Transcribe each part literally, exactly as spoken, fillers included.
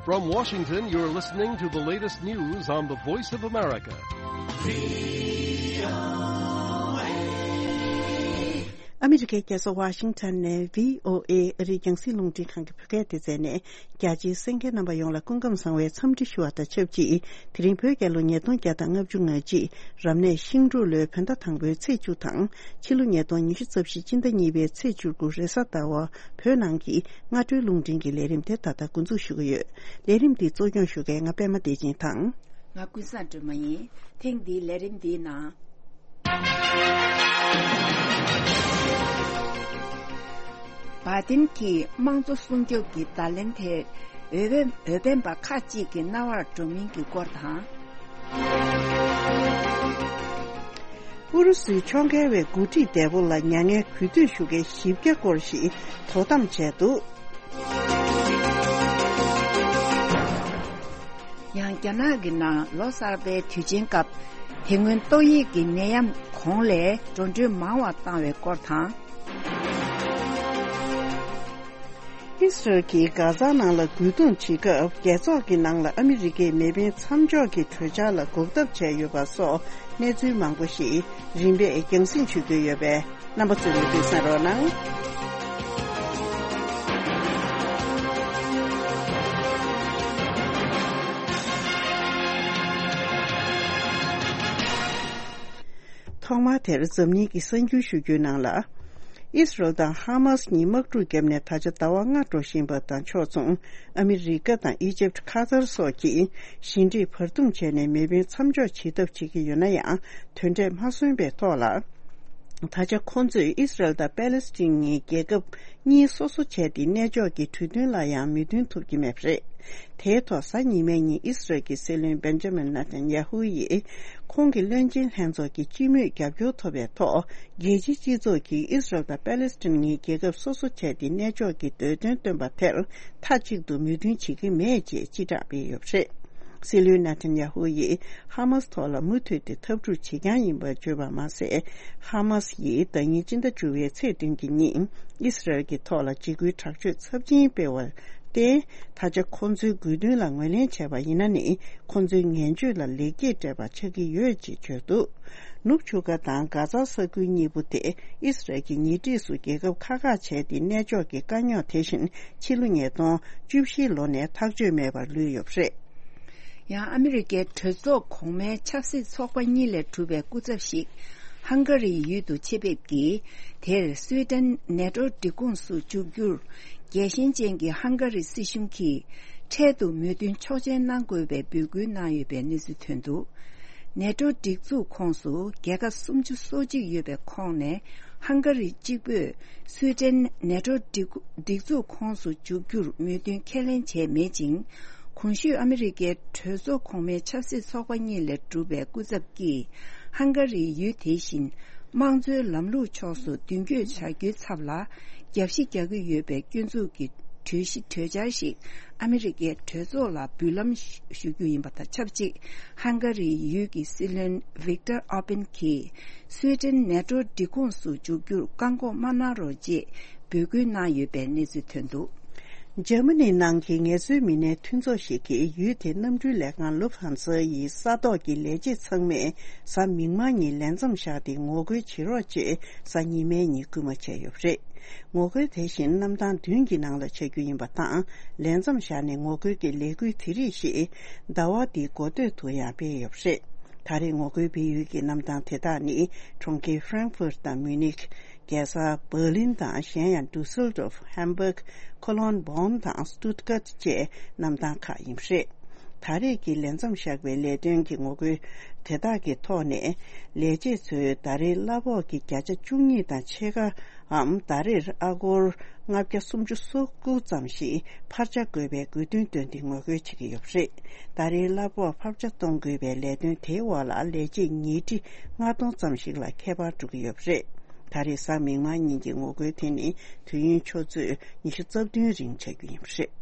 From Washington, you're listening to the latest news on the Voice of America. ཨ་མི་རི་ཀའི་རྒྱལ་ས་ཝ་ཤིང་ཊོན་ནས་བྷི་ཨོ་ཨེ་ཨ་རིའི་རྒྱང་སྲིང་རླུང་འཕྲིན་ཁང་གི་བོད་སྐད་སྡེ་ཚན་ནས། རྒྱ་ཆེའི་གསན་མཁན་རྣམ་པ་ཡོངས་ལ་སྐུ་ཁམས་བཟང་བའི་འཚམས་འདྲི་ཞུ་བ་དང་ཆབས་ཅིག་དེ་རིང་བོད་རྒྱལ་ལོ་ཉིས་སྟོང་བརྒྱ་དང་ལྔ་བཅུ་ང་གཅིག་རབ་གནས་ཤིང་འབྲུག་ལོའི་བོད་ཟླ་དང་པོའི་ཚེས་བཅུ་དང་། ཕྱི་ལོ་ཉིས་སྟོང་ཉི་ཤུ་རྩ་བཞི་སྤྱི་ཟླ་གཉིས་པའི་ཚེས་བཅུ་དགུ་རེས་གཟའ་ཟླ་བ་བོད་ནང་གི་སྔ་དྲོའི་རླུང་འཕྲིན་གྱི་ལས་རིམ་དེ་ད་ལྟ་འགོ་འཛུགས་ཞུ་གི་ཡོད། ལས་རིམ་འདི་གཙོ་སྐྱོང་ཞུ་མཁན་ང་པད་མ་བདེ་ཆེན་དང་། ང་ཀུན་བཟང་སྒྲོལ་མ་ཡིན། ཐེངས་འདིའི་ལས་རིམ་འདིའི་ནང་། བྷའི་ཏིན་གྱིས་དམངས་གཙོ་སྲུང་སྐྱོབ་ཀྱི་བརྡ་ལན་དེ་འོས་འཕེན་འོས་འཕེན་པ་ཁག་ཅིག་གི་རྣ་བར་འགྲོ་མིན་གྱི་སྐོར་དང་། ཨུ་རུ་སུའི་ཕྱོགས་འགལ་བའི་འགོ་ཁྲིད་འདས་པོ་ལ་མྱ་ངན་གུས་འདུད་ཞུ་མཁན་བཞི་བརྒྱ་སྐོར་ཞིག་དོ་དམ་བྱས་འདུག་ཡང་རྒྱ་ནག་གི་ནང་ལོ་གསར་པའི་དུས་ཆེན་སྐབས་དེ་སྔོན་ཏོག་དབྱིབས་ཀྱི་ནད་ཡམས་གོང་ལས་འགྲོ་གྲོན་མང་བ་བཏང་བའི་སྐོར་དང་། ཨིས་རལ་གྱིས་གྷ་ཛ་ནང་ལ་རྒོལ་རྡུང་བྱེད་སྐབས་རྒྱལ་ཚོགས་ཀྱི་ནང་ལ་ཨ་མི་རི་ཀའི་མེ་འཕེན་མཚམས་འཇོག་གི་གྲོས་འཆར་ལ་འགོག་ཐབས་བྱས་ཡོད་པ་སོགས་གནས་ཚུལ་མང་པོ་ཞིག་རིམ་པས་རྒྱང་སྲིང་ཞུ་རྒྱུ་ཡོད་པས། རྣམ་པ་ཚོས་མུ་མཐུད་གསན་རོགས་གནང་། ཐོག་མར་དེར་འཛམ་གླིང་གི་གསར་འགྱུར་ཞུ་རྒྱུའི་ནང་ལ། ཨིས་རལ་དང་ཧ་མཱས་གཉིས་དམག་འཁྲུག་བརྒྱབ་ནས་ད་ཆ་ཟླ་བ་ལྔ་འགྲོ་བཞིན་པ་དང་ཕྱོགས་མཚུངས། ཨ་མི་རི་ཀ་དང་ཨི་ཇིབ་ཁ་ཐར་སོགས་ཀྱིས་ཞི་འགྲིག་བར་འདུམ་བྱས་ནས་མེ་འཕེན་མཚམས་འཇོག་བྱེད་ཐབས་བྱེད་ཀྱི་ཡོད་ན་ཡང་། དོན་འབྲས་མ་སོན་པའི་ཐོག་ལ། ད་ཆ་ཁོང་ཚོས་ཨིས་རལ་དང་པེ་ལེ་སི་ཐན་གཉིས་རྒྱལ་ཁབ་གཉིས་སོ་སོ་བྱས་ཏེ་གནས་འཇོག་གི་གྲོས་མཐུན་ལ་ཡང་མོས་མཐུན་ཐུབ་ཀྱི་མེད་པ་རེད། དེའི་ཐོག་གཟའ་ཉི་མའི་ཉིན་ཨིས་རལ་གྱི་སྲིད་བློན་བེན་ཇ་མིན་ནེ་ཐན་ཡ་ཧུ་ཡིས་ཁོང་གི་བློན་ཆེན་ལྷན་ཚོགས་ཀྱི་སྤྱི་མོས་རྒྱབ་སྐྱོར་ཐོབ་པའི་ཐོག་རྒྱལ་སྤྱིའི་སྤྱི་ཚོགས་ཀྱིས་ཨིས་རལ་དང་པེ་ལེ་སི་ཐན་གཉིས་རྒྱལ་ཁབ་སོ་སོ་བྱས་ཏེ་གནས་འཇོག་གི་འདོད་དོན་བཏོན་པ་དེར་མཐའ་གཅིག་ཏུ་མོས་མཐུན་བྱེད་ཀྱི་མེད་ཅེས་སྤྱི་བསྒྲགས་སྤེལ་ཡོད་པ་རེད། སྲིད་བློན་ནེ་ཐན་ཡ་ཧུ་ཡིས་ཧ་མཱས་ཐོག་ལ་མུ་མཐུད་དེ་འཐབ་འཁྲུག་བྱེད་རྐྱང་ཡིན་པར་བརྗོད་པ་མ་ཟད། ཧ་མཱས་ཡིས་ཟླ་ཉིན་སྤྱི་ཟླ་བཅུ་པའི་ཚེས་བདུན་གྱི་ཉིན་ཨིས་རལ་གྱི་ཐོག་ལ་འཇིགས་སྐུལ་དྲག་སྤྱོད་ཚབས་ཆེན་སྤེལ་བར་བརྟེན། ད་ཆ་ཁོང་ཚོའི་དགོས་འདུན་ལ་ངོས་ལེན་བྱས་པ་ཡིན་ན་ནི། ཁོང་ཚོའི་ངན་སྤྱོད་ལ་ལེགས་སྐྱེས་སྤྲད་པ་ཆགས་ཀྱི་ཡོད་ཅེས་བརྗོད་འདུག་ནུབ་ཆུ་ཁ་དང་གྷ་ཛ་ས་ཁུལ་གཉིས་པོ་དེ་ཨིས་རལ་གྱི་ཉེ་འཁྲིས་སུ་རྒྱལ་ཁབ་ཁག་ཁག་བྱས་ཏེ་གནས་འཇོག་གི་དཀའ་རྙོག་དེ་བཞིན་ཕྱི་ལོ་ཉིས་སྟོང་བཅུ་བཞི་ལོ་ནས་ཐག་གཅོད་མེད་པར་ལུས་ཡོད་པ་རེད། ཡང་ཨ་མི་རི་ཀའི་གྲོས་ཚོགས་གོང་མའི་ཆབ་སྲིད་ཚོགས་པ་གཉིས་ལས་གྲུབ་པའི་སྐུ་ཚབ་ཞིག་ཧང་ག་རིའི་ཡུལ་དུ་ཆེད་ཕེབས་ཀྱིས། དེར་སུའེ་ཏེན་ནེ་ཏོ་སྒྲིག་ཁོངས་སུ་འཇུག་རྒྱུར་རྒྱལ་ཞེན་ཅན་གྱི་ཧང་ག་རི་སྲིད་གཞུང་གིས་འཕྲལ་དུ་མོས་མཐུན་ཆོག་མཆན་གནང་དགོས་པའི་འབོད་སྐུལ་གནང་ཡོད་པའི་གནས་ཚུལ་ཐོན་འདུག་ནེ་ཏོ་སྒྲིག་འཛུགས་ཁོངས་སུ་རྒྱལ་ཁབ་སུམ་ཅུ་སོ་གཅིག་ཡོད་པའི་ཁོངས་ནས་ཧང་ག་རི་གཅིག་པུས་སུའེ་ཏེན་ནེ་ཏོ་སྒྲིག་སྒྲིག་འཛུགས་ཁོངས་སུ་འཇུག་རྒྱུར་མོས་མཐུན་ཁས་ལེན་བྱས་མེད་ཅིང་། གོང་ཞུས་ཨ་མི་རི་ཀའི་གྲོས་ཚོགས་གོང་མའི་ཆབ་སྲིད་ཚོགས་པ་གཉིས་ལས་གྲུབ་པའི་སྐུ་ཚབ་ཀྱིས་ཧང་ག་རིའི་ཡུལ་དེ་བཞིན་དམངས་གཙོའི་ལམ་ལུགས་ཕྱོགས་སུ་མདུན་སྐྱོད་བྱ་རྒྱུའི་ཚབ་ལ་རྒྱབ་བཤིག་རྒྱག་གི་ཡོད་པའི་སྐྱོན་འཛུགས་ཀྱི་གྲོས་གཞི་གྲོས་འཆར་ཞིག་ཨ་མི་རི་ཀའི་གྲོས་ཚོགས་ལ་འབུལ་ལམ་ཞུ་རྒྱུ་ཡིན་པ་དང་ཆབས་ཅིག་ཧང་ག་རིའི་ཡུལ་གྱི་སྲིད་བློན་ཝིག་ཏར་ཨོར་བན་གྱིས་སུའེ་ཏེན་ནེ་ཏོ་སྒྲིག་ཁོངས་སུ་འཇུག་རྒྱུར་བཀག་འགོག་མ་གནང་རོགས་ཅེས་འབོད་སྐུལ་གནང་ཡོད་པའི་གནས་ཚུལ་ཐོན་འདུག་འཇར་མ་ནི་ནང་གི་ངལ་རྩོལ་མི་སྣའི་མཐུན་ཚོགས་ཤིག་གིས་ཡུལ་དེའི་གནམ་གྲུའི་ལས་ཁང་ལུབ་ཧན་ས་ཡི་ས་ཐོག་གི་ལས་བྱེད་ཚང་མས་གཟའ་མིག་དམར་ཉིན་ལས་མཚམས་བཞག་སྟེ་ངོ་རྒོལ་བྱེད་རོགས་ཅེས་གཟའ་ཉི་མའི་ཉིན་སྐུལ་མ་བྱས་ཡོད་པ་རེད། ངོ་རྒོལ་དེ་བཞིན་གནམ་ཐང་བདུན་གྱི་ནང་ལ་བྱ་རྒྱུ་ཡིན་པ་དང་། ལས་མཚམས་བཞག་ནས་ངོ་རྒོལ་གྱི་ལས་འགུལ་དེ་རིགས་ཤིག་ཟླ་བ་འདིའི་འགོ་སྟོད་དུ་ཡང་སྤེལ་ཡོད་པ་རེད། ད་རེས་ངོ་རྒོལ་སྤེལ་ཡུལ་གྱི་གནམ་ཐང་དེ་དག་ནི་གྲོང་ཁྱེར་ཧྥ་རན་ཧྥུར་དང་མུ་ནིག་རྒྱལ་ས་འབར་ལིན་དང་། གཞན་ཡང་ཌུ་སེལ་ཌོརཕ། ཧམ་སྦུག་ཁོ་ལོན། བོན་དང་སྟུད་གྷར་བཅས་གནམ་ཐང་ཁག་ཡིན་པ་རེད། ད་རེས་ཀྱི་ལས་མཚམས་བཞག་པའི་ལས་དོན་གྱི་ངོ་རྒོལ་དེ་དག་གི་ཐོག་ནས། ལས་བྱེད་ཚོས་ད་རེས་གླ་ཕོགས་ཀྱི་བརྒྱ་ཆ་བཅུ་གཉིས་དང་ཕྱེད་ཀའམ། ད་རེས་ཨ་སྒོར་ལྔ་བརྒྱ་སུམ་ཅུ་སོ་དགུ་ཙམ་ཞིག་འཕར་ཆ་དགོས་པའི་དགོས་འདུན་བཏོན་ཏེ་ངོ་རྒོལ་བྱེད་ཀྱི་ཡོད་པ་རེད། ད་རེས་གླ་ཕོགས་འཕར་ཆ་གཏོང་དགོས་པའི་ལས་དོན་དེའི་འོག་ལ་ལས་བྱེད་ཉིས་ཁྲི་ལྔ་སྟོང་ཙམ་ཞིག་ལ་ཁྱད་པར་འགྲོ་གི་ཡོད་པ་རེད། ད་རེས་གཟའ་མིག་དམར་ཉིན་གྱི་ངོ་རྒོལ་དེ་ནི་དུས་ཡུན་ཆུ་ཚོད་ཉི་ཤུ་རྩ་བདུན་རིང་ཆགས་རྒྱུ་ཡིན་པ་རེད།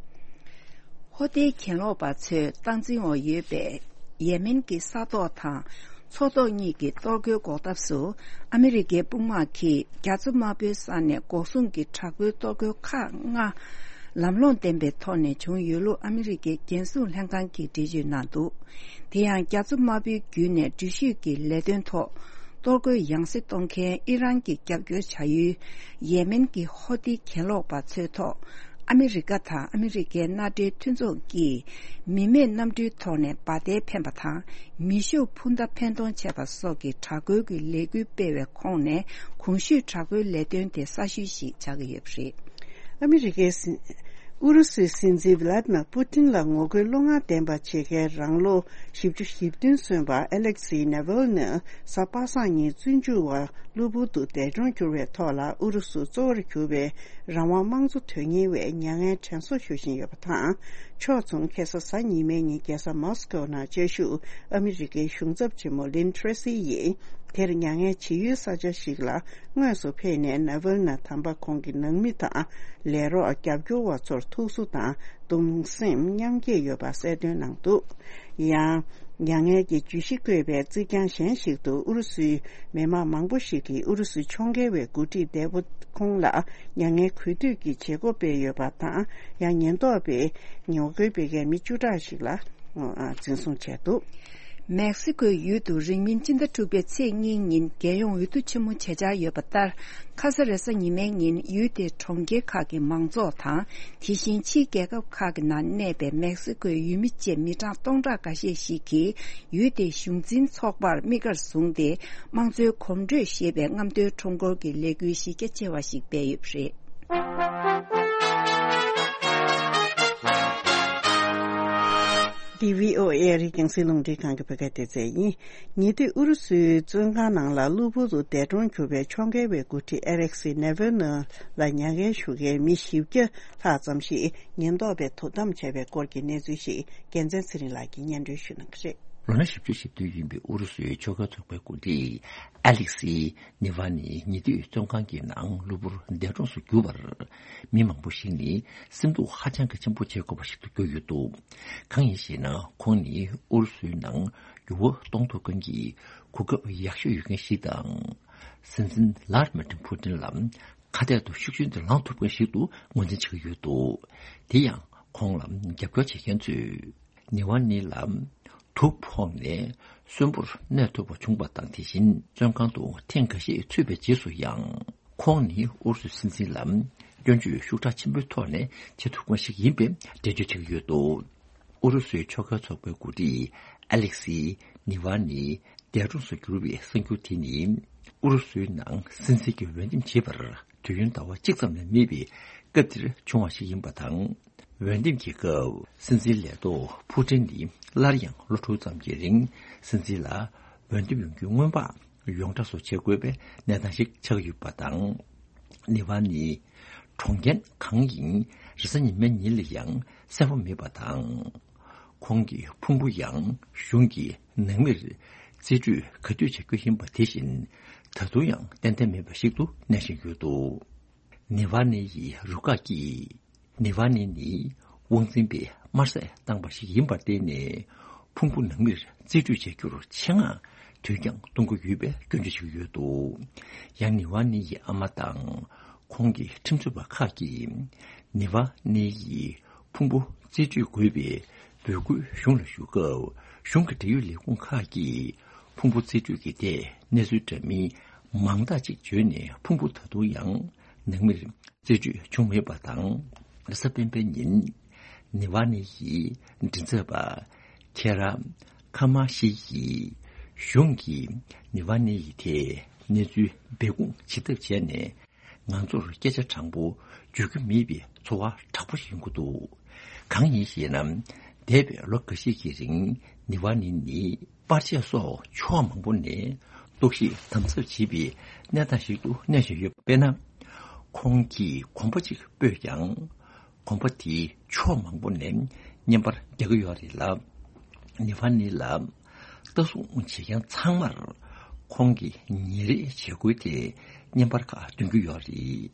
ཧོ་ཏིའི་གྱེན་ལོག་པ་ཚོས་སྟངས་འཛིན་འོག་ཡོད་པའི་ཡེ་མེན་གྱི་ས་ཐོག་དང་མཚོ་ཐོག་གཉིས་ཀྱི་གཏོར་རྒོལ་འགོག་ཐབས་སུ་ཨ་མི་རི་ཀའི་དཔུང་དམག་གིས་རྒྱ་མཚོ་དམར་པོའི་ས་ནས་འགོག་སྲུང་གི་དྲག་པོའི་གཏོར་རྒོལ་ཁག་ལྔ་ ལམ་ལྷོང་ལྡན་པའི་ཐོག་ནས་བྱུང་ཡོད་ལུགས་ཨ་མི་རི་ཀའི་རྒྱལ་སྲུང་ལྷན་ཁང་གིས་འགྲེལ་བརྗོད་གནང་འདུག་དེ་ཡང་རྒྱ་མཚོ་དམར་པོའི་བརྒྱུད་ནས་འགྲུལ་བཞུད་ཀྱི་ལས་དོན་ཐོག་གཏོར་རྒོལ་ཡང་སེ་གཏོང་མཁན་ཨི་རན་གྱི་རྒྱབ་སྐྱོར་བྱ་ཡུལ་ཡེ་མེན་གྱི་ཧོ་ཏི་གྱེན་ལོག་པ་ཚོའི་ཐོག་ཨ་མི་རི་ཀ་དང་ཨ་མི་རི་ཀའི་མནའ་འབྲེལ་མཐུན་ཚོགས་ཀྱིས་མི་མེད་གནམ་གྲུའི་ཐོག་ནས་འབར་མདེལ་འཕེན་པ་དང་མེ་ཤུགས་འཕུར་མདའ་འཕེན་གཏོང་བྱས་པ་སོགས་ཀྱི་དྲག་རྒོལ་གྱི་ལས་འགུལ་སྤེལ་བའི་ཁོངས་ནས་གོང་ཞུས་དྲག་རྒོལ་ལས་དོན་དེ་གསར་ཤོས་ཤིག་ཆགས་ཀྱི་ཡོད་པ་རེད། ཨ་མི་རི་ཀའི་སྲིད། ཨུ་རུ་སུའི་སྲིད་འཛིན་ཝི་ལ་ཏི་མར་པུ་ཏིན་ལ་ངོ་རྒོལ་བློ་ངར་ལྡན་པ་བྱེད་མཁན་རང་ལོ་བཞི་བཅུ་ཞེ་བདུན་སོན་པ་ཨ་ལེག་སི་ནེ་ཝལ་ནི་གཟའ་པ་སངས་ཉིན་བཙོན་འཇུག་པ་གློ་བུར་དུ་འདས་གྲོངས་གྱུར་བའི་ཐོག་ལ་ཨུ་རུ་སུ་གཙོ་བོར་གྱུར་པའི་རང་དབང་དམངས་གཙོ་དོན་གཉེར་བས་མྱ་ངན་དྲན་གསོ་ཞུ་བཞིན་ཡོད་པ་དང་། ཕྱོགས་མཚུངས་ཁ་སང་གཟའ་ཉི་མའི་ཉིན་རྒྱལ་ས་མོ་སི་ཀོ་ནང་བཅའ་བཞུགས་ཨ་མི་རི་ཀའི་གཞུང་ཚབ་ཆེན་མོ་ལིན་ཁྲེ་སི་ཡིས་དེར་མྱ་ངན་བྱེད་ཡུལ་ས་ཆ་ཞིག་ལ་དངོས་སུ་ཕེབས་ནས་ནེ་ཝལ་ནི་དམ་པ་ཁོང་གི་ནང་མི་དང་ལས་རོགས་རྒྱབ་སྐྱོར་བ་ཚོར་ཐུགས་གསོ་དང་གདུང་སེམས་མཉམ་སྐྱེད་ཡོད་པ་གསལ་སྟོན་གནང་འདུག་ཡང་། མྱ་ངན་གྱི་བརྗོད་གཞི་བཀོད་པའི་རྩིག་གྱང་གཞན་ཞིག་ཏུ་ཨུ་རུ་སུའི་མི་མང་མང་པོ་ཞིག་གིས་ཨུ་རུ་སུའི་ཕྱོགས་འགལ་བའི་འགོ་ཁྲིད་འདས་པོ་ཁོང་ལ་མྱ་ངན་གུས་འདུད་ཀྱི་བྱེད་སྒོ་སྤེལ་ཡོད་པ་དང་། ཡང་ཉེན་རྟོག་པས་ངོ་རྒོལ་སྤེལ་མཁན་མི་བཅུ་ཕྲག་ཞིག་ལ་འཛིན་བཟུང་བྱས་འདུག་མེག་སི་ཀོའི་ཡུལ་དུ་རིང་མིན་སྤྱི་ཟླ་དྲུག་པའི་ཚེས་གཉིས་ཉིན་རྒྱལ་ཡོངས་འོས་བསྡུ་ཆེན་མོ་བྱེད་འཆར་ཡོད་པ་ལྟར། ཁ་ས་རེས་གཟའ་ཉི་མའི་ཉིན་ཡུལ་དེའི་གྲོང་ཁྱེར་ཁག་གི་མང་ཚོགས་དང་། དེ་བཞིན་ཕྱིའི་རྒྱལ་ཁབ་ཁག་གི་ནང་གནས་པའི་མེག་སི་ཀོའི་ཡུལ་མི་བཅས་མི་གྲངས་སྟོང་ཕྲག་འགའ་ཤས་ཤིག་གིས་ཡུལ་དེའི་གཞུང་འཛིན་ཚོགས་པར་དམིགས་བཀར་བཟུང་སྟེ། དམངས་གཙོའི་གོམ་བགྲོད་ཞེས་པའི་རྔམ་སྟོན་ཁྲོམ་སྐོར་གྱི་ལས་འགུལ་གཞི་རྒྱ་ཆེ་བ་ཞིག་སྤེལ་ཡོད་པ་རེད། འདི་བྷི་ཨོ་ཨེ་རེད། རྒྱང་སྲིང་རླུང་འཕྲིན་ཁང་གི་བོད་སྐད་སྡེ་ཚན་ཡིན། ཉེ་དུས་ཨུ་རུ་སུའི་བཙོན་ཁང་ནང་ལ་གློ་བུར་དུ་འདས་གྲོངས་གྱུར་པའི་ཕྱོགས་འགལ་བའི་འགོ་ཁྲིད་ཨེ་ལེག་སི་ནེ་ཝལ་ནི་ལ་མྱ་ངན་ཞུ་མཁན་མི་བཞི་བརྒྱ་ལྷག་ཙམ་ཞིག་ཉེན་རྟོག་པས་དོ་དམ་བྱས་པའི་སྐོར་གྱི་གནས་ཚུལ་ཞིག་རྒྱལ་མཚན་ཚེ་རིང་ལགས་ཀྱིས་སྙན་སྒྲོན་ཞུ་གནང་གི་རེད། ལོ་ན་བཞི་བཅུ་ཞེ་བདུན་ཡིན་པའི་ཨུ་རུ་སུའི་ཆོལ་ཁ་ཚོགས་པའི་འགོ་ཁྲིད་ཨ་ལེག་སི་ནི་ཝ་ནི་ཉེ་དུས་བཙོན་ཁང་གི་ནང་གློ་བུར་འདས་གྲོངས་སུ་གྱུར་བར། མི་མང་པོ་ཞིག་ནི་སེམས་སྡུག་ཧ་ཅང་གི་ཆེན་པོ་བྱེད་དགོས་པ་ཞིག་ཏུ་གྱུར་ཡོད་འདུག་གང་ཡིན་ཞེ་ན། ཁོང་ནི་ཨུ་རུ་སུའི་ནང་འགྱུར་བ་གཏོང་ཐུབ་མཁན་གྱི་གོ་སྐབས་ཡག་ཤོས་ཡོད་མཁན་ཞིག་དང་། སྲིད་འཛིན་ལར་མ་ཏིན་ཕུ་ཏིན་ལ་ཁ་གཏད་དུ་ཤུགས་ཆེན་དུ་ལངས་ཐུབ་མཁན་ཞིག་ཏུ་ངོས་འཛིན་བྱེད་ཀྱི་ཡོད་འདུག་དེ་ཡང་ཁོང་ལ་རྒྱབ་སྐྱོར་བྱེད་མཁན་ཚོས། ནི་ཝ་ནི་ལ་དུག་ཕོག་ནས་གསོན་པོར་གནས་ཐུབ་པ་བྱུང་བ་དང་། དེ་བཞིན་བཙོན་ཁང་དུ་ཐེངས་འགའ་ཤས་ཚུད་པའི་རྗེས་སུ་ཡང་། ཁོང་ནི་ཨུ་རུ་སུའི་སྲིད་འཛིན་ལ་སྐྱོན་བརྗོད་ཤུགས་དྲག་ཆེན་པོའི་ཐོག་ནས་བྱེད་ཐུབ་མཁན་ཞིག་ཡིན་པའི་འགྲེལ་བརྗོད་བྱེད་ཀྱི་ཡོད་འདུག་ཨུ་རུ་སུའི་ཆོལ་ཁའི་ཚོགས་པའི་འགོ་ཁྲིད་ཨ་ལེག་སི་ནི་ཝ་ནི་འདས་གྲོངས་སུ་གྱུར་བའི་གསར་འགྱུར་དེ་ནི། ཨུ་རུ་སུའི་ནང་སྲིད་འཛིན་གྱི་འོས་འདེམས་བྱེད་པར་དུས་ཡུན་ཟླ་བ་གཅིག་ཙམ་ལས་མེད་པའི་སྐབས་འདིར་བྱུང་བ་ཞིག་ཡིན་པ་དང་། འོས་འདེམས་ཀྱི་སྐབས་སྲིད་འཛིན་ལས་ཐོག་ཕུ་ཏིན་ནི་སླར་ཡང་ལོ་དྲུག་ཙམ་གྱི་རིང་སྲིད་འཛིན་ལ་འོས་འདེམས་ཡོང་རྒྱུའི་སྔོན་དཔག་ཡོངས་གྲགས་སུ་བྱེད་དགོས་པའི་གནས་སྟངས་ཤིག་ཆགས་ཡོད་པ་དང་། ནི་ཝ་ནི་གྲོངས་རྐྱེན་གང་ཡིན་རེས་གཟའ་ཉི་མའི་ཉིན་ལ་ཡང་གསལ་པོ་མེད་པ་དང་། ཁོང་གི་ཕུང་པོ་ཡང་གཞུང་གི་ནང་མིར་རྩིས་སྤྲོད་ག་དུས་བྱ་རྒྱུ་ཡིན་པ་དེ་བཞིན་ད་དུང་ཡང་ཏན་ཏན་མེད་པ་ཞིག་ཏུ་གནས་བཞིན་ཡོད་འདུག་ནི་ཝ་ནི་ཡི་རུ་ཁག་གིས་ནི་ཝ་ནི་ནི་དབང་འཛིན་པས་དམར་གསོད་བཏང་པ་ཞིག་ཡིན་པར་བརྟེན་ནས་ཕུང་པོ་ནང་མིར་རྩིས་སྤྲོད་བྱ་རྒྱུར་ཆེད་མངགས་དུས་འགྱངས་གཏོང་གི་ཡོད་པའི་སྐྱོན་བརྗོད་བྱེད་ཀྱི་ཡོད་འདུག་ཡང་ནི་ཝ་ནི་ཡི་ཨ་མ་དང་ཁོང་གི་ཁྲིམས་རྩོད་པ་ཁག་གིས་ནི་ཝ་ནི་ཡི་ཕུང་པོ་རྩིས་སྤྲོད་དགོས་པའི་འབོད་སྐུལ་གཞུང་ལ་ཞུ་སྐབས་གཞུང་གི་འབྲེལ་ཡོད་ལས་ཁུངས་ཁག་གིས་ཕུང་པོ་རྩིས་སྤྲོད་ཀྱི་ཐད་གནས་ཚུལ་འདྲ་མིན་མང་དག་ཅིག་བརྗོད་ནས་ཕུང་པོ་ད་དུང་ཡང་ནང་མིར་རྩིས་སྤྲོད་བྱུང་མེད་པ་དང་། རེས་གཟའ་སྤེན་པའི་ཉིན་ནི་ཝ་ནི་ཡི་མགྲིན་ཚབ་པ་ཁེ་ར་ཁ་མ་ཤི་ཡིས་གཞུང་གིས་ནི་ཝ་ནི་ཡི་ཐད་གནས་ཚུལ་སྦས་སྐུང་བྱེད་ཐབས་བྱས་ནས། ང་ཚོར་སྐད་ཆ་དྲང་པོ་བརྗོད་རྒྱུ་མེད་པའི་ཚོར་བ་དྲག་པོ་ཞིག་ཡོང་གི་འདུག་གང་ཡིན་ཞེ་ན། འདས་པའི་ལོ་འགའ་ཤས་ཀྱི་རིང་ནི་ཝ་ནི་ནི་པར་ཆས་སོགས་ཕྱོགས་མང་པོ་ནས་གཏོར་བཤིག་དམ་ཟབ་བྱེད་པའི་གནས་སྟངས་ཤིག་ཏུ་གནས་བཞིན་ཡོད། དཔེར་ན། ཁོང་གིས་གོམ་པ་གཅིག་སྤོས་ཀྱང་། གོམ་པ་དེའི་ཕྱོགས་མང་པོ་ནས་བརྙན་པར་རྒྱག་གི་ཡོད་རེད་ལ། ནི་ཝ་ནི་ལ་ལྟ་སྲུང་བྱེད་མཁན་ཚང་མར་ཁོང་གི་ཉིན་རེའི་བྱེད་སྒོའི་ཐད་བརྙན་པར་ཁག་འདོན་གྱི་ཡོད་རེད།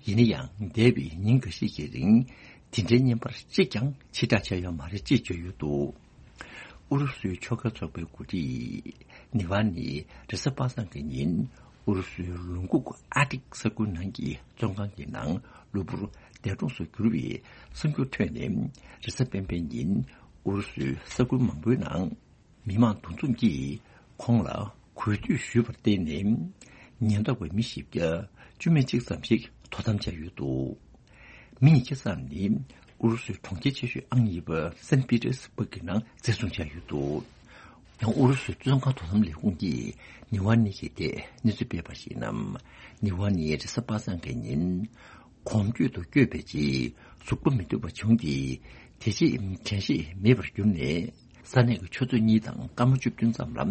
ཡིན་ན་ཡང་འདས་པའི་ཉིན་འགའ་ཤས་ཀྱི་རིང་དེ་འདྲའི་བརྙན་པར་གཅིག་ཀྱང་ཕྱིར་བསྒྲགས་བྱས་ཡོད་མ་རེད་ཅེས་བརྗོད་ཡོད་འདུག་ཨུ་རུ་སུའི་ཆོལ་ཁ་ཚོགས་པའི་འགོ་ཁྲིད་ནི་ཝ་ནི་རེས་གཟའ་པ་སངས་ཀྱི་ཉིན་ ཨུ་རུ་སུའི་ལུང་ཁུག་ཨར་ཀི་ཊིག་ས་ཁུལ་ནང་གི་བཙོན་ཁང་གི་ནང་གློ་བུར་འདས་གྲོངས་སུ་གྱུར་བའི་གསར་འགྱུར་ཐོན་ནས། རེས་གཟའ་སྤེན་པའི་ཉིན་ཨུ་རུ་སུའི་ས་ཁུལ་མང་པོའི་ནང་མི་མང་འདུ་འཛོམས་ཀྱིས་ཁོང་ལ་གུས་འདུད་ཞུས་པར་བརྟེན་ནས། ཉེན་རྟོག་པའི་མི་བཞི་བརྒྱ་བཅུ་མེད་གཅིག་ཙམ་ཞིག་དོ་དམ་བྱས་ཡོད་འདུག་མི་ཉིས་བརྒྱ་ཙམ་ནི་ཨུ་རུ་སུའི་གྲོང་ཁྱེར་ཆེ་ཤོས་ཨང་གཉིས་པ་སན་པི་ཏེར་སི་སྦུག་གི་ནང་འཛིན་བཟུང་བྱས་ཡོད་འདུག་ཡང་ཨུ་རུ་སུའི་བཙོན་ཁང་དོ་དམ་ལས་ཁུངས་ཀྱིས་ནི་ཝ་ནི་ཡི་ཐད་གནས་ཚུལ་སྤེལ་བར་གཞིགས་ན། ནི་ཝ་ནི་རེས་གཟའ་པ་སངས་ཀྱི་ཉིན་གོམ་བགྲོད་དུ་བསྐྱོད་པའི་རྗེས་གཟུགས་པོ་མི་འདུག་པ་བྱུང་སྟེ། དེ་རྗེས་དྲན་ཤེས་མེད་པར་གྱུར་ནས། ས་གནས་ཀྱི་ཆུ་ཚོད་གཉིས་དང་སྐར་མ་བཅུ་བདུན་ཙམ་ལ་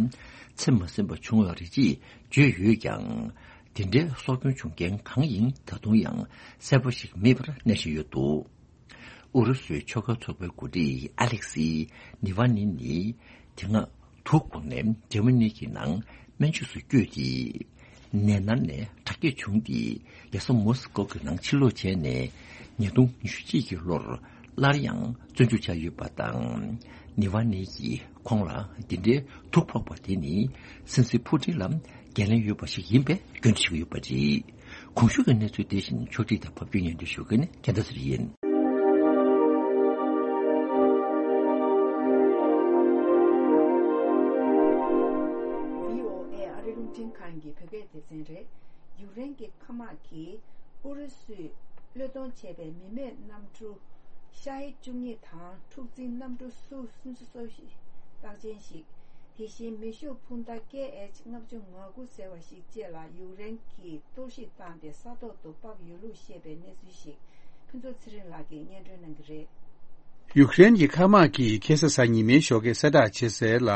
ཚེ་མ་ཟིན་པ་བྱུང་བ་རེད་ཅེས་བརྗོད་ཡོད་ཀྱང་། དེ་འདྲའི་སྲོག་སྐྱོན་བྱུང་རྐྱེན་གང་ཡིན་ད་དུང་ཡང་གསལ་པོ་ཞིག་མེད་པར་གནས་བཞིན་ཡོད་འདུག་ཨུ་རུ་སུའི་ཆོས་ཁ་ཚོགས་པའི་འགོ་ཁྲིད་ཨ་ལེག་སི་ནི་ཝ་ནི་ནི་དེ་སྔ་དུག་འཐུང་ནས་འཇར་མ་ནི་གི་ནང་སྨན་བཅོས་སུ་བསྐྱོད་དེ། ནད་མནར་ནས་དྲག་སྐྱེད་བྱུང་སྟེ། རྒྱལ་ས་མོ་སི་ཀོ་གི་ནང་ཕྱིར་ལོག་བྱས་ནས། ཉིས་སྟོང་ཉི་ཤུ་གཅིག་གི་ལོར་སླར་ཡང་བཙོན་འཇུག་བྱས་ཡོད་པ་དང་། ནི་ཝ་ནི་གིས་ཁོང་ལ་འདི་འདྲའི་དུག་ཕོག་པ་དེ་ནི་སྲིད་འཛིན་ཕུ་ཏིན་ལ་འགན་ལེན་ཡོད་པ་ཞིག་ཡིན་པའི་སྐྱོན་བརྗོད་བྱེད་ཀྱི་ཡོད་པ་རེད། གོང་ཞུས་ཀྱི་གནས་ཚུལ་དེ་བཞིན་ཕྱོགས་སྒྲིག་དང་ཕབ་སྒྱུར་སྙན་སྒྲོན་ཞུ་མཁན་ནི་རྒྱལ་མཚན་ཟེར་ཡིན། བྷི་ཨོ་ཨེ་ཨ་རི་རླུང་འཕྲིན་ཁང་གི་བོད་སྐད་སྡེ་ཚན་རེད། ཡུཀ་རེན་གྱི་མཁའ་དམག་གིས་ཨུ་རུ་སུས་བློས་གཏོང་བྱས་པའི་མི་མེད་གནམ་གྲུ་ཤ་ཧིད་བཅུ་གཉིས་དང་འཁྲུག་འཛིང་གནམ་གྲུ་སུ་སུམ་ཅུ་སོ་བཞི་རྟགས་ཅན་ཞིག་དེ་བཞིན་མེ་ཤུགས་འཕུར་མདའ་ཀེ་ཨེཆ་ལྔ་བཅུ་ང་དགུ་ཟེར་བ་ཞིག་བཅས་ལ་ཡུཀ་རེན་གྱིས་གཏོར་བཤིག་བཏང་སྟེ་ས་ཐོག་ཏུ་ཕབ་ཡོད་ལུགས་བཤད་པའི་གནས་ཚུལ་ཞིག་ཕུན་ཚོགས་ཚེ་རིང་ལགས་ཀྱིས་སྙན་སྒྲོན་གནང་གི་རེད། ཡུཀ་རེན་གྱི་མཁའ་དམག་གིས་ཁ་སང་གཟའ་ཉི་མའི་ཞོགས་ཀས་གསལ་བསྒྲགས་བྱས་གསལ་ལ།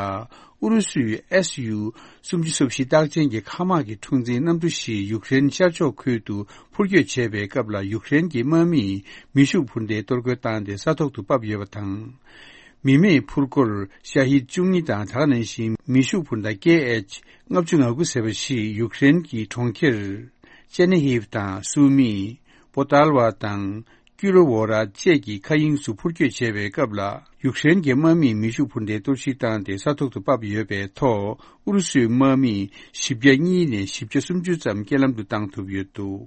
ཨུ་རུ་སུའི་ཨེས་ཡུ་སུམ་ཅུ་སོ་བཞི་རྟགས་ཅན་གྱི་མཁའ་དམག་གི་འཁྲུག་འཛིང་གནམ་གྲུ་ཞིག་ཡུཀ་རེན་ཤར་ཕྱོགས་ཁུལ་དུ་འཕུར་སྐྱོད་བྱས་པའི་སྐབས་ལ། ཡུཀ་རེན་གྱི་དམག་མིས་མེ་ཤུགས་འཕུར་མདའི་གཏོར་རྒོལ་བཏང་སྟེ་ས་ཐོག་ཏུ་ཕབ་ཡོད་པ་དང་། མི་མེད་འཕུར་འཁོར་ཤ་ཧིད་བཅུ་གཉིས་དང་། དེ་ག་ནང་བཞིན་མེ་ཤུགས་འཕུར་མདའ་ཀེ་ཨེཆ་ལྔ་བཅུ་ང་དགུ་ཟེར་བ་ཞིག་ཡུཀ་རེན་གྱི་གྲོང་ཁྱེར་ཅེ་ནེ་ཧིབ་དང་སུ་མི། པོ་ཏཱལ་ཝ་དང་། ཀུ་རོ་ཝོ་ར་བཅས་ཀྱི་མཁའ་དབྱིངས་སུ་འཕུར་སྐྱོད་བྱས་པའི་སྐབས་ལ། ཡུཀ་རེན་གྱི་དམག་མིས་མེ་ཤུགས་འཕུར་མདའི་གཏོར་བཤིག་བཏང་སྟེ་ས་ཐོག་ཏུ་ཕབ་ཡོད་པའི་ཐོག་ཨུ་རུ་སུའི་དམག་མིས་བཞི་བརྒྱ་གཉིས་ནས་བཞི་བརྒྱ་སུམ་ཅུ་ཙམ་རྐྱེན་ལམ་དུ་བཏང་ཐུབ་ཡོད་འདུག་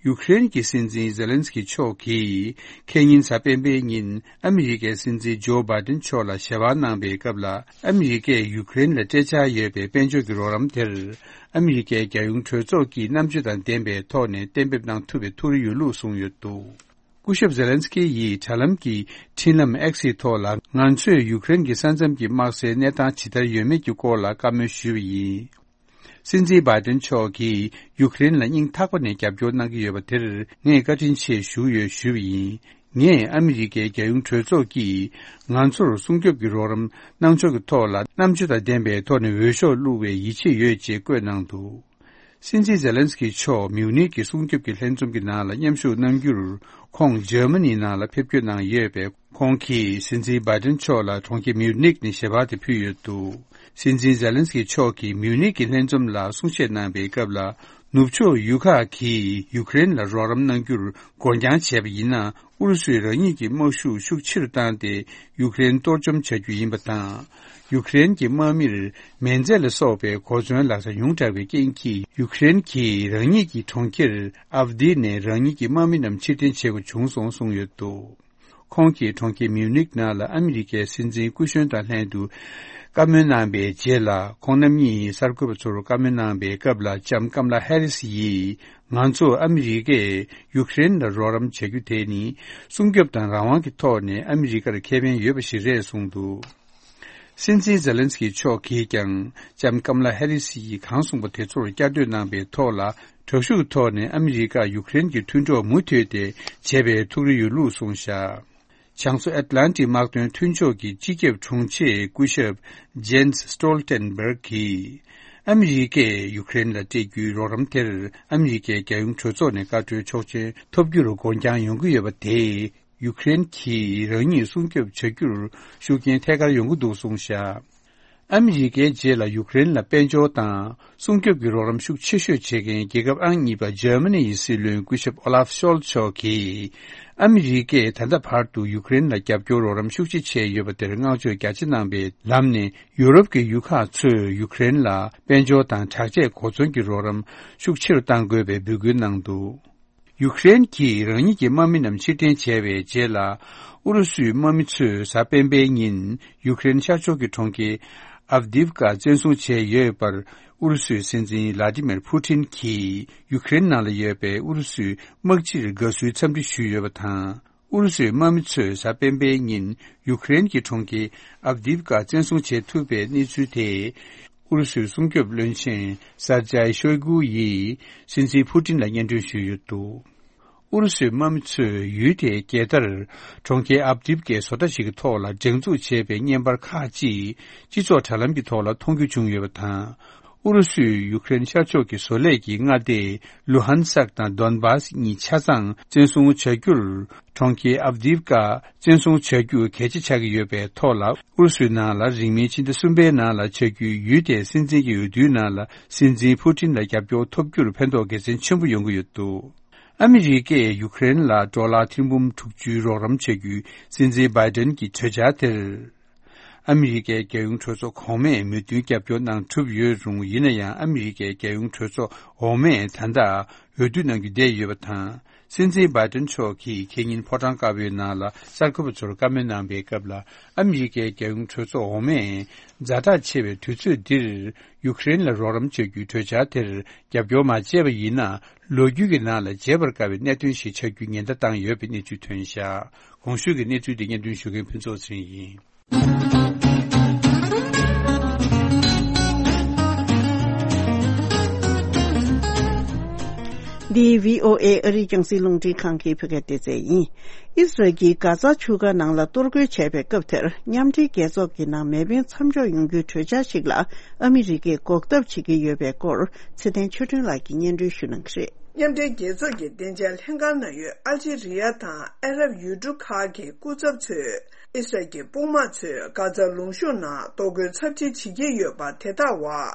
ཡུཀ་རེན་གྱི་སྲིད་འཛིན་ཛེ་ལན་སི་ཀི་མཆོག་གིས་ཁེ་ཉིན་གཟའ་སྤེན་པའི་ཉིན་ཨ་མི་རི་ཀའི་སྲིད་འཛིན་ཇོ་བྷའི་ཏིན་མཆོག་ལ་ཞལ་པར་གནང་པའི་སྐབས་ལ། ཨ་མི་རི་ཀས་ཡུཀ་རེན་ལ་སྤྲད་འཆར་ཡོད་པའི་དཔལ་འབྱོར་གྱི་རོགས་རམ་དེར། ཨ་མི་རི་ཀའི་རྒྱལ་ཡོངས་གྲོས་ཚོགས་ཀྱིས་རྣམ་དཔྱོད་དང་ལྡན་པའི་ཐོག་ནས་གཏན་འབེབས་གནང་ཐུབ་པའི་ཐུགས་རེ་ཡོད་ལུགས་གསུངས་ཡོད་འདུག་སྐུ་ཞབས་ཛེ་ལན་སི་ཀི་ཡིས་དྲ་ལམ་གྱི་འཕྲིན་ལམ་ཨེག་སི་ཐོག་ལ། ང་ཚོས་ཡུཀ་རེན་གྱི་ས་མཚམས་ཀྱི་དམག་སའི་གནས་སྟངས་ཇི་ལྟར་ཡོད་མེད་ཀྱི་སྐོར་ལ་བཀའ་མོལ་ཞུས་པ་ཡིན། སྲིད་འཛིན་བྷའི་ཏིན་མཆོག་གིས་ཡུཀ་རེན་ལ་སྙིང་ཐག་པ་ནས་རྒྱབ་སྐྱོར་གནང་གི་ཡོད་པ་དེར་ངས་བཀའ་དྲིན་ཆེ་ཞུ་ཡོད་ཞུས་པ་ཡིན། ངས་ཨ་མི་རི་ཀའི་རྒྱལ་ཡོངས་གྲོས་ཚོགས་ཀྱིས་ང་ཚོར་སྲུང་སྐྱོབ་ཀྱི་རོགས་རམ་གནང་ཕྱོགས་ཀྱི་ཐོག་ལ་རྣམ་དཔྱོད་དང་ལྡན་པའི་ཐོག་ནས་འོས་ཤོག་བླུགས་པའི་ཡིད་ཆེས་ཡོད་ཅེས་བཀོད་གནང་འདུག་སྲིད་འཛིན་ཛེ་ལན་སི་ཀི་མཆོག་མིའུ་ནིག་གི་སྲུང་སྐྱོབ་ཀྱི་ལྷན་འཛོམས་ཀྱི་ནང་ལ་མཉམ་ཞུགས་གནང་རྒྱུར། ཁོང་འཇར་མ་ནིའི་ནང་ལ་ཕེབས་སྐྱོད་གནང་ཡོད་པས། ཁོང་གིས་སྲིད་འཛིན་བྷའི་ཏིན་མཆོག་ལ་གྲོང་ཁྱེར་མིའུ་ནིག་ནས་ཞལ་པར་དེ་ཕུལ་ཡོད་འདུག་སྲིད་འཛིན་ཛེ་ལན་སི་ཀི་མཆོག་གིས་མིའུ་ནིག་གི་ལྷན་འཛོམས་ལ་གསུང་བཤད་གནང་པའི་སྐབས་ལ། ནུབ་ཕྱོགས་ཡུལ་ཁག་གིས་ཡུཀ་རེན་ལ་རོགས་རམ་གནང་རྒྱུར་སྒོ་རྒྱང་བྱས་པ་ཡིན་ན། ཨུ་རུ་སུས་རང་ཉིད་ཀྱི་དམག་ཤུགས་ཤུགས་ཆེ་རུ་བཏང་སྟེ། ཡུཀ་རེན་གཏོར་བཅོམ་བྱ་རྒྱུ་ཡིན་པ་དང་། ཡུཀ་རེན་གྱི་དམག་མིར་མེ་མཛད་ལ་སོགས་པའི་གོ་མཚོན་ལག་ཆ་ཉུང་དྲགས་པའི་རྐྱེན་གྱིས། ཡུཀ་རེན་གྱིས་རང་ཉིད་ཀྱི་གྲོང་ཁྱེར་ཨབ་དི་ནས་རང་ཉིད་ཀྱི་དམག་མི་རྣམས་ཕྱིར་འཐེན་བྱེད་དགོས་བྱུང་སོང་གསུངས་ཡོད་འདུག་ཁོང་གིས་གྲོང་ཁྱེར་མིའུ་ནིག་ནང་ལ་ཨ་མི་རི་ཀའི་སྲིད་འཛིན་སྐུ་གཞོན་དང་ལྷན་དུ་བཀའ་མོལ་གནང་པའི་རྗེས་ལ། ཁོང་རྣམ་གཉིས་གསར་འགོད་པ་ཚོར་བཀའ་མོལ་གནང་པའི་སྐབས་ལ། ལྕམ་ཀམ་ལ་ཧེ་རི་སི་ཡིས། ང་ཚོ་ཨ་མི་རི་ཀས་ཡུཀ་རེན་ལ་རོགས་རམ་བྱ་རྒྱུ་དེ་ནི། སྲུང་སྐྱོབ་དང་རང་དབང་གི་ཐོག་ནས་ཨ་མི་རི་ཀར་ཁེ་ཕན་ཡོད་པ་ཞིག་རེད་གསུངས་འདུག་སྲིད་འཛིན་ཛེ་ལན་སི་ཀི་མཆོག་གིས་ཀྱང་། ལྕམ་ཀམ་ལ་ཧེ་རི་སི་ཡིས་གང་གསུངས་པ་དེ་ཚོར་བསྐྱར་ཟློས་གནང་པའི་ཐོག་ལ། དྲག་ཤུགས་ཐོག་ནས་ཨ་མི་རི་ཀ་ཡུཀ་རེན་གྱི་མཐུན་གྲོགས་མུ་མཐུད་དེ་བྱེད་པའི་ཐུགས་རེ་ཡོད་ལུགས་གསུངས་བཞག་བྱང་མཚོ་ཨེཊ་ལན་ཊིག་དམག་དོན་མཐུན་ཕྱོགས་ཀྱི་སྤྱི་ཁྱབ་དྲུང་ཆེ་སྐུ་ཞབས་ཇེན་སི་སྟོལ་ཊེན་བྷརག་གིས། ཨ་མི་རི་ཀས་ཡུཀ་རེན་ལ་སྤྲད་རྒྱུའི་རོགས་རམ་དེར། ཨ་མི་རི་ཀའི་རྒྱལ་ཡོངས་གྲོས་ཚོགས་ནས་བཀའ་འཁྲོལ་ཆོག་མཆན་ཐོབ་རྒྱུར་སྒོ་རྒྱང་ཡོང་གི་ཡོད་པ་དེས། ཡུཀ་རེན་གྱིས་རང་ཉིད་སྲུང་སྐྱོབ་བྱ་རྒྱུར་ཤུགས་རྐྱེན་ཐད་ཀར་ཡོང་གི་འདུག་གསུངས་བཞག་ཨ་མི་རི་ཀའི་རྗེས་ལ་ཡུཀ་རེན་ལ་དཔལ་འབྱོར་དང་སྲུང་སྐྱོབ་ཀྱི་རོགས་རམ་ཤུགས་ཆེ་ཤོས་བྱེད་མཁན་རྒྱལ་ཁབ་ཨང་གཉིས་པ་འཇར་མ་ནི་ཡི་སྲིད་བློན་སྐུ་ཞབས་ཨོ་ལཱབ་ཤོལ་མཆོག་གིས། ཨ་མི་རི་ཀས་ད་ལྟ་བར་དུ་ཡུཀ་རེན་ལ་རྒྱབ་སྐྱོར་རོགས་རམ་ཤུགས་ཆེ་བྱས་ཡོད་པ་དེར་བསྔགས་བརྗོད་རྒྱ་ཆེ་གནང་པའི་ལམ་ནས། ཡུ་རོབ་ཀྱི་ཡུལ་ཁག་ཚོས་ཡུཀ་རེན་ལ་དཔལ་འབྱོར་དང་དྲག་ཆས་གོ་མཚོན་གྱི་རོགས་རམ་ཤུགས་ཆེ་རུ་གཏང་དགོས་པའི་འབོད་སྐུལ་གནང་འདུག་ཡུཀ་རེན་གྱིས་རང་ཉིད་ཀྱི་དམག་མི་རྣམས་ཕྱིར་འཐེན་བྱས་པའི་རྗེས་ལ། ཨུ་རུ་སུའི་དམག་མི་ཚོས་གཟའ་སྤེན་པའི་ཉིན་ཡུཀ་རེན་ཤར་ཕྱོགས་ཀྱི་གྲོང་ཁྱེར་ཨབ་དིབ་ཀ་བཙན་བཟུང་བྱས་ཡོད་པར། ཨུ་རུ་སུའི་སྲིད་འཛིན་ལ་ཏི་མེར་ཕུ་ཏིན་གྱིས་ཡུཀ་རེན་ནང་ལ་ཡོད་པའི་ཨུ་རུ་སུའི་དམག་སྤྱིར་དགའ་བསུའི་འཚམས་འདྲི་ཞུས་ཡོད་པ་དང་། ཨུ་རུ་སུའི་དམག་མི་ཚོས་གཟའ་སྤེན་པའི་ཉིན་ཡུཀ་རེན་གྱི་གྲོང་ཁྱེར་ཨབ་དིབ་ཀ་བཙན་བཟུང་བྱེད་ཐུབ་པའི་གནས་ཚུལ་དེ། ཨུ་རུ་སུའི་སྲུང་སྐྱོབ་བློན་ཆེན་སར་ཇའི་ཤོའི་གུ་ཡིས་སྲིད་འཛིན་ཕུ་ཏིན་ལ་སྙན་སྒྲོན་ཞུས་ཡོད་འདུག་ཨུ་རུ་སུའི་དམག་མི་ཚོས་ཡུལ་དེའི་རྒྱལ་དར། གྲོང་ཁྱེར་ཨབ་དིབ་ཀའི་བཟོ་གྲྭ་ཞིག་གི་ཐོག་ལ་སྒྲེང་འཛུགས་བྱས་པའི་བརྙན་པར་ཁག་ཅིག་སྤྱི་ཚོགས་དྲ་ལམ་གྱི་ཐོག་ལ་མཐོང་རྒྱུ་བྱུང་ཡོད་པ་དང་། ཨུ་རུ་སུས་ཡུཀ་རེན་ཤར་ཕྱོགས་ཀྱི་བཟོ་ལས་ཀྱི་མངའ་སྡེ་ལུ་ཧན་སག་དང་དོན་བཱས་གཉིས་ཆ་ཚང་བཙན་བཟུང་བྱ་རྒྱུར། གྲོང་ཁྱེར་ཨབ་དིབ་ཀ་བཙན་བཟུང་བྱ་རྒྱུ་གལ་ཆེ་ཆགས་ཀྱི་ཡོད་པའི་ཐོག་ལ། ཨུ་རུ་སུའི་ནང་ལ་རིང་མིན་ཕྱི་ཟླ་གསུམ་པའི་ནང་ལ་བྱ་རྒྱུའི་ཡུལ་དེའི་སྲིད་འཛིན་གྱི་འོས་བསྡུའི་ནང་ལ་སྲིད་འཛིན་ཕུ་ཏིན་ལ་རྒྱབ་སྐྱོར་ཐོབ་རྒྱུར་ཕན་ཐོགས་དགེ་མཚན་ཆེན་པོ་ཡོང་གི་ཡོད་འདུག་ཨ་མི་རི་ཀས་ཡུཀ་རེན་ལ་ཌོ་ལར་ཐེར་འབུམ་དྲུག་ཅུའི་རོགས་རམ་བྱ་རྒྱུའི་སྲིད་འཛིན་བྷའི་ཌེན་གྱི་གྲོས་འཆར་དེར། ཨ་མི་རི་ཀའི་རྒྱལ་ཡོངས་གྲོས་ཚོགས་གོང་མས་མོས་མཐུན་རྒྱབ་སྐྱོར་གནང་གྲུབ་ཡོད་རུང་། ཡིན་ན་ཡང་ཨ་མི་རི་ཀའི་རྒྱལ་ཡོངས་གྲོས་ཚོགས་འོག་མས་ད་ལྟ་འོས་བསྡུ་གནང་རྒྱུ་བསྡད་ཡོད་པ་དང་། སྲིད་འཛིན་བྷའི་ཏན་མཆོག་གིས་ཁེ་ཉིན་ཕོ་བྲང་དཀར་པོའི་ནང་ལ་གསར་འགོད་པ་ཚོར་བཀའ་མོལ་གནང་པའི་སྐབས་ལ། ཨ་མི་རི་ཀའི་རྒྱལ་ཡོངས་གྲོས་ཚོགས་འོག་མས་ཛ་དྲག་ཆེ་བའི་དུས་ཚོད་འདིར་ཡུཀ་རེན་ལ་རོགས་རམ་བྱ་རྒྱུའི་གྲོས་འཆར་དེར་རྒྱབ་སྐྱོར་མ་བྱས་པ་ཡིན་ན། ལོ་རྒྱུས་ཀྱི་ནང་ལ་བརྗེད་པར་དཀའ་བའི་གནད་དོན་ཞིག་ཆགས་རྒྱུའི་ཉེན་བརྡ་བཏང་ཡོད་པའི་གནས་ཚུལ་ཐོན་བཞག་གོང་ཞུས་ཀྱི་གནས་ཚུལ་དེ་སྙན་སྒྲོན་ཞུ་མཁན་ཕུན་ཚོགས་ཚེ་རིང་ཡིན། འདི་བྷི་ཨོ་ཨེ་ཨ་རིའི་རྒྱང་སྲིང་རླུང་འཕྲིན་ཁང་གི་བོད་སྐད་སྡེ་ཚན་ཡིན། ཨི་སི་རལ་གྱིས་གྷ་ཛ་ཆུ་ཁ་ནང་ལ་གཏོར་རྒོལ་བྱས་པའི་སྐབས་དེར། མཉམ་འབྲེལ་རྒྱལ་ཚོགས་ཀྱི་ནང་མེ་འཕེན་མཚམས་འཇོག་ཡོང་རྒྱུའི་གྲོས་འཆར་ཞིག་ལ་ཨ་མི་རི་ཀས་འགོག་ཐབས་བྱེད་ཀྱི་ཡོད་པའི་སྐོར། ཚེ་བརྟན་ཆོས་སྒྲོན་ལགས་ཀྱིས་སྙན་སྒྲོན་ཞུ་གནང་གི་རེད། མཉམ་འབྲེལ་རྒྱལ་ཚོགས་ཀྱི་བདེ་འཇགས་ལྷན་ཁང་ནང་ཡོད་ཨལ་ཇི་རི་ཡ་དང་ཨ་རབ་ཡུལ་གྲུ་ཁག་གི་སྐུ་ཚབ་ཚོས། ཨི་སི་རལ་གྱི་དཔུང་དམག་ཚོས་གྷ་ཛ་ལུང་གཤོང་ནང་གཏོར་རྒོལ་ཚབས་ཆེ་བྱེད་ཀྱི་ཡོད་པ་དེ་ལྟ་བ།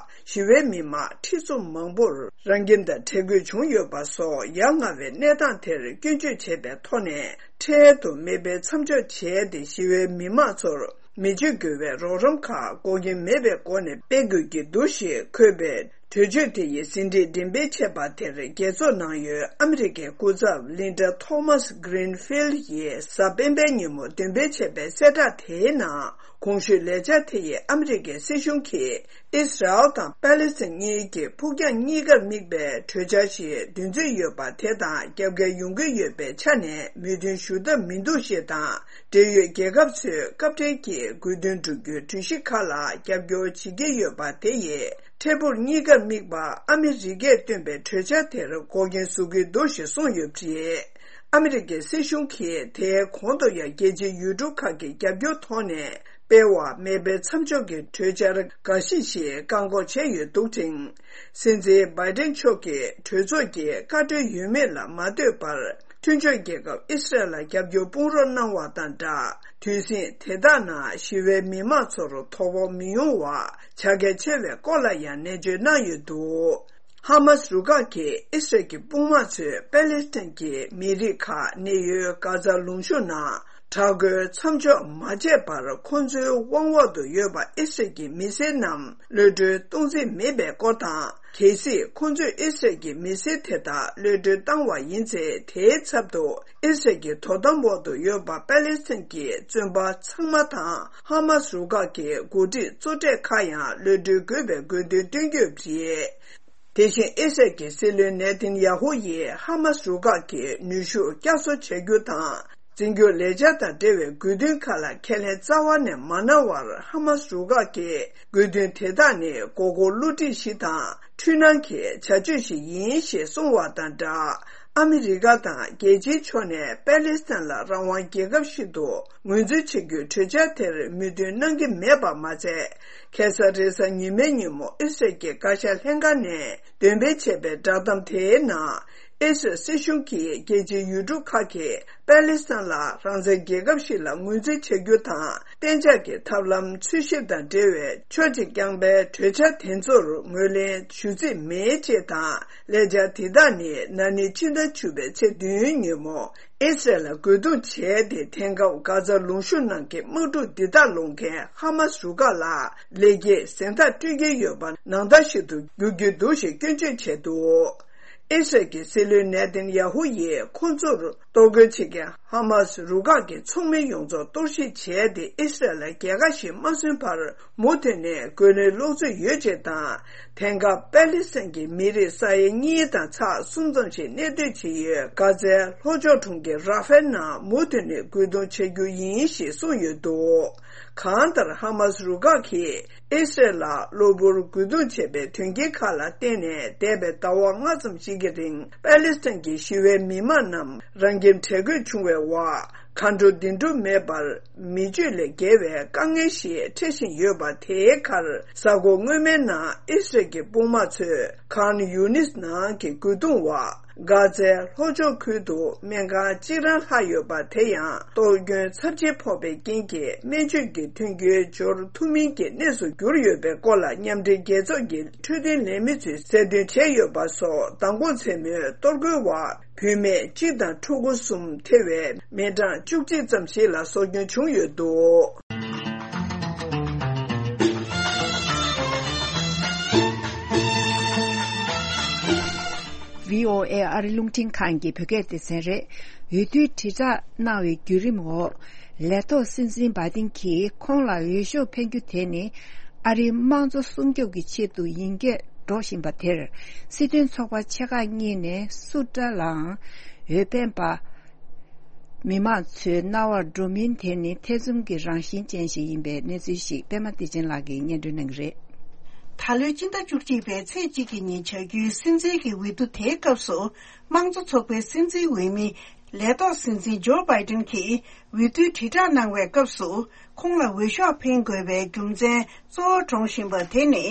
ཞི་བའི་མི་མང་ཁྲི་ཚོ་མང་པོར་རང་ཁྱིམ་དང་བྲལ་དགོས་བྱུང་ཡོད་པ་སོགས་ཡ་ང་བའི་གནས་སྟངས་དེར་སྐྱོན་བརྗོད་བྱས་པའི་ཐོག་ནས། འཕྲལ་དུ་མེ་འཕེན་མཚམས་འཇོག་བྱས་ཏེ། ཞི་བའི་མི་མང་ཚོར་མི་སྤྱོད་དགོས་པའི་རོགས་རམ་ཁག་འགོག་རྐྱེན་མེད་པའི་སྒོ་ནས་སྤེལ་དགོས་ཀྱི་འདུག་ཞེས་འཁོད་པའི། གྲོས་ཆོད་དེ་ཡི་ཟིན་བྲིས་འགྲེམས་སྤེལ་བྱས་པ་དེར། རྒྱལ་ཚོགས་ནང་ཡོད་ཨ་མི་རི་ཀའི་སྐུ་ཚབ་ལིན་ཌ་ཐོ་མཱས་གྷི་རིན་ཕིལ་ཡིས་གཟའ་སྤེན་པའི་ཉིན་མོ་འདོན་སྤེལ་བྱས་པའི་གསལ་བསྒྲགས་དེའི་ནང་། གོང་ཞུས་ལས་འཆར་དེ་ཡིས་ཨ་མི་རི་ཀའི་སྲིད་གཞུང་གིས་ཨི་སི་རལ་དང་པ་ལི་སི་ཐན་གཉིས་ཀྱི་ཕུགས་རྒྱང་གཉིས་ཀར་དམིགས་པའི་གྲོས་འཆར་ཞིག་འདོན་རྩིས་ཡོད་པ་དེ་དང་རྒྱབ་འགལ་ཡོང་གི་ཡོད་པའི་ཆ་ནས་མོས་མཐུན་ཞུ་ཐབས་མི་འདུག་ཞེས་དང་། འབྲེལ་ཡོད་རྒྱལ་ཁབ་ཚོས་སྐབས་འཕྲལ་གྱི་དགོས་འདུན་བསྒྲུབ་རྒྱུའི་གྲོས་གཞི་ཁག་ལ་རྒྱབ་སྐྱོར་བྱེད་ཀྱི་ཡོད་པ་དེ་ཡིས། འཕྲལ་ཕུགས་གཉིས་ཀར་དམིགས་པ་ཨ་མི་རི་ཀས་བཏོན་པའི་གྲོས་འཆར་དེར་འགོག་རྐྱེན་བཟོ་གི་འདུག་ཞེས་གསུངས་ཡོད་པ་རེད། ཨ་མི་རི་ཀའི་སྲིད་གཞུང་གིས་དེའི་གོང་དུ་ཡང་རྒྱལ་སྤྱིའི་ཡུལ་གྲུ་ཁག་གི་རྒྱབ་སྐྱོར་ཐོག་ནས་སྤེལ་བ་མེ་འཕེན་མཚམས་འཇོག་གི་གྲོས་འཆར་འགའ་ཞིག་ཞིག་བཀག་འགོག་བྱས་ཡོད་འདུག་ཅིང་། སྲིད་འཛིན་བྷའི་ཏན་མཆོག་གིས་གྲོས་ཚོགས་ཀྱི་བཀའ་འཁྲོལ་ཡོད་མེད་ལ་མ་ལྟོས་པར། མཐུན་ཕྱོགས་རྒྱལ་ཁབ་ཨི་སི་རལ་ལ་རྒྱབ་སྐྱོར་དཔུང་རོགས་གནང་བ་དང་སྦྲགས། དུས་ཟིང་དེ་དག་ནང་ཞི་བའི་མི་མང་ཚོར་དོ་ཕོག་མི་ཡོང་བ་བྱ་གལ་ཆེ་བའི་སྐོར་ལ་ཡང་ནན་བརྗོད་གནང་ཡོད་འདུག་ཧ་མཱ་སི་རུ་ཁག་གིས་ཨི་སི་རལ་གྱི་དཔུང་དམག་ཚོས་པེ་ལེ་སི་ཐན་གྱི་མི་རིགས་ཁག་གནས་ཡུལ་གྷ་ཛ་ལུང་གཤོང་ནང་དྲག་རྒོལ་མཚམས་འཇོག་མ་བྱས་པར། ཁོང་ཚོའི་དབང་འོག་ཏུ་ཡོད་པ་ཨི་སི་རལ་གྱི་མི་སེར་རྣམས་གློད་གྲོལ་གཏོང་རྩིས་མེད་པའི་སྐོར་དང་། གལ་སྲིད་ཁོང་ཚོས་ཨི་སི་རལ་གྱི་མི་སེར་དེ་དག་གློད་གྲོལ་བཏང་བ་ཡིན་ཚེ། དེའི་ཚབ་ཏུ་ཨི་སི་རལ་གྱི་དོ་དམ་འོག་ཏུ་ཡོད་པ་པ་ལེ་སི་ཐན་གྱི་བཙོན་པ་ཚང་མ་དང་། ཧ་མཱ་སི་རུ་ཁག་གི་འགོ་ཁྲིད་གཙོ་གྲས་ཁག་ཡང་གློད་གྲོལ་དགོས་པའི་དགོས་འདུན་བཏོན་ཡོད་པ་རེད། དེ་བཞིན་ཨི་སི་རལ་གྱི་སྲིད་བློན་ནེ་ཐན་ཡ་ཧུ་ཡིས་ཧ་མཱ་སི་རུ་ཁག་གི་ནུས་ཤུགས་བསྐྱར་གསོ་བྱ་རྒྱུ་དང་། འཛིན་སྐྱོང་ལས་འཆར་དང་འབྲེལ་བའི་དགོས་འདུན་ཁག་ལ་ཁས་ལེན་རྩ་བ་ནས་མ་གནང་བར། ཧ་མཱ་སི་རུ་ཁག་གི་དགོས་འདུན་དེ་དག་ནི་མགོ་སྐོར་བསླུ་བྲིད་ཞིག་དང་འཁྲུལ་སྣང་གི་བྱ་སྤྱོད་ཞིག་ཡིན་ཞེས་གསུངས་བ་དང་སྦྲགས། ཨ་མི་རི་ཀ་དང་རྒྱལ་སྤྱིའི་ཕྱོགས་ནས་པེ་ལེ་སི་ཐན་ལ་རང་དབང་རྒྱལ་ཁབ་ཞིག་ཏུ་ངོས་འཛིན་བྱེད་རྒྱུའི་གྲོས་འཆར་དེར་མོས་མཐུན་གནང་གི་མེད་པ་མ་ཚད། ཁ་སང་རེས་གཟའ་ཉི་མའི་ཉིན་མོ་ཨི་སི་རལ་གྱི་བཀའ་ཤག་ལྷན་ཁང་ནས་འདོན་སྤེལ་བྱས་པའི་བསྒྲགས་གཏམ་དེའི་ནང་། ཨི་སི་རལ་སྲིད་གཞུང་གིས་རྒྱལ་སྤྱིའི་ཡུལ་གྲུ་ཁག་གིས་པ་ལི་སི་ཐན་ལ་རང་བཙན་རྒྱལ་ཁབ་ཞིག་ལ་ངོས་འཛིན་བྱ་རྒྱུ་དང་གཏན་འཇགས་ཀྱི་ཐབས་ལམ་འཚོལ་ཞིབ་དང་འབྲེལ་བའི་ཕྱོགས་གཅིག་རྐྱང་པའི་གྲོས་འཆར་དེ་ཚོར་ངོས་ལེན་ཞུ་རྩིས་མེད་ཅེས་དང་། ལས་འཆར་དེ་དག་ནི་ན་ནིང་ཕྱི་ཟླ་བཅུ་པའི་ཚེས་བདུན་ཉིན་མོ་ཨི་སི་རལ་ལ་རྒོལ་རྡུང་བྱས་ཏེ། དེང་སྐབས་གྷ་ཛ་ལུང་གཤོང་ནང་གི་དམག་འཁྲུག་འདི་དག་སློང་མཁན་ཧ་མ་སི་རུ་ཁག་ལ་ལེགས་སྐྱེས་གཟེངས་རྟགས་སྤྲོད་ཀྱི་ཡོད་པ་ནང་ལྟར་ཞིག་ཏུ་འགྱུར་གྱི་འདུག་ཞེས་སྐྱོན་བརྗོད་བྱས་འདུག་ཨི་སི་རལ་གྱི་སྲིད་བློན་ནེ་ཐན་ཡ་ཧུ་ཡིས་ཁོ་ཚོར་གཏོར་རྒོལ་བྱེད་མཁན་ཧ་མ་སི་རུ་ཁག་གི་ཚོགས་མི་ཡོངས་རྫོགས་གཏོར་བཤིག་བྱས་ཏེ། ཨི་སི་རལ་ལ་རྒྱལ་ཁ་ཞིག་མ་སོན་བར་མུ་མཐུད་ནས་རྒོལ་ལན་སློག་རྩིས་ཡོད་ཅེས་དང་། དེང་སྐབས་པ་ལི་སི་ཐན་གྱི་མི་རིགས་ས་ཡ་གཉིས་དང་ཚེག་གསུམ་ཙམ་ཞིག་གནས་སྡོད་བྱེད་ཡུལ་གྷ་ཛའི་ལྷོ་ཕྱོགས་གྲོང་ཁྱེར་ར་ཧྥེལ་ནང་མུ་མཐུད་ནས་རྒོལ་རྡུང་བྱ་རྒྱུ་ཡིན་ཞེས་གསུངས་ཡོད་འདུག་གང་ལྟར་ཧ་མ་སི་རུ་ཁག་གིས་ཨི་སི་རལ་ལ་གློ་བུར་རྒོལ་རྡུང་བྱས་པའི་དོན་རྐྱེན་ཁག་ལ་བརྟེན་ནས། འདས་པའི་ཟླ་བ་ལྔ་ཙམ་ཞིག་གི་རིང་པ་ལི་སི་ཐན་གྱི་ཞི་བའི་མི་མང་རྣམས་རང་ཁྱིམ་བྲལ་དགོས་བྱུང་བའི་འོག་གར་འགྲོ་འདུག་སྤྲོད་མེད་པར་མི་སྤྱོད་ལས་བརྒལ་བའི་དཀའ་ངལ་ཞིག་འཕྲད་བཞིན་ཡོད་པ། དེའི་ཁར་གཟའ་འཁོར་སྔོན་མའི་ནང་ཨི་སི་རལ་གྱི་དཔུང་དམག་ཚོས་ཁཱན་ཡུ་ནིས་ནང་གི་རྒོལ་རྡུང་འོག་གྷ་ཛའི་ལྷོ་ཕྱོགས་ཁུལ་དུ་སྨན་ཁང་གཅིག་རང་ལྷག་ཡོད་པ་དེ་ཡང་གཏོར་སྐྱོན་ཚབས་ཆེ་ཕོག་པའི་རྐྱེན་གྱིས་སྨན་བཅོས་ཀྱི་མཐུན་རྐྱེན་འབྱོར་ཐུབ་མིན་གྱི་གནས་སུ་གྱུར་ཡོད་པའི་སྐོར་ལ་མཉམ་འབྲེལ་རྒྱལ་ཚོགས་ཀྱི་འཕྲོད་བསྟེན་ལས་མི་ཚོས་གསལ་སྟོན་བྱས་ཡོད་པ་སོགས། མདང་དགོང་མཚན་མོའི་གཏོར་རྒོལ་འོག་བུད་མེད་གཅིག་དང་ཕྲུ་གུ་གསུམ་ཐེ་བའི་མི་གྲངས་བཅུ་གཅིག་ཙམ་ཞིག་ལ་སྲོག་སྐྱོན་བྱུང་ཡོད་འདུག་བྷི་ཨོ་ཨེ་ཨ་རི་རླུང་འཕྲིན་ཁང་གི་བོད་སྐད་སྡེ་ཚན་རེད། འོས་བསྡུའི་དྲིལ་བསྒྲགས་གནང་བའི་བརྒྱུད་རིམ་འོག་ལས་ཐོག་སྲིད་འཛིན་བྷའི་ཏིན་གྱིས་ཁོང་ལ་འོས་ཤོག་འཕེན་རྒྱུ་དེ་ནི་ཨ་རིའི་དམངས་གཙོ་སྲུང་སྐྱོབ་ཀྱི་ཆེད་དུ་ཡིན་སྐད་སྒྲོག་བཞིན་པ་དེར། སྲིད་དོན་ཚོགས་པ་ཆེ་ཁག་གཉིས་ནས་སུ་འདྲ་ལའང་འོས་འཕེན་པ། མི་མང་ཚོའི་རྣ་བར་འགྲོ་མིན་དེ་ནི་ཐེ་ཚོམ་གྱི་རང་བཞིན་ཅན་ཞིག་ཡིན་པའི་གནས་ཚུལ་ཞིག་པད་མ་བདེ་ཆེན་ལགས་ཀྱིས་སྙན་སྒྲོན་གནང་གི་རེད། ད་ལོའི་སྤྱི་ཟླ་བཅུ་གཅིག་པའི་ཚེས་གཅིག་གི་ཉིན་བྱ་རྒྱུའི་སྲིད་འཛིན་གྱི་འོས་བསྡུ་དེའི་སྐབས་སུ། དམངས་གཙོ་ཚོགས་པའི་སྲིད་འཛིན་འོས་མི་ལས་ཐོག་སྲིད་འཛིན་ཇོ་བྷའི་ཏིན་གྱིས་འོས་བསྡུའི་དྲིལ་བསྒྲགས་གནང་བའི་སྐབས་སུ། ཁོང་ལ་འོས་ཤོག་འཕེན་དགོས་པའི་རྒྱུ་མཚན་གཙོ་བོར་སྒྲོག་བཞིན་པ་དེ་ནི།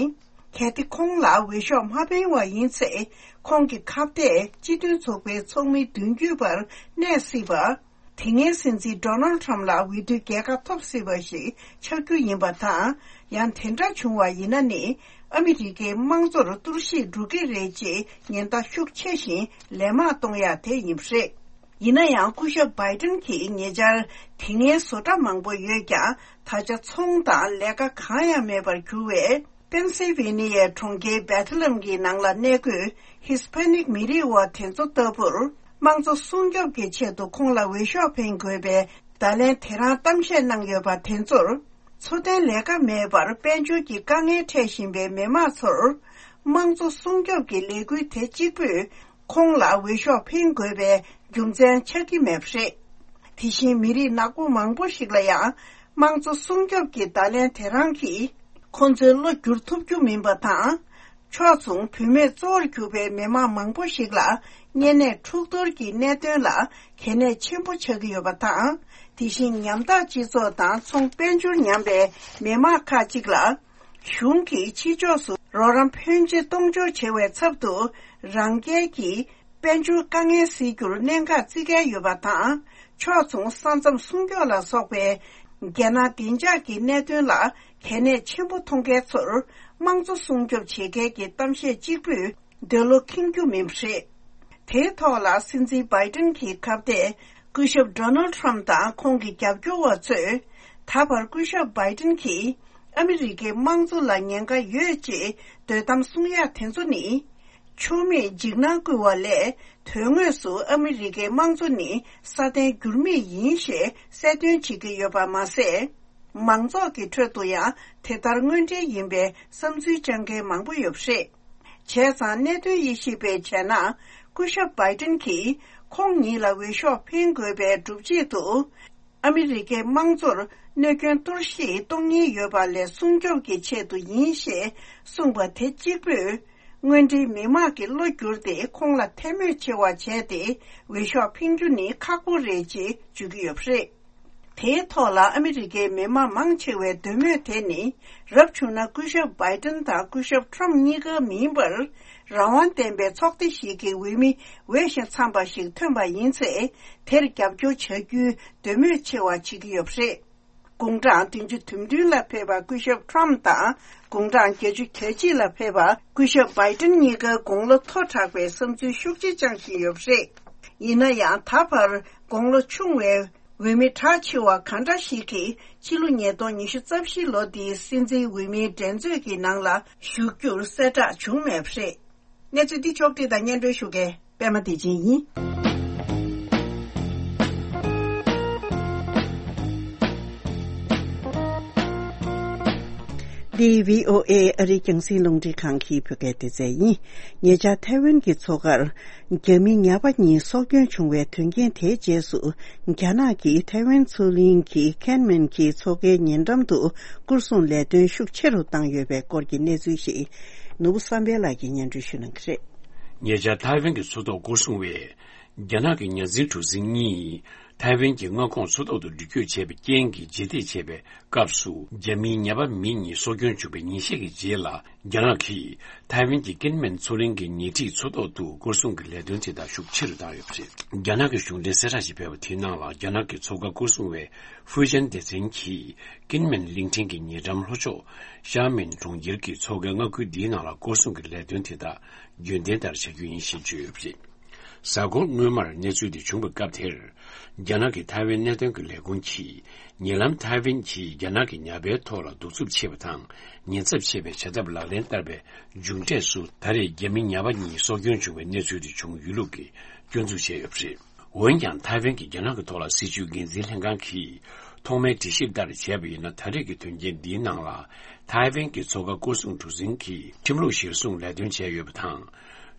གལ་ཏེ་ཁོང་ལ་འོས་ཤོག་མ་འཕེན་བ་ཡིན་ཚེ། ཁོང་གི་ཁ་གཏད་སྤྱི་མཐུན་ཚོགས་པའི་ཚོགས་མི་བདུན་བརྒྱུད་པར་གནས་སྲིད་པ། དེ་སྔའི་སྲིད་འཛིན་ཌོ་ནལ་ཁྲམ་ལ་འོས་བསྡུའི་རྒྱལ་ཁ་ཐོབ་སྲིད་པ་ཞིག་ཆགས་རྒྱུ་ཡིན་པ་དང་། ཡང་དེ་འདྲ་བྱུང་བ་ཡིན་ན་ནི། ཨ་མི་རི་ཀའི་དམངས་གཙོར་གཏོར་བཤིག་འགྲོ་གི་རེད་ཅེས་ཉེན་བརྡ་ཤུགས་ཆེ་ཞིང་ལན་མང་གཏོང་ཡ་དེ་ཡིན་པ་རེད། ཡིན་ན་ཡང་། སྐུ་ཞབས་བྷའི་ཏིན་གྱིས་ཉེ་ཆར་དེ་སྔའི་བཟོ་གྲྭ་མང་པོ་ཡོད་ཀྱང་། ད་ཆ་ཚོང་དང་ལས་ཀ་གང་ཡང་མེད་པར་གྱུར་བས། པེན་སིལ་ཝེ་ནི་ཡའི་གྲོང་ཁྱེར་བེ་ཐི་ལེམ་གྱི་ནང་ལ་གནས་འཁོད་ཧི་སི་པ་ནིག་མི་རིགས་བ་དེ་ཚོ་ལྟ་བུར། དམངས་གཙོ་སྲུང་སྐྱོབ་ཀྱི་ཆེད་དུ་ཁོང་ལ་འོས་ཤོག་འཕེན་དགོས་པའི་བརྡ་ལན་དེ་རང་གཏམ་བཤད་གནང་ཡོད་པ་དེ་ཚོར། འཚོ་རྟེན་ལས་ཀ་མེད་པར་དཔལ་འབྱོར་གྱི་དཀའ་ངལ་འཕྲད་བཞིན་པའི་མི་མང་ཚོར། དམངས་གཙོ་སྲུང་སྐྱོབ་ཀྱི་ལས་འགུལ་དེ་གཅིག་པུས། ཁོང་ལ་འོས་ཤོག་འཕེན་དགོས་པའི་རྒྱུ་མཚན་ཆགས་ཀྱི་མེད་པ་རེད། དེ་བཞིན་མི་རིགས་ནག་པོ་མང་པོ་ཞིག་ལ་ཡང་དམངས་གཙོ་སྲུང་སྐྱོབ་ཀྱི་བརྡ་ལན་དེ་རང་གིས་ཁོ་ཚོའི་བློ་བསྒྱུར་ཐུབ་རྒྱུ་མིན་པ་དང་། ཕྱོགས་མཚུངས་བུད་མེད་གཙོ་བོར་གྱུར་པའི་མི་མང་མང་པོ་ཞིག་ལ་གཉན་ནད་འཁྲུག་གཏོར་གྱི་གནད་དོན་ལ་གལ་གནད་ཆེན་པོ་ཆགས་ཀྱི་ཡོད་པ་དང་། དེ་བཞིན་ཉམ་ཐག་སྤྱི་ཚོགས་དང་ཚོང་དཔལ་འབྱོར་ཉམས་པའི་མི་མང་ཁག་ཅིག་ལ། གཞུང་གིས་ཕྱི་ཕྱོགས་སུ་རོགས་རམ་ཕོན་ཆེ་གཏོང་འཇོག་བྱེད་པའི་ཚབ་ཏུ། རང་རྒྱལ་གྱི་དཔལ་འབྱོར་དཀའ་ངལ་སེལ་རྒྱུར་གནད་འགག་བརྩི་གལ་ཡོད་པ་དང་། ཕྱོགས་མཚུངས་ས་མཚམས་སྲུང་སྐྱོབ་ལ་སོགས་པའི་རྒྱལ་ནང་བདེ་འཇགས་ཀྱི་གནད་དོན་ལ་གལ་གནད་ཆེན་པོ་མཐོང་མཁན་ཚོར། དམངས་གཙོ་སྲུང་སྐྱོབ་བྱེད་མཁན་གྱི་གཏམ་བཤད་གཅིག་པུས། འདོད་བློ་ཁེངས་རྒྱུ་མིན་པ་རེད། དེའི་ཐོག་ལ་སྲིད་འཛིན་བྷའི་ཏིན་གྱི་ཁ་གཏད་སྐུ་ཞབས་ཌོ་ནལ་ཁྲམ་དང་ཁོང་གི་རྒྱབ་སྐྱོར་བ་ཚོས། ད་བར་སྐུ་ཞབས་བྷའི་ཏིན་གྱིས་ཨ་མི་རི་ཀའི་དམངས་གཙོ་ལ་ཉེན་ཁ་ཡོད་ཅེས་འདོད་གཏམ་གསུང་ཡག་དེ་ཚོ་ནི། ཆོ་མེད་འཇིགས་སྣང་བསྐུལ་བ་ལས། དོན་དངོས་སུ་ཨ་མི་རི་ཀའི་དམངས་གཙོ་ནི་སྲ་བརྟན་འགྱུར་མེད་ཡིན་ཞེས་གསལ་སྟོན་བྱེད་ཀྱི་ཡོད་པ་མ་ཟད། མང་ཚོགས་ཀྱི་ཁྲོད་དུ་ཡང་དེ་ལྟར་དངོས་འབྲེལ་ཡིན་པའི་བསམ་ཚུལ་བཅང་མཁན་མང་པོ་ཡོད་པ་རེད། བྱས་ཙང་གནད་དོན་དབྱེ་ཞིབ་པས་བྱས་ན། སྐུ་ཞབས་བྷའི་ཏིན་གྱིས་ཁོང་ཉིད་ལ་འོས་ཤོག་འཕེན་དགོས་པའི་སྒྲུབ་བྱེད་དུ། ཨ་མི་རི་ཀའི་དམངས་གཙོར་གནོད་སྐྱོན་གཏོར་བཤིག་གཏོང་ཉེན་ཡོད་པ་ལས་སྲུང་སྐྱོབ་ཀྱི་ཆེད་དུ་ཡིན་ཞེས་གསུངས་པ་དེ་གཅིག་པུས། དངོས་འབྲེལ་མི་མང་གི་བློ་བསྒྱུར་ཏེ་ཁོང་ལ་ཐལ་མོ་ཆེ་བ་བྱས་ཏེ་འོས་ཤོག་འཕེན་རྒྱུ་ནི་ཁག་པོ་རེད་ཅེས་བརྗོད་ཀྱི་ཡོད་པ་རེད། དེའི་ཐོག་ལ་ཨ་མི་རི་ཀའི་མི་མང་མང་ཆེ་བའི་འདོད་མོས་དེ་ནི། རབ་བྱུང་ན་སྐུ་ཞབས་བྷའི་ཏན་དང་སྐུ་ཞབས་ཁྲོམ་གཉིས་ཀ་མིན་པར། རང་དབང་ལྡན་པའི་ཚོགས་སྡེ་ཞིག་གི་འོས་མི་འོས་ཤིང་འཚམས་པ་ཞིག་ཐོན་པ་ཡིན་ཚེ། དེར་རྒྱབ་སྐྱོར་བྱ་རྒྱུའི་འདོད་མོས་ཆེ་བ་བྱེད་ཀྱི་ཡོད་པ་རེད། དགུང་གྲངས་བདུན་ཅུ་དོན་བདུན་ལ་ཕེབས་པ་སྐུ་ཞབས་ཁྲོམ་དང་། དགུང་གྲངས་བརྒྱད་ཅུ་གྱ་གཅིག་ལ་ཕེབས་པ་སྐུ་ཞབས་བྷའི་ཏན་གཉིས་ཀ་དགུང་ལོ་མཐོ་དྲགས་པའི་བསམ་ཚུལ་ཤུགས་ཆེ་བཅངས་བཞིན་ཡོད་པ་རེད། ཡིན་ན་ཡང་ད་བར་དགུང་ལོ་ཆུང་བའི་འོས་མི་གྲགས་ཆེ་བ་གང་འདྲ་ཞིག་གིས་ཕྱི་ལོ་ཉིས་སྟོང་ཉི་ཤུ་རྩ་བཞི་ལོ་འདིའི་སྲིད་འཛིན་འོས་མིའི་འགྲན་རྩོད་ཀྱི་ནང་ལ་ཞུགས་རྒྱུར་གསལ་བསྒྲགས་བྱུང་མེད་པ་རེད། གནས་ཚུལ་འདི་ཕྱོགས་བསྒྲིགས་དང་སྙན་སྒྲོན་ཞུ་མཁན་པད་མ་བདེ་ཆེན་ཡིན། འདི་བྷི་ཨོ་ཨེ་ཨ་རིའི་རྒྱང་སྲིང་རླུང་འཕྲིན་ཁང་གི་བོད་སྐད་སྡེ་ཚན་ཡིན། ཉེ་ཆར་ཐའེ་ཝན་གྱི་མཚོ་ཁར་རྒྱ་མི་ཉ་པ་གཉིས་སྲོག་སྐྱོན་བྱུང་བའི་དོན་རྐྱེན་དེའི་རྗེས་སུ། རྒྱ་ནག་གིས་ཐའེ་ཝན་མཚོ་གླིང་གི་ཁེན་མན་གྱི་མཚོ་ཁའི་ཉེ་འགྲམ་དུ་སྐོར་སྲུང་ལས་དོན་ཤུགས་ཆེ་རུ་བཏང་ཡོད་པའི་སྐོར་གྱི་གནས་ཚུལ་ཞིག་ནོར་བུ་བསམ་འཕེལ་ལགས་ཀྱིས་སྙན་སྒྲོན་ཞུ་གནང་གི་རེད། ཉེ་ཆར་ཐའེ་ཝན་གྱི་མཚོ་ཐོག་སྐོར་སྲུང་བས། རྒྱ་ནག་གི་ཉ་འཛིན་གྲུ་གཟིངས་གཉིས་ཐའེ་ཝན་གྱི་མངའ་ཁོངས་མཚོ་ཐོག་ཏུ་འགྲུལ་སྐྱོད་བྱས་པའི་རྐྱེན་གྱིས་རྗེས་འདེད་བྱས་པའི་སྐབས་སུ། རྒྱ་མིའི་ཉ་པ་མི་གཉིས་སྲོག་སྐྱོན་བྱུང་བའི་ཉིན་ཤས་ཀྱི་རྗེས་ལ། རྒྱ་ནག་གིས་ཐའེ་ཝན་གྱི་ཀིན་མེན་མཚོ་གླིང་གི་ཉེ་འཁྲིས་མཚོ་ཐོག་ཏུ་སྐོར་སྲུང་གི་ལས་དོན་དེ་དག་ཤུགས་ཆེ་རུ་བཏང་ཡོད་པ་རེད། རྒྱ་ནག་གི་གཞུང་འབྲེལ་གསལ་བསྒྲགས་ཤིག་སྤེལ་བ་དེའི་ནང་ལ། རྒྱ་ནག་གི་མཚོ་ཁ་སྐོར་སྲུང་བའི་ཧྥུའུ་ཅན་སྡེ་ཚན་གྱིས་ཀིན་མེན་གླིང་ཕྲན་གྱི་ཉེ་འགྲམ་ལྷོ་ཕྱོགས་ཤ་མིན་གྲོང་ཁྱེར་གྱི་མཚོ་ཁའི་མངའ་ཁུལ་འདིའི་ནང་ལ་སྐོར་སྲུང་གི་ལས་དོན་དེ་དག་རྒྱུན་ལྡན་ལྟར་བྱ་རྒྱུ་ཡིན་ཞེས་བརྗོད་ཡོད་པ་རེད། གཟའ་འཁོར་སྔོན་མར་གནས་ཚུལ་འདི་བྱུང་བའི་སྐབས་དེར། རྒྱ་ནག་གི་ཐའེ་ཝན་གནད་དོན་གྱི་ལས་ཁུངས་ཀྱིས། ཉེ་ལམ་ཐའེ་ཝན་གྱིས་རྒྱ་ནག་གི་ཉ་པའི་ཐོག་ལ་གདུག་རྩུབ་ཆེ་བ་དང་། ཉེན་ཚབས་ཆེ་བའི་བྱ་ཐབས་ལག་ལེན་བསྟར་བའི་མཇུག་འབྲས་སུ། ད་རེས་རྒྱ་མི་ཉ་པ་གཉིས་སྲོག་སྐྱོན་བྱུང་བའི་གནས་ཚུལ་དེ་བྱུང་ཡོད་ལུགས་ཀྱི་སྐྱོན་འཛུགས་བྱས་ཡོད་པ་རེད། འོན་ཀྱང་། ཐའེ་ཝན་གྱི་རྒྱ་ནག་གི་ཐོག་ལ་སྲིད་བྱུས་འགན་འཛིན་ལྷན་ཁང་གིས་ཐོག་མའི་འགྲེལ་བཤད་ལྟར་བྱས་པ་ཡིན་ན། ད་རེས་ཀྱི་དོན་རྐྱེན་འདིའི་ནང་ལ། ཐའེ་ཝན་གྱི་མཚོ་ཁ་སྐོར་སྲུང་གྲུ་གཟིངས་ཀྱིས་ཁྲིམས་ལུགས་གཞིར་བཟུང་ལས་དོན་བྱས་ཡོད་པ་དང་།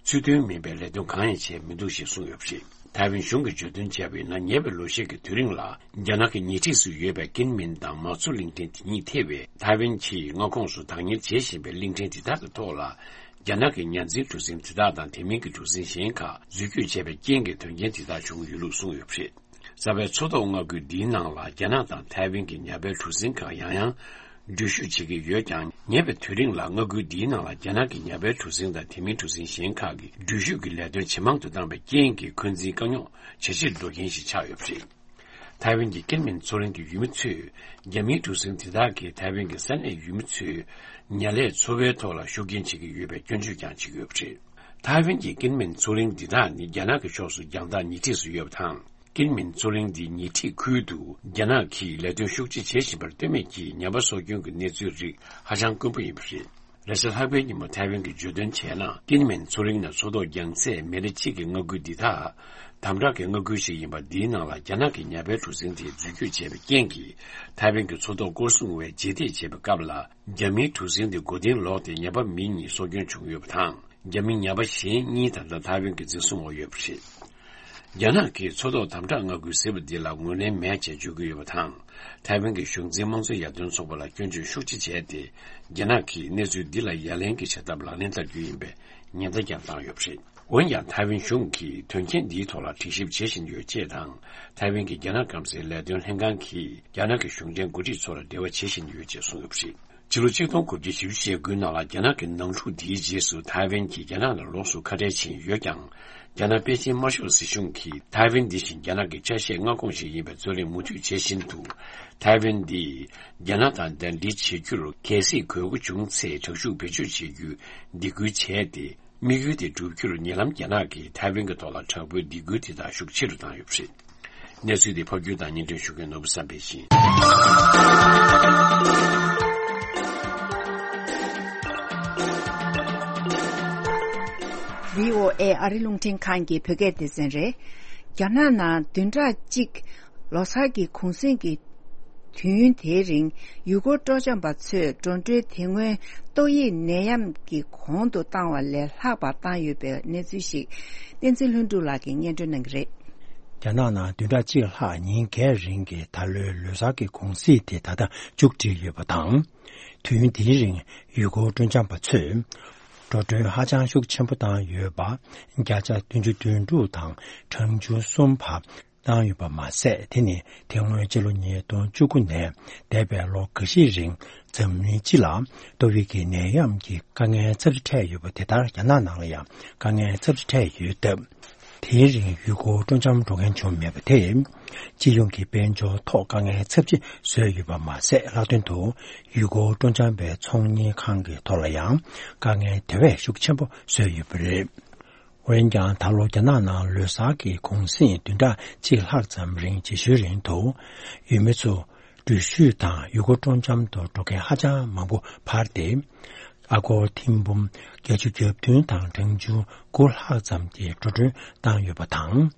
ཚུལ་མཐུན་མིན་པའི་ལས་དོན་གང་ཡང་བྱས་མི་འདུག་ཅེས་གསུངས་ཡོད་པ་རེད། ཐའེ་ཝན་གཞུང་གིས་བརྗོད་དོན་བྱས་པ་ཡིན་ན། ཉེ་བའི་ལོ་ཤས་ཀྱི་དུས་རིང་ལ། རྒྱ་ནག་གི་ཉེ་འཁྲིས་སུ་ཡོད་པའི་ཀིན་མིན་དང་མ་ཚུ་གླིང་ཕྲན་དེ་གཉིས་ཐེ་བའི་ཐའེ་ཝན་གྱི་མངའ་ཁོངས་སུ་བདག་གཉེར་བྱེད་བཞིན་པའི་གླིང་ཕྲན་དེ་དག་གི་ཐོག་ལ། རྒྱ་ནག་གི་ཉ་འཛིན་གྲུ་གཟིངས་དེ་དག་དང་། དེ་མིན་གྱི་གྲུ་གཟིངས་གཞན་ཁག་འཛུལ་སྐྱོད་བྱས་པའི་རྐྱེན་གྱིས་དོན་རྐྱེན་དེ་དག་བྱུང་ཡོད་ལུགས་གསུངས་ཡོད་པ་རེད། རྩ་བའི་མཚོ་ཐོག་མངའ་ཁུལ་འདིའི་ནང་ལ། རྒྱ་ནག་དང་ཐའེ་ཝན་གྱི་ཉ་པའི་གྲུ་གཟིངས་ཁག་ཡང་ཡང་འགྲུལ་བཞུད་བྱེད་ཀྱི་ཡོད་ཀྱང་། ཉེ་བའི་དུས་རིང་ལ་མངའ་ཁུལ་འདིའི་ནང་ལ་རྒྱ་ནག་གི་ཉ་པའི་གྲུ་གཟིངས་དང་། དེ་མིན་གྲུ་གཟིངས་གཞན་ཁག་གི་འགྲུལ་བཞུད་ཀྱི་ལས་དོན་ཇེ་མང་དུ་བཏང་བའི་རྐྱེན་གྱིས། འཁོན་འཛིན་དཀའ་རྙོག་ཇེ་ཆེར་འགྲོ་མཁན་ཞིག་ཆགས་ཡོད་པ་རེད། ཐའེ་ཝན་གྱི་ཀིན་མིན་མཚོ་གླིང་གི་ཡུལ་མི་ཚོས། རྒྱ་མིའི་གྲུ་གཟིངས་དེ་དག་གིས་ཐའེ་ཝན་གྱི་ས་གནས་ཡུལ་མི་ཚོའི་ཉ་ལས་འཚོ་བའི་ཐོག་ལ་ཤུགས་རྐྱེན་བྱེད་ཀྱི་ཡོད་པའི་སྐྱོན་བརྗོད་ཀྱང་བྱེད་ཀྱི་ཡོད་པ་རེད། ཐའེ་ཝན་གྱི་ཀིན་མིན་མཚོ་གླིང་འདི་དག་ནི་རྒྱ་ནག་གི་ཕྱོགས་སུ་རྒྱང་ཐག་ཉེ་འཁྲིས་སུ་ཡོད་པ་དང་། ཀིན་མིན་མཚོ་གླིང་འདིའི་ཉེ་འཁྲིས་ཁུལ་དུ་རྒྱ་ནག་གིས་ལས་དོན་ཤུགས་ཆེ་བྱེད་བཞིན་པར་ལྟོས་མེད་ཀྱིས་ཉ་པ་སྲོག་སྐྱོན་གྱི་གནས་ཚུལ་རིགས་ཧ་ཅང་དཀོན་པོ་ཡིན་པ་རེད། རེས་གཟའ་ལྷག་པའི་ཉིན་མོ་ཐའེ་ཝན་གྱིས་བརྗོད་དོན་བྱས་ན། ཀིན་མིན་མཚོ་གླིང་ནས་མཚོ་ཐོག་རྒྱང་ཚད་མི་ལི་གཅིག་གི་མངའ་ཁུལ་འདི་དག་དམ་དྲག་གི་མངའ་ཁུལ་ཞིག་ཡིན་པ། འདིའི་ནང་ལ་རྒྱ་ནག་གི་ཉ་པའི་གྲུ་གཟིངས་དེ་འཛུལ་སྐྱོད་བྱས་པའི་རྐྱེན་གྱིས། ཐའེ་ཝན་གྱི་མཚོ་ཐོག་སྐོར་སྲུང་བས་རྗེས་འདེད་བྱས་པའི་སྐབས་ལ། རྒྱ་མིའི་གྲུ་གཟིངས་དེ་མགོ་རྟིང་ལོག་སྟེ་ཉ་པ་མི་གཉིས་སྲོག་སྐྱོན་བྱུང་ཡོད་པ་དང་། རྒྱ་མི་ཉ་པ་གཞན་གཉིས་ད་ལྟ་ཐའེ་ཝན་གྱི་འཛིན་བཟུང་འོག་ཡོད་པ་རེད། རྒྱ་ནག་གིས་མཚོ་ཐོག་དམ་དྲག་མངའ་ཁུལ་ཟེར་བ་འདི་ལ་ངོས་ལེན་མེད་ཅེས་བརྗོད་ཀྱི་ཡོད་པ་དང་། ཐའེ་ཝན་གྱི་གཞུང་འཛིན་དམངས་གཙོ་ཡར་ཐོན་ཚོགས་པ་ལ་སྐྱོན་བརྗོད་ཤུགས་ཆེ་བྱས་ཏེ། རྒྱ་ནག་གིས་གནས་ཚུལ་འདི་ལ་ཡ་ལན་གྱི་བྱ་ཐབས་ལག་ལེན་བསྟར་རྒྱུ་ཡིན་པའི་ཉེན་བརྡ་ཀྱང་བཏང་ཡོད་པ་རེད། འོན་ཀྱང་། ཐའེ་ཝན་གཞུང་གིས་དོན་རྐྱེན་འདིའི་ཐོག་ལ་དྲན་ཞིབ་བྱེད་བཞིན་ཡོད་ཅེས་དང་། ཐའེ་ཝན་གྱི་རྒྱ་ནག་སྐམ་སའི་ལས་དོན་ལྷན་ཁང་གིས་རྒྱ་ནག་གི་གཞུང་འབྲེལ་འགོ་ཁྲིད་ཚོ་ལ་འབྲེལ་བ་བྱེད་བཞིན་ཡོད་ཅེས་གསུངས་ཡོད་པ་རེད། ཕྱི་ལོ་ཆིག་སྟོང་དགུ་བརྒྱ་བཞི་བཅུ་ཞེ་དགུའི་ནང་ལ། རྒྱ་ནག་གི་ནང་འཁྲུག་འདིའི་རྗེས་སུ་ཐའེ་ཝན་གྱིས་རྒྱ་ནག་ནང་ལོགས་སུ་ཁ་བྲལ་ཕྱིན་ཡོད་ཀྱང་། རྒྱ་ནག་པེ་ཅིན་དམར་ཤོག་སྲིད་གཞུང་གིས་ཐའེ་ཝན་འདི་བཞིན་རྒྱ་ནག་གི་ཆ་ཤས་མངའ་ཁོངས་ཤིག་ཡིན་པའི་རྩོད་གླེང་མུ་མཐུད་བྱེད་བཞིན་དུ། ཐའེ་ཝན་འདི་རྒྱ་ནག་དང་ཟླ་སྒྲིལ་བྱེད་རྒྱུར་གལ་སྲིད་དགོས་མཁོ་བྱུང་ཚེ། དྲག་ཤུགས་བེད་སྤྱོད་བྱེད་རྒྱུའི་སྡིགས་སྐུལ་བྱས་ཏེ། དམིགས་ཡུལ་དེ་བསྒྲུབ་རྒྱུར། ཉེ་ལམ་རྒྱ་ནག་གིས་ཐའེ་ཝན་གྱི་ཐོག་ལ་དྲག་པོའི་སྡིགས་སྐུལ་དེ་དག་ཤུགས་ཆེ་རུ་བཏང་ཡོད་པ་རེད། གནས་ཚུལ་དེ་ཕབ་སྒྱུར་དང་སྙན་སྒྲོན་ཞུ་མཁན་ནོར་བུ་བསམ་འཕེལ་ཡིན། བྷི་ཨོ་ཨེ་ཨ་རི་རླུང་འཕྲིན་ཁང་གི་བོད་སྐད་སྡེ་ཚན་རེད། རྒྱ་ནག་ནང་བདུན་ཕྲག་གཅིག་ལོ་སར་གྱི་གུང་གསེང་གི་དུས་ཡུན་དེའི་རིང་། ཡུལ་སྐོར་སྤྲོ་འཆམ་པ་ཚོས་འགྲོ་གྲོན་དེ་སྔོན་ཏོག་དབྱིབས་ནད་ཡམས་ཀྱི་གོང་དུ་བཏང་བ་ལས་ལྷག་པ་བཏང་ཡོད་པའི་གནས་ཚུལ་ཞིག་བསྟན་འཛིན་ལྷུན་གྲུབ་ལགས་ཀྱིས་སྙན་སྒྲོན་གནང་གི་རེད། རྒྱ་ནག་ནང་བདུན་ཕྲག་གཅིག་ལྷག་ཉིན་འགའི་རིང་གི་ད་ལོའི་ལོ་གསར་གྱི་གུང་གསེང་དེ་ད་ལྟ་མཇུག་སྒྲིལ་ཡོད་པ་དང་། དུས་ཡུན་དེའི་རིང་ཡུལ་སྐོར་སྤྲོ་འཆམ་པ་ཚོས་འགྲོ་གྲོན་ཧ་ཅང་ཤུགས་ཆེན་པོ་བཏང་ཡོད་པ། བརྒྱ་ཆ་བདུན་ཅུ་དོན་དྲུག་དང་གྲངས་ཆུང་གསུམ་བར། བཏང་ཡོད་པ་མ་ཟད། དེ་ནི་དེ་སྔོན་སྤྱི་ལོ་ཉིས་སྟོང་བཅུ་དགུ་ནས་འདས་པའི་ལོ་འགའ་ཤས་རིང་འཛམ་གླིང་སྤྱི་ལ་ཏོག་དབྱིབས་ཀྱི་ནད་ཡམས་ཀྱི་དཀའ་ངལ་ཚབས་ཆེ་འཕྲད་ཡོད་པ་དེ་ལྟར་རྒྱ་ནག་ནང་ལ་ཡང་དཀའ་ངལ་ཚབས་ཆེ་འཕྲད་ཡོད་སྟབས། དེའི་རིང་ཡུལ་སྐོར་སྤྲོ་འཆམ་འགྲོ་མཁན་བྱུང་མེད་པ་དེས། སྤྱི་ཡོངས་ཀྱི་དཔལ་འབྱོར་ཐོག་དཀའ་ངལ་ཚབས་ཆེ་བཟོས་ཡོད་པ་མ་ཟད། ལྷག་དོན་དུ་ཡུལ་སྐོར་སྤྲོ་འཆམ་པའི་ཚོང་གཉེར་ཁང་གི་ཐོག་ལ་ཡང་དཀའ་ངལ་དེ་བས་ཤུགས་ཆེན་པོ་བཟོས་ཡོད་པ་རེད། འོན་ཀྱང་། ད་ལོ་རྒྱ་ནག་ནང་ལོ་གསར་གྱི་གུང་གསེང་བདུན་ཕྲག་གཅིག་ལྷག་ཙམ་རིང་། རྗེས་ཤུལ་རིང་དུ་ཡུལ་མི་ཚོ་འགྲུལ་བཞུད་དང་ཡུལ་སྐོར་སྤྲོ་འཆམ་དུ་འགྲོ་མཁན་ཧ་ཅང་མང་པོ་འཕར་ཏེ། ཨ་སྒོར་ཐེར་འབུམ་བརྒྱད་ཅུ་གྱ་བདུན་དང་གྲངས་ཆུང་དགུ་ལྷག་ཙམ་གྱིས་འགྲོ་གྲོན་བཏང་ཡོད་པ་དང་།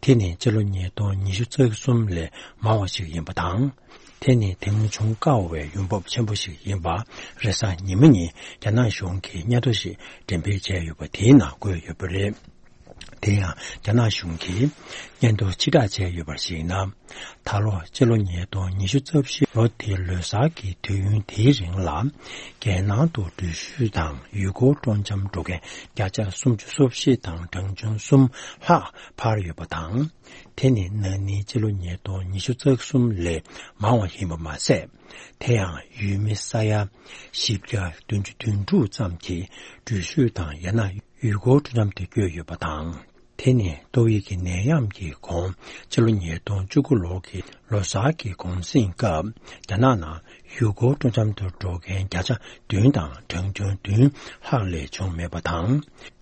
དེ་ནི་སྤྱི་ལོ་ཉིས་སྟོང་ཉི་ཤུ་རྩ་གསུམ་ལས་མང་བ་ཞིག་ཡིན་པ་དང་། དེ་ནི་དེ་སྔོན་བྱུང་དཀའ་བའི་ཡོང་འབབ་ཆེན་པོ་ཞིག་ཡིན་པ། རེས་གཟའ་ཉི་མ་ཉིན་རྒྱ་ནག་གཞུང་གིས་སྙན་ཐོ་ཞིག་འགྲེམས་སྤེལ་བྱས་ཡོད་པ་དེའི་ནང་འཁོད་ཡོད་པ་རེད། དེ་ཡང་རྒྱ་ནག་གཞུང་གིས་སྙན་ཐོ་ཕྱིར་བསྒྲགས་བྱས་ཡོད་པར་གཞིགས་ན། ད་ལོ་སྤྱི་ལོ་ཉིས་སྟོང་ཉི་ཤུ་རྩ་བཞི་ལོ་དེའི་ལོ་གསར་གྱི་དུས་ཡུན་དེའི་རིང་ལ། རྒྱལ་ནང་དུ་འགྲུལ་བཞུད་དང་ཡུལ་སྐོར་སྤྲོ་འཆམ་འགྲོ་མཁན་བརྒྱ་ཆ་སུམ་ཅུ་སོ་བཞི་དང་གྲངས་ཆུང་གསུམ་ལྷག་འཕར་ཡོད་པ་དང་། དེ་ནི་ན་ནིང་སྤྱི་ལོ་ཉིས་སྟོང་ཉི་ཤུ་རྩ་གསུམ་ལས་མང་བ་ཡིན་པ་མ་ཟད། དེ་ཡང་ཡུལ་མི་ས་ཡ་བཞི་བརྒྱ་བདུན་ཅུ་དོན་དྲུག་ཙམ་གྱིས་འགྲུལ་བཞུད་དང་ཡང་ན་ཡུལ་སྐོར་སྤྲོ་འཆམ་དུ་བསྐྱོད་ཡོད་པ་དང་། དེ་ནི་ཏོག་དབྱིབས་ཀྱི་ནད་ཡམས་ཀྱི་གོང་སྤྱི་ལོ་ཉིས་སྟོང་བཅུ་དགུ་ལོ་གི་ལོ་གསར་གྱི་གུང་གསེང་སྐབས། རྒྱ་ནག་ནང་ཡུལ་སྐོར་སྤྲོ་འཆམ་དུ་འགྲོ་མཁན་བརྒྱ་ཆ་བདུན་དང་གྲངས་ཆུང་བདུན་ལྷག་ལས་བྱུང་མེད་པ་དང་།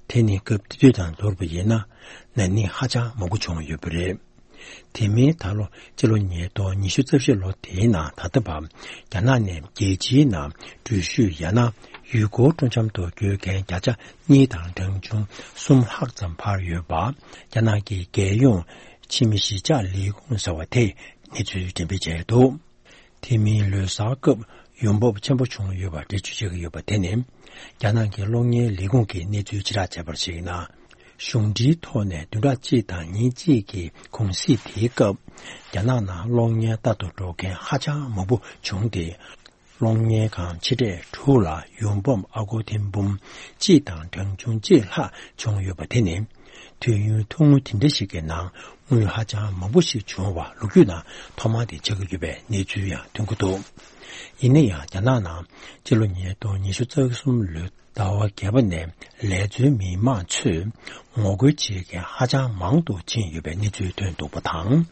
དེ་ནི་སྐབས་དེ་དུས་དང་བསྡུར་བ་ཡིན་ན། ན་ནིང་ཧ་ཅང་མང་པོ་བྱུང་ཡོད་པ་རེད། དེ་མིན་ད་ལོ་སྤྱི་ལོ་ཉིས་སྟོང་ཉི་ཤུ་རྩ་བཞི་ལོ་དེའི་ནང་ད་ལྟ་བར་རྒྱ་ནག་ནས་རྒྱལ་སྤྱིའི་ནང་འགྲུལ་བཞུད་ཡང་ན་ཡུལ་སྐོར་སྤྲོ་འཆམ་དུ་བསྐྱོད་མཁན་བརྒྱ་ཆ་གཉིས་དང་གྲངས་ཆུང་གསུམ་ལྷག་ཙམ་འཕར་ཡོད་པ། རྒྱ་ནག་གི་རྒྱལ་ཡོངས་ཕྱི་མི་གཞིས་ཆགས་ལས་ཁུངས་ཟེར་བ་དེས་གནས་ཚུལ་འགྲེམས་སྤེལ་བྱས་འདུག་དེ་མིན་ལོ་གསར་སྐབས་ཡོང་འབབ་ཆེན་པོ་བྱུང་ཡོད་པ་འགྲེལ་བརྗོད་བྱེད་ཀྱི་ཡོད་པ་དེ་ནི། རྒྱ་ནག་གི་གློག་བརྙན་ལས་ཁུངས་ཀྱིས་གནས་ཚུལ་ཕྱིར་བསྒྲགས་བྱས་པར་གཞིགས་ན། གཞུང་འབྲེལ་ཐོག་ནས་བདུན་ཕྲག་གཅིག་དང་ཉིན་གཅིག་གི་གུང་གསེང་དེའི་སྐབས། རྒྱ་ནག་ནང་གློག་བརྙན་ལྟ་དུ་འགྲོ་མཁན་ཧ་ཅང་མང་པོ་བྱུང་སྟེ། གློག་བརྙན་ཁང་ཆེ་གྲས་དྲུག་ལ་ཡོང་འབབ་ཨ་སྒོར་ཐེར་འབུམ་གཅིག་དང་གྲངས་ཆུང་གཅིག་ལྷག་བྱུང་ཡོད་པ་དེ་ནི། དུས་ཡུན་ཐུང་ངུ་དེ་འདྲ་ཞིག་གི་ནང་དངུལ་ཧ་ཅང་མང་པོ་ཞིག་བྱུང་བ་ལོ་རྒྱུས་ནང་ཐོག་མ་དེ་ཆགས་ཀྱི་ཡོད་པའི་གནས་ཚུལ་ཡང་ཐོན་གྱི་འདུག་ཡིན་ན་ཡང་། རྒྱ་ནག་ནང་སྤྱི་ལོ་ཉིས་སྟོང་ཉི་ཤུ་རྩ་གསུམ་ལོའི་ཟླ་བ་བརྒྱད་པ་ནས་ལས་བཟོའི་མི་མང་ཚོས་ངོ་རྒོལ་བྱེད་མཁན་ཧ་ཅང་མང་དུ་ཕྱིན་ཡོད་པའི་གནས་ཚུལ་ཐོན་འདུག་པ་དང་།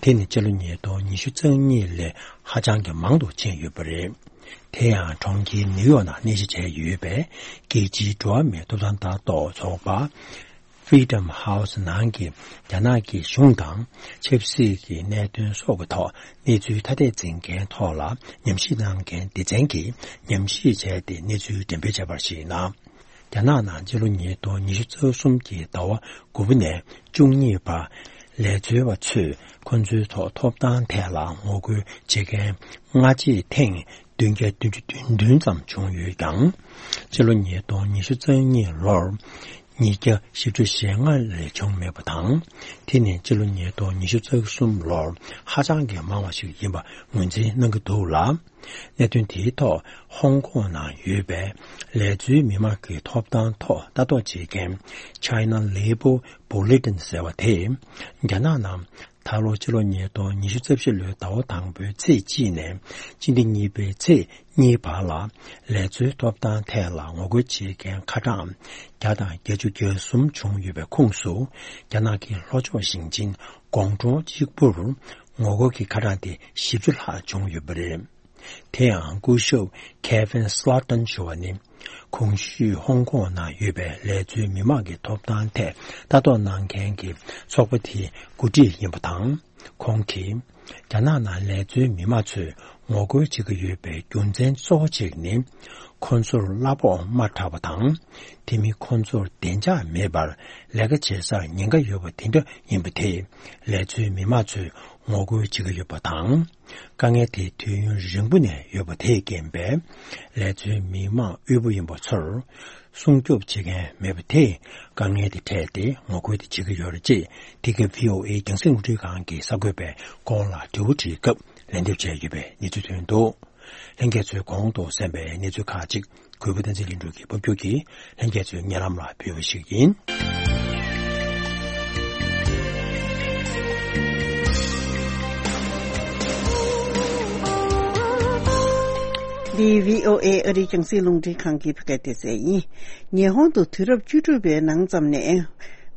དེ་ནི་སྤྱི་ལོ་ཉིས་སྟོང་ཉི་ཤུ་རྩ་གཉིས་ལས་ཧ་ཅང་གི་མང་དུ་ཕྱིན་ཡོད་པ་རེད། དེ་ཡང་གྲོང་ཁྱེར་ནིའུ་ཡོག་ནང་གནས་གཞི་བྱས་ཡོད་པའི་རྒྱལ་སྤྱིའི་འགྲོ་བ་མིའི་ཐོབ་ཐང་ལྟ་རྟོག་ཚོགས་པ། Freedom House ནང་གི་རྒྱ་ནག་གི་གཞུང་དང་ཆབ་སྲིད་ཀྱི་གནད་དོན་སོགས་ཀྱི་ཐོག་གནས་ཚུལ་ཐ་དད་འཛིན་མཁན་ཐོག་ལ་ཉམས་ཞིབ་གནང་མཁན་སྡེ་ཚན་གྱིས་ཉམས་ཞིབ་བྱས་ཏེ་གནས་ཚུལ་འགྲེམས་སྤེལ་བྱས་པར་གཞིགས་ན། རྒྱ་ནག་ནང་སྤྱི་ལོ་ཉིས་སྟོང་ཉི་ཤུ་རྩ་གསུམ་གྱི་ཟླ་བ་དགུ་པ་ནས་བཅུ་གཉིས་བར་ལས་བཟོ་བ་ཚོས་ཁོ་ཚོའི་ཐོག་ཐོབ་ཐང་ཐད་ལ་ངོ་རྒོལ་བྱེད་མཁན་སྔ་རྗེས་ཐེངས་བདུན་བརྒྱ་བདུན་ཅུ་དོན་བདུན་ཙམ་བྱུང་ཡོད་ཀྱང་། སྤྱི་ལོ་ཉིས་སྟོང་ཉི་ཤུ་རྩ་གཉིས་ལོར་ཉིས་བརྒྱ་བཞི་བཅུ་ཞེ་ལྔ་ལས་བྱུང་མེད་པ་དང་། དེ་ནི་སྤྱི་ལོ་ཉིས་སྟོང་ཉི་ཤུ་རྩ་གསུམ་ལོར་ཧ་ཅང་གི་མང་བ་ཞིག་ཡིན་པ་ངོས་འཛིན་གནང་གི་འདུག་ལ། གནད་དོན་དེའི་ཐོག་ཧོང་ཀོང་ནང་ཡོད་པའི་ལས་བཟོའི་མི་མང་གི་ཐོབ་ཐང་ཐོག་ལྟ་རྟོག་བྱེད་མཁན་China Labor Bulletin ཟེར་བ་དེས། རྒྱ་ནག་ནང་ད་ལོ་སྤྱི་ལོ་ཉིས་སྟོང་ཉི་ཤུ་རྩ་བཞི་ལོའི་ཟླ་བ་དང་པོའི་ཚེས་གཅིག་ནས་སྤྱི་ཟླ་གཉིས་པའི་ཚེས་གཉིས་བར་ལ་ལས་བཟོའི་ཐོབ་ཐང་ཐད་ལ་ངོ་རྒོལ་བྱེད་མཁན་ཁ་གྲངས་བརྒྱ་དང་བརྒྱད་ཅུ་གྱ་གསུམ་བྱུང་ཡོད་པའི་ཁོངས་སུ། རྒྱ་ནག་གི་ལྷོ་ཕྱོགས་ཞིང་ཆེན་ཀོང་ཀྲོའུ་གཅིག་པུར་ངོ་རྒོལ་གྱི་ཁ་གྲངས་དེ་བཞི་བཅུ་ལྷག་བྱུང་ཡོད་པ་རེད། དེ་ཡང་སྐུ་ཞབས་Kevin Slaughton ཞུ་བ་ནི། གོང་ཞུས་ཧོང་ཀོང་ནང་ཡོད་པའི་ལས་བཟོའི་མི་མང་གི་ཐོབ་ཐང་ཐད་ལྟ་རྟོག་གནང་མཁན་གྱི་ཚོགས་པ་དེའི་འགོ་ཁྲིད་ཡིན་པ་དང་། ཁོང་གིས། རྒྱ་ནག་ནང་ལས་བཟོའི་མི་མང་ཚོས་ངོ་རྒོལ་བྱེད་ཀྱི་ཡོད་པའི་རྒྱུ་མཚན་གཙོ་བོ་གཅིག་ནི། ཁོ་ཚོར་གླ་ཕོགས་དམའ་དྲགས་པ་དང་། དེ་མིན་ཁོ་ཚོར་བདེ་འཇགས་མེད་པར་ལས་ཀ་བྱེད་སར་ཉེན་ཁ་ཡོད་པ་དེ་འདྲ་ཡིན་པ་དེས། ལས་བཟོའི་མི་མང་ཚོས་ངོ་རྒོལ་བྱེད་ཀྱི་ཡོད་པ་དང་། དཀའ་ངལ་དེ་དུས་ཡུན་རིང་པོ་ནས་ཡོད་པ་དེས་རྐྱེན་པས། ལས་བཟོའི་མི་མང་དབུལ་པོ་ཡིན་པ་ཚོར་སྲུང་སྐྱོབ་བྱེད་མཁན་མེད་པ་དེས་དཀའ་ངལ་དེ་འཕྲད་དེ་ངོ་རྒོལ་དེ་བྱེད་ཀྱི་ཡོད་རེད་ཅེས། དེ་ག་V O A་རྒྱང་སྲིང་རླུང་འཕྲིན་ཁང་གི་གསར་འགོད་པས་ཁོང་ལ་དྲི་བ་དྲིས་སྐབས་ལན་འདེབས་བྱས་ཡོད་པའི་གནས་ཚུལ་ཐོན་འདུག་ལྷན་རྒྱས་ཚོས་གོང་དུ་གསན་པའི་གནས་ཚུལ་ཁག་ཅིག་གུས་པ་བསྟན་འཛིན་ལྷུན་གྲུབ་ཀྱིས་ཕབ་སྒྱུར་གྱིས་ལྷན་རྒྱས་ཚོའི་སྙན་ལམ་ལ་ཕུལ་བ་ཞིག་ཡིན། འདི་བྷི་ཨོ་ཨེ་ཨ་རིའི་རྒྱང་སྲིང་རླུང་འཕྲིན་ཁང་གི་བོད་སྐད་སྡེ་ཚན་ཡིན། ཉི་ཧོང་དུ་དུས་རབས་བཅུ་དྲུག་པའི་ནང་ཙམ་ནས་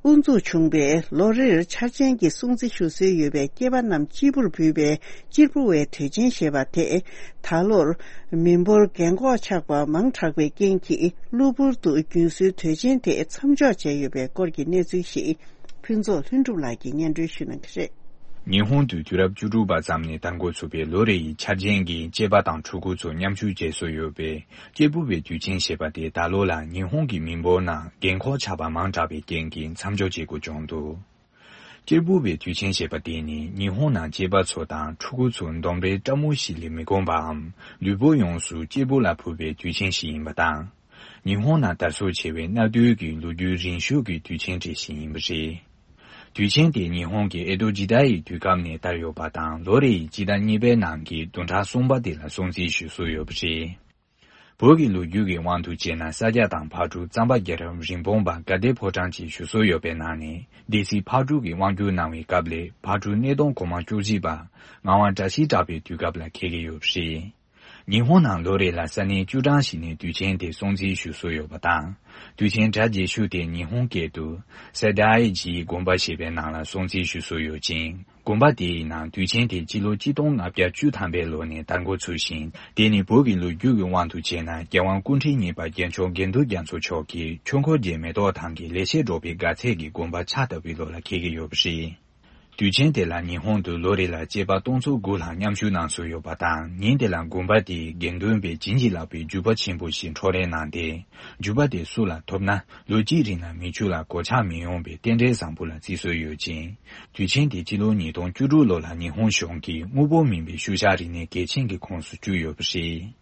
དབུ་འཛུགས་བྱུང་པའི་ལོ་རེར་འཆར་ཅན་གྱི་སྲུང་བརྩི་ཞུ་སྲོལ་ཡོད་པའི་སྐྱེས་པ་རྣམས་གཅེར་བུར་འབུལ་བའི་གཅེར་བུ་བའི་དུས་ཆེན་ཞེས་པ་དེ། ད་ལོར་མི་འབོར་རྒན་འཁོགས་ཆགས་པ་མང་དྲགས་པའི་རྐྱེན་གྱིས། གློ་བུར་དུ་རྒྱུན་སྲོལ་དུས་ཆེན་དེ་མཚམས་འཇོག་བྱས་ཡོད་པའི་སྐོར་གྱི་གནས་ཚུལ་ཞིག་ཕུན་ཚོགས་ལྷུན་གྲུབ་ལགས་ཀྱིས་སྙན་སྒྲོན་ཞུ་གནང་གི་རེད། ཉི་ཧོང་དུ་དུས་རབས་བཅུ་དྲུག་པ་ཙམ་ནས་དར་འགོ་ཚུགས་པའི་ལོ་རེ་ཡི་འཆར་ཅན་གྱི་སྐྱེས་པ་དང་ཕྲུ་གུ་ཚོ་མཉམ་ཞུགས་བྱེད་སྲོལ་ཡོད་པའི་གཅེར་བུ་བའི་དུས་ཆེན་ཞེས་པ་དེ་ད་ལོ་ལ་ཉི་ཧོང་གི་མི་འབོར་ནང་རྒན་འཁོགས་ཆགས་པ་མང་དྲགས་པའི་རྐྱེན་གྱིས་མཚམས་འཇོག་བྱེད་དགོས་བྱུང་འདུག་གཅེར་བུ་བའི་དུས་ཆེན་ཞེས་པ་དེ་ནི་ཉི་ཧོང་ནང་སྐྱེས་པ་ཚོ་དང་ཕྲུ་གུ་ཚོ་འདོམས་པའི་སྤྲང་མོ་ཞིག་ལས་མི་དགོངས་པའམ། ལུས་པོ་ཡོངས་སུ་གཅེར་བུ་ལ་ཕུལ་བའི་དུས་ཆེན་ཞིག་ཡིན་པ་དང་། ཉི་ཧོང་ནང་དར་སྲོལ་ཆེ་བའི་གནའ་དུས་ཀྱི་ལོ་རྒྱུས་རིང་ཤོས་ཀྱི་དུས་ཆེན་གྲས་ཤིག་ཡིན་པ་རེད། དུས་ཆེན་དེ་ཉི་ཧོང་གི་ཨེ་ཏོ་ཇི་ཏཱ་ཡི་དུས་སྐབས་ནས་དར་ཡོད་པ་དང་། ལོ་རེ་ཡི་སྤྱི་ཟླ་གཉིས་པའི་ནང་གི་བདུན་ཕྲག་གསུམ་པ་དེ་ལ་སྲུང་བརྩི་ཞུ་སྲོལ་ཡོད་པ་རེད། བོད་ཀྱི་ལོ་རྒྱུས་ཀྱི་དབང་དུ་བྱས་ན། ས་སྐྱ་དང་ཕག་གྲུ་གཙང་པ་རྒྱལ་རབས་རིན་སྤུངས་པ་དགའ་ལྡན་ཕོ་བྲང་ཅེས་ཞུ་སྲོལ་ཡོད་པའི་ནང་ནས། སྡེ་སྲིད་ཕག་གྲུ་གིས་དབང་བསྒྱུར་གནང་བའི་སྐབས་ལས་ཕག་གྲུ་སྣེ་གདོང་གོང་མ་བཅུ་གཅིག་པ་ངག་དབང་བཀྲ་ཤིས་གྲགས་པའི་དུས་སྐབས་ལ་འཁེལ་གྱི་ཡོད་པ་རེད། ཉི་ཧོང་ནང་ལོ་རེ་ལ་ས་གནས་བཅུ་གྲངས་ཤིག་ནས་དུས་ཆེན་དེ་སྲུང་བརྩི་ཞུ་སྲོལ་ཡོད་པ་དང་། དུས་ཆེན་གྲ་རྒྱས་ཤོས་དེ་ཉི་ཧོང་སྐད་དུ་སེ་དཱའི་ཇིའི་དགོན་པ་ཞེས་པའི་ནང་ལ་སྲུང་བརྩི་ཞུ་སྲོལ་ཡོད་ཅིང་། དགོན་པ་དེའི་ནང་དུས་ཆེན་དེ་སྤྱི་ལོ་གཅིག་སྟོང་ལྔ་བརྒྱ་བཅུ་ཐམ་པའི་ལོ་ནས་དར་འགོ་ཚུགས་ཤིང་། དེ་ནི་བོད་ཀྱི་ལོ་རྒྱུས་ཀྱི་དབང་དུ་བྱས་ན། རྒྱལ་དབང་སྐུ་ཕྲེང་གཉིས་པ་རྒྱལ་མཆོག་དགེ་འདུན་རྒྱ་མཚོ་མཆོག་གིས་ཆོས་འཁོར་གྱི་མེ་ཏོག་ཐང་གི་ལེགས་བཤད་སྒྲོག་པའི་དགའ་ཚལ་གྱི་དགོན་པ་ཕྱག་བཏབ་པའི་ལོ་ལ་འཁེལ་གྱི་ཡོད་པ་རེད། དུས་ཆེན་དེ་ལ་ཉི་ཧོང་དུ་ལོ་རེ་ལ་སྐྱེས་པ་སྟོང་ཚོ་དགུ་ལྷག་མཉམ་ཞུགས་གནང་སྲོལ་ཡོད་པ་དང་། ཉིན་དེ་ལ་དགོན་པ་དེའི་དགེ་འདུན་པས་བྱིན་གྱིས་བརླབས་པའི་རྒྱུག་པ་ཆེན་པོ་ཞིག་འཕྲོག་ལེན་གནང་སྟེ། རྒྱུག་པ་དེ་སུ་ལ་ཐོབ་ན་ལོ་གཅིག་རིང་ལ་མི་ཕྱུགས་ལ་གོད་ཆག་མི་ཡོང་བའི་རྟེན་འབྲེལ་བཟང་པོ་ལ་བརྩི་སྲོལ་ཡོད་ཅིང་། དུས་ཆེན་དེ་སྤྱི་ལོ་ཉིས་སྟོང་བཅུ་དྲུག་ལོ་ལ་ཉི་ཧོང་གཞུང་གིས་དངོས་པོ་མིན་པའི་ཤུལ་བཞག་རིག་གནས་གལ་ཆེན་གྱི་ཁོངས་སུ་བཅུག་ཡོད་པ་རེད།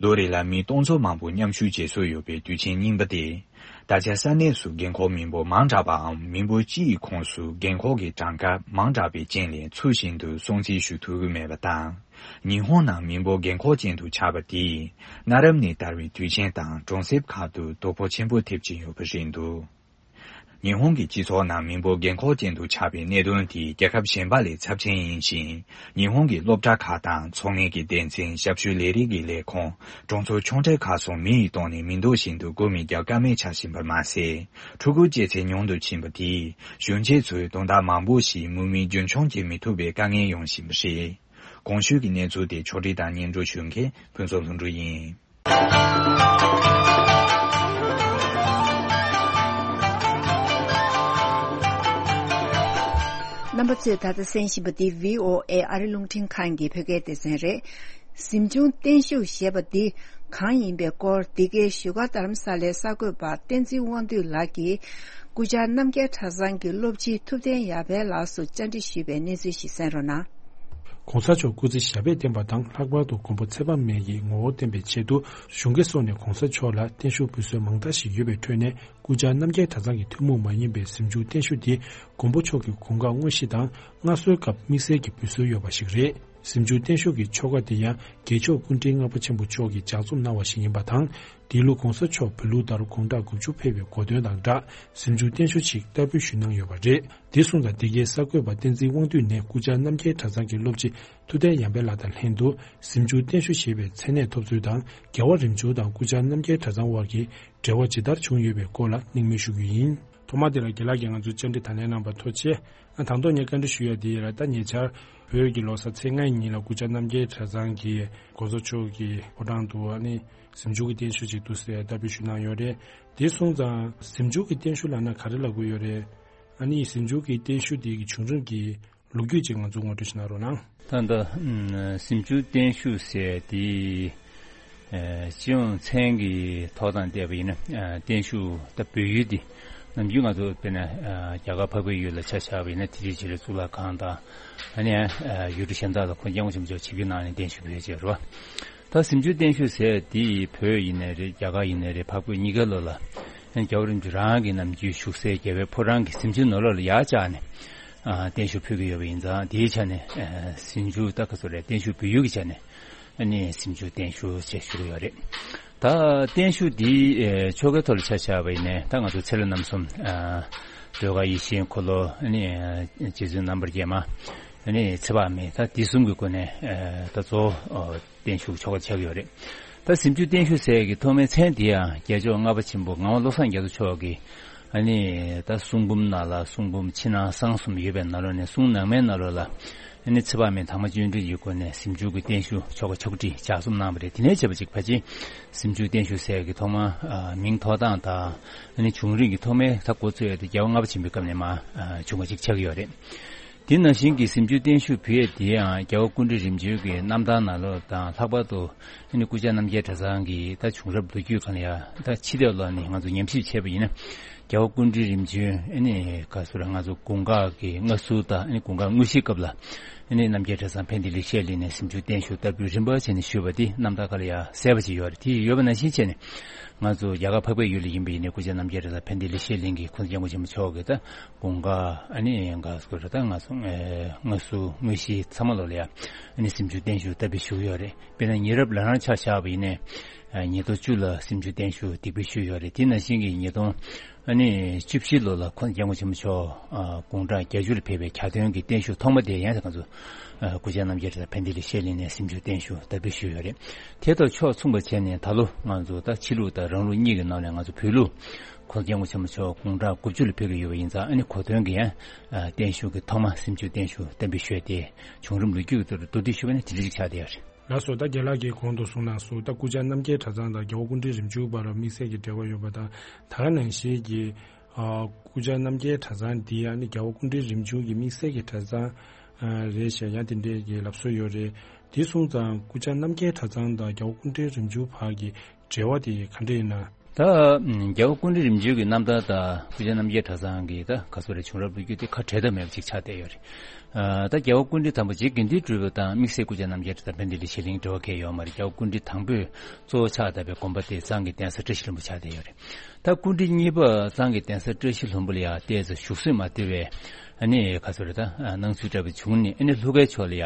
ལོ་རེ་ལ་མི་སྟོང་ཚོ་མང་པོ་མཉམ་ཞུགས་བྱེད་སྲོལ་ཡོད་པའི་དུས་ཆེན་རྙིང་པ་དེ། ད་ཆ་ས་གནས་སུ་རྒན་འཁོགས་མི་འབོར་མང་དྲགས་པའམ། མི་འབོར་སྤྱི་ཡི་ཁོངས་སུ་རྒན་འཁོགས་ཀྱི་གྲངས་ཀ་མང་དྲགས་པའི་རྐྱེན་ལས་ཚུལ་བཞིན་དུ་སྲུང་བརྩི་ཞུ་ཐུབ་ཀྱི་མེད་པ་དང་། ཉི་ཧོང་ནང་མི་འབོར་རྒན་འཁོགས་ཅན་དུ་ཆགས་པ་དེས། གནའ་རབས་ནས་དར་བའི་དུས་ཆེན་དང་གྲོང་གསེབ་ཁག་ཏུ་དོ་ཕོག་ཆེན་པོ་ཐེབས་ཀྱིན་ཡོད་པ་རེད་འདུག་ཉི་ཧོང་གི་སྤྱི་ཚོགས་ནང་མི་འབོར་རྒན་འཁོགས་ཅན་དུ་ཆགས་པའི་གནད་དོན་དེ་རྒྱལ་ཁབ་གཞན་པ་ལས་ཚབས་ཆེན་ཡིན་ཞིང་། ཉི་ཧོང་གི་སློབ་གྲྭ་ཁག་དང་ཚོང་ལས་ཀྱི་སྡེ་ཚན། ཞབས་ཞུའི་ལས་རིགས་ཀྱི་ལས་ཁུངས། གྲོང་ཚོ་ཆུང་གྲས་ཁག་སོགས་མི་ཡི་སྟེང་ནས་མི་འདོད་བཞིན་དུ་སྒོ་མི་རྒྱག་ཀ་མེད་ཆགས་བཞིན་པར་མ་ཟད། ཕྲུ་གུ་སྐྱེ་ཚད་ཉུང་དུ་ཕྱིན་པ་དེས་གཞོན་སྐྱེས་ཚོའི་དོན་དག་མང་པོ་ཞིག་མུ་མེད་རྒྱུན་འཁྱོངས་བྱེད་མི་ཐུབ་པའི་དཀའ་ངལ་ཡོང་བཞིན་པ་རེད། གོང་ཞུས་ཀྱི་གནས་ཚུལ་དེ་ཕྱོགས་སྒྲིག་དང་སྙན་སྒྲོན་ཞུ་མཁན་ཕུན་ཚོགས་ལྷུན་གྲུབ་ཡིན། རྣམ་པ་ཚོས་ད་ལྟ་གསན་བཞིན་པ་འདི་བྷི་ཨོ་ཨེ་ཨ་རི་རླུང་འཕྲིན་ཁང་གི་བོད་སྐད་སྡེ་ཚན་རེད། གཟིམ་ཆུང་བརྟན་བཞུགས་ཞེས་པ་འདི་གང་ཡིན་པའི་སྐོར། འདི་གའི་བཞུགས་སྒར་རྡ་རམ་ས་ལའི་གསར་འགོད་པ་བསྟན་འཛིན་དབང་འདུས་ལགས་ཀྱིས་སྐུ་བཅར་རྣམ་རྒྱལ་གྲྭ་ཚང་གི་སློབ་སྤྱི་ཐུབ་བསྟན་ཡར་འཕེལ་ལགས་སུ་བཅར་འདྲི་ཞུས་པའི་གནས་ཚུལ་ཞིག་གསན་རོགས་གནང་། །གོང་ས་མཆོག་སྐུ་ཚེ་ཞབས་པད་བརྟན་པ་དང་། ལྷག་པར་དུ་མགོན་པོ་ཚེ་དཔག་མེད་ཀྱི་ངོ་བོ་བསྟན་པའི་ཆེད་དུ་གཞུང་སྒེར་སོགས་ནས་གོང་ས་མཆོག་ལ་བརྟན་བཞུགས་འབུལ་སྲོལ་མང་དག་ཞིག་ཡོད་པའི་ཁྲོད་ནས། སྐུ་བཅར་རྣམ་རྒྱལ་གྲྭ་ཚང་གི་ཐུན་མོང་མ་ཡིན་པའི་གཟིམ་ཆུང་བརྟན་བཞུགས་དེ། མགོན་པོ་མཆོག་གི་དགུང་ཁ་དངོས་གཞི་དང་། མངའ་གསོལ་སྐབས་དམིགས་བསལ་གྱི་འབུལ་སྲོལ་ཡོད་པ་ཞིག་རེད། གཟིམ་ཆུང་བརྟན་བཞུགས་ཀྱི་ཆོ་ག་དེ་ཡང་། རྒྱལ་མཆོག་སྐུ་ཕྲེང་ལྔ་པ་ཆེན་པོ་མཆོག་གིས་ལྗགས་རྩོམ་གནང་བ་ཞིག་ཡིན་པ་དང་། འདི་ལོ་གོང་ས་མཆོག་བོད་ལུགས་ལྟར་དགུང་གྲངས་དགུ་བཅུ་ཕེབས་པའི་གོ་སྟོན་དང་སྦྲགས། གཟིམ་ཆུང་བརྟན་བཞུགས་ཤིག་བསྟར་འབུལ་ཞུས་གནང་ཡོད་པ་རེད། དེ་སོང་ཙང་། འདི་གའི་གསར་འགོད་པ་བསྟན་འཛིན་དབང་འདུས་ནས་སྐུ་བཅར་རྣམ་རྒྱལ་གྲྭ་ཚང་གི་སློབ་སྤྱི་ཐུབ་བསྟན་ཡར་འཕེལ་ལགས་དང་ལྷན་དུ། གཟིམ་ཆུང་བརྟན་བཞུགས་ཞེས་པའི་མཚན་གནས་ཐོབ་ཚུལ་དང་། རྒྱལ་བ་རིམ་བྱོན་དང་སྐུ་བཅར་རྣམ་རྒྱལ་གྲྭ་ཚང་དབར་གྱི་འབྲེལ་བ་ཇི་ལྟར་བྱུང་ཡོད་པའི་སྐོར་ལ་གླེང་མོལ་ཞུ་རྒྱུ་ཡིན། ཐོག་མ་དེ་ལ་རྒན་ལགས་ཀྱིས་ང་ཚོར་བཅར་འདྲི་དང་ལེན་གནང་བར་ཐུགས་རྗེ་ཆེ། ཨ། དང་ཐོག་ངས་བཀའ་འདྲི་ཞུ་ཡ་དེ་ཡིན་ལ། ད་ཉེ་ཆར་བོད་ཀྱི་ལོ་གསར་ཚེས་ལྔའི་ཉིན་ལ་སྐུ་བཅར་རྣམ་རྒྱལ་གྲྭ་ཚང་གིས་གོང་ས་མཆོག་གི་ཕོ་བྲང་དུ། ཨ་ནི་གཟིམ་ཆུང་གི་བརྟན་བཞུགས་ཅིག་འདུག་ཟེར་བསྟར་འབུལ་ཞུས་གནང་ཡོད་རེད། དེ་སོང་ཙང་། གཟིམ་ཆུང་གི་བརྟན་བཞུགས་ལབ་ན་ག་རེ་ལབ་དགོས་ཡོད་རེད། ཨ་ནི་གཟིམ་ཆུང་གི་བརྟན་བཞུགས་དེ་གི་བྱུང་རིམ་གྱི་ལོ་རྒྱུས་ཅིག་ང་ཚོ་ངོ་སྤྲོད་ཞུ་གནང་རོགས་གནང་། ད་ལྟ་ཨ་གཟིམ་ཆུང་བརྟན་བཞུགས་ཟེར་དེ། ཨ་སྤྱི་ཡོངས་མཚན་གྱི་ཐོག་དང་བལྟས་པ་ཡིན་ན། ཨ་བརྟན་བཞུགས་ད་བོད་ཡུལ་འདི་ནམ་རྒྱུན་ང་ཚོ་དཔེར་ན་ཨ་རྒྱ་གར་འཕགས་པའི་ཡུལ་ལ་ཆ་བཞག་པ་ཡིན་ན། དེ་རྗེས་ཆེ་ལ་གཙུག་ལག་ཁང་དང་། ཨ་ནི་ཨ་ཡུལ་གྲུ་གཞན་དག་ལ་ཁོང་སྐྱབས་མགོན་ཆེན་པོ་མཆོག་ཆིབས་བསྒྱུར་གནང་ནས་བརྟན་བཞུགས་ཕུལ་བྱས་རེད་བ། ད་གཟིམ་ཆུང་བརྟན་བཞུགས་ཟེར་དེ་བོད་ཡིན་ནའི་རེད། རྒྱ་གར་ཡིན་ནའི་རེད། འཕགས་བོད་གཉིས་ཀ་ལོ་ལ་ཨ་ནི་རྒྱལ་བ་རིན་པོ་ཆེ་རང་གི་ནམ་རྒྱུན་བཞུགས་སའི་རྒྱལ་བའི་ཕོ་བྲང་གི་གཟིམ་ཆུང་ནང་ལོགས་ལ་ཡར་བཅར་ནས་ཨ་བརྟན་བཞུགས་ཕུལ་གྱི་ཡོད་པ་ཡིན་ཙང་། དེའི་ཆ་ནས་ཨ་གཟིམ་ཆུང་ད་ག་ཚོད་རེད། བརྟན་བཞུགས་བོད་ཡུལ་གྱི་ཆ་ནས་ཨ་ནི་གཟིམ་ཆུང་བརྟན་བཞུགས་ཅེས་ཞུ་གི་ཡོད་རེད། ད་བརྟན་བཞུགས་འདི་ཨ་ཆོ་གའི་ཐོག་ལ་ཆ་བཞག་པ་ཡིན་ནའི། ད་ང་ཚོ་ཚེ་ལྷ་རྣམ་གསུམ། ཨ་ཟློས་གར་ཡིད་བཞིན་འཁོར་ལོ། ཨ་ནི་ཨ་རྗེ་བཙུན་རྣམ་པར་རྒྱལ་མ། ཨ་ནི་ཚེ་དཔག་མེད་ད་འདི་གསུམ་གྱི་སྒོ་ནས་ཨ་ད་གཙོ་བོ་ཨ་བརྟན་བཞུགས་ཆོ་ག་ཆགས་ཡོད་རེད། ད་གཟིམ་ཆུང་བརྟན་བཞུགས་ཟེར་ཡག་གི་ཐོག་མའི་མཚན་དེ་ཡང་རྒྱལ་མཆོག་ལྔ་པ་ཆེན་པོ་ངག་དབང་བློ་བཟང་རྒྱ་མཚོ་མཆོག་གིས་ཨ་ནི་ད་གསུང་འབུམ་ནང་ལ་གསུང་འབུམ་ཕྱི་ནང་གསང་གསུམ་ཡོད་པའི་ནང་ལོགས་ནས་གསུང་ནང་མའི་ནང་ལོགས་ལ་ཨ་ནི་ཚེ་དཔག་མེད་དྭངས་མ་བརྗོད་འདོན་གྱི་སྒོ་ནས་གཟིམ་ཆུང་གི་བརྟན་བཞུགས་ཆོ་ག་ཕྱོགས་སྒྲིག་ལྗགས་རྩོམ་གནང་བ་རེད། དེ་ནས་བྱས་པ་ཅིག་ཕལ་ཆེར་གཟིམ་ཆུང་བརྟན་བཞུགས་ཟེར་ཡག་གི་ཐོག་མ་ཨ་མིང་ཐོགས་སྟངས་དང་ཨ་ནི་བྱུང་རིམ་གྱི་ཐོག་མའི་ད་འགོ་ཚུགས་ཡག་དེ་རྒྱལ་བ་ལྔ་པ་ཆེན་པོའི་སྐབས་ནས་མར་ཨ་བྱུང་བ་ཅིག་ཆགས་ཀྱི་ཡོད་རེད། དེ་ནང་བཞིན་གྱི་གཟིམ་ཆུང་བརྟན་བཞུགས་ཕུལ་ཡག་དེ་ཡང་རྒྱལ་བ་སྐུ་ཕྲེང་རིམ་བྱོན་གྱི་རྣམ་ཐར་ནང་ལོགས་དང་ལྷག་པར་དུ་ཨ་ནི་སྐུ་བཅར་རྣམ་རྒྱལ་གྲྭ་ཚང་གི་ད་བྱུང་རབས་ལོ་རྒྱུས་སྒང་ལ་ཡང་ད་ཕྱི་ལོགས་ལ་ནི་ང་ཚོ་ཉམས་ཞིབ་བྱས་པ་ཡིན་ན་རྒྱལ་བ་སྐུ་ཕྲེང་རིམ་བྱོན་ཨ་ནི་ག་ཚོད་རེད། ང་ཚོ་དགུང་གྲངས་ཀྱི་མངའ་གསོལ་དང་ཨ་ནི་དགུང་གྲངས་དངོས་གཞིའི་སྐབས་ལ་ཨ་ནི་རྣམ་རྒྱལ་གྲྭ་ཚང་ཕན་བདེ་ལེགས་བཤད་གླིང་ནས་གཟིམ་ཆུང་བརྟན་བཞུགས་བསྟར་འབུལ་རིམ་པ་བྱས་ནས་ཞུས་པ་དེ་རྣམ་ཐར་སྒང་ལ་ཡང་གསལ་པོ་ཅིག་ཡོད་རེད། དེ་ཡོད་པ་ནང་བཞིན་བྱས་ནས་ང་ཚོ་རྒྱ་གར་འཕགས་པའི་ཡུལ་ལ་ཡིན་པ་ཡིན་ནའི་སྐུ་བཅར་རྣམ་རྒྱལ་གྲྭ་ཚང་ཕན་བདེ་ལེགས་བཤད་གླིང་གི་གོང་ས་སྐྱབས་མགོན་ཆེན་པོ་མཆོག་གི་ད་དགུང་གྲངས་ཨ་ནི་ག་ཚོད་རེད། ད་ང་ཚོ་ཨེ་མངའ་གསོལ་དངོས་གཞི་ཚང་མ་ལོག་ལ་ཡ་ཨ་ནི་གཟིམ་ཆུང་བརྟན་བཞུགས་བསྟར་འབུལ་ཞུས་ཡོད་རེད། དཔེར་ན་ཉེ་རབས་ལ་རང་ཆ་བཞག་པ་ཡིན་ནའི་ཨ་ཉིས་སྟོང་བཅུ་ལ་གཟིམ་ཆུང་བརྟན་བཞུགས་སྟེགས་བུ་ཞུས་ཡོད་རེད། དེ་ནང་བཞིན་གྱི་ཉིས་སྟོང་ཨ་ནི་བཅུ་བཞི་ལོ་ལ་གོང་ས་སྐྱབས་མགོན་ཆེན་པོ་མཆོག་ཨ་དགུང་གྲངས་བརྒྱད་ཅུ་ལ་ཕེབས་པའི་གྱ་སྟོན་གྱི་བརྟན་བཞུགས་ཐོག་མ་དེ་ཡང་ང་ཚོ་ཨ་སྐུ་བཅར་རྣམ་རྒྱལ་གྲྭ་ཚང་ཕན་བདེ་ལེགས་བཤད་གླིང་ནས་གཟིམ་ཆུང་བརྟན་བཞུགས་བསྟར་འབུལ་ཞུས་ཡོད་རེད། དེ་དང་ཕྱོགས་མཚུངས་པ་བྱས་ནས་ད་ལོ་ང་ཚོ་ད་ཕྱི་ལུགས་དང་རང་ལུགས་གཉིས་ཀྱི་ནང་ནས་ང་ཚོ་བོད་ལུགས་གོང་ས་སྐྱབས་མགོན་ཆེན་པོ་མཆོག་དགུང་གྲངས་དགུ་བཅུ་ལ་ཕེབས་ཀྱི་ཡོད་པ་ཡིན་ཙང་ཨ་ནི་གོ་སྟོན་གྱི་ཡང་ཨ་བརྟན་བཞུགས་ཀྱི་ཐོག་མ་གཟིམ་ཆུང་བརྟན་བཞུགས་བསྟར་འབུལ་ཞུས་ཏེ་བྱུང་རིམ་ལོ་རྒྱུས་ཀྱི་ཐོག་ཏུ་མདོར་བསྡུས་ཞུས་པ་ན་དེ་འདྲ་ཞིག་ཆགས་བསྡད་ཡོད་རེད། ལགས་སོ། ད་རྒན་ལགས་ཀྱིས་གོང་དུ་གསུངས་གནང་སོང་། ད་སྐུ་བཅར་རྣམ་རྒྱལ་གྲྭ་ཚང་དང་རྒྱལ་བ་སྐུ་ཕྲེང་རིམ་བྱོན་བར་ལ་དམིགས་བསལ་གྱི་འབྲེལ་བ་ཡོད་པ་དང་། ད་ག་ནང་བཞིན་གྱི་ཨ་སྐུ་བཅར་རྣམ་རྒྱལ་གྲྭ་ཚང་འདི་ཡང་ནི་རྒྱལ་བ་སྐུ་ཕྲེང་རིམ་བྱོན་གྱི་དམིགས་བསལ་གྱི་གྲྭ་ཚང་ཨ་རེད་ཞེས་ཡང་དེ་འདྲའི་གི་ལབ་སྲོལ་ཡོད་རེད། དེ་སོང་ཙང་སྐུ་བཅར་རྣམ་རྒྱལ་གྲྭ་ཚང་དང་རྒྱལ་བ་སྐུ་ཕྲེང་རིམ་བྱོན་བར་གྱི་འབྲེལ་བ་དེ་ག་འདྲ་ཡིན་ན། ད་རྒྱལ་བ་སྐུ་ཕྲེང་རིམ་བྱོན་གྱི་རྣམ་ཐར་དང་སྐུ་བཅར་རྣམ་རྒྱལ་གྲྭ་ཚང་གི་ད་ག་ཚོད་རེད། བྱུང་རབས་ལོ་རྒྱུས་དེ་ཁ་བྲལ་ཐབས་མེད་པ་ཅིག་ཆགས་བསྡད་ཡོད་རེད། ཨ་ད་རྒྱལ་བ་སྐུ་ཕྲེང་དང་པོ་རྗེ་དགེ་འདུན་གྲུབ་པ་དང་དམིགས་བསལ་སྐུ་བཅར་རྣམ་རྒྱལ་གྲྭ་ཚང་ཕན་བདེ་ལེགས་བཤད་གླིང་འབྲེལ་བ་གང་ཡང་ཡོད་མ་རེད། རྒྱལ་བ་སྐུ་ཕྲེང་དང་པོས་གཙོ་བོ་ཆགས་བསྡད་པའི་དགོན་པ་དེ་གཙང་གི་གདན་ས་བཀྲ་ཤིས་ལྷུན་པོ་ཆགས་བསྡད་ཡོད་རེད། ད་སྐུ་ཕྲེང་གཉིས་པ་གཙང་གི་གདན་ས་བཀྲ་ཤིས་ལྷུན་པོ་ལ་ཡང་ཏོག་ཙམ་བཞུགས་གསོས་མ་ཐུབ་པའི་ཨ་ནི་ག་ཚོད་རེད། ད་ཨ་སྣང་ཚུལ་འདྲ་པོ་བྱུང་ནས་ཨ་ནི་ལྷོ་ཁའི་ཕྱོགས་ལ་ཡང་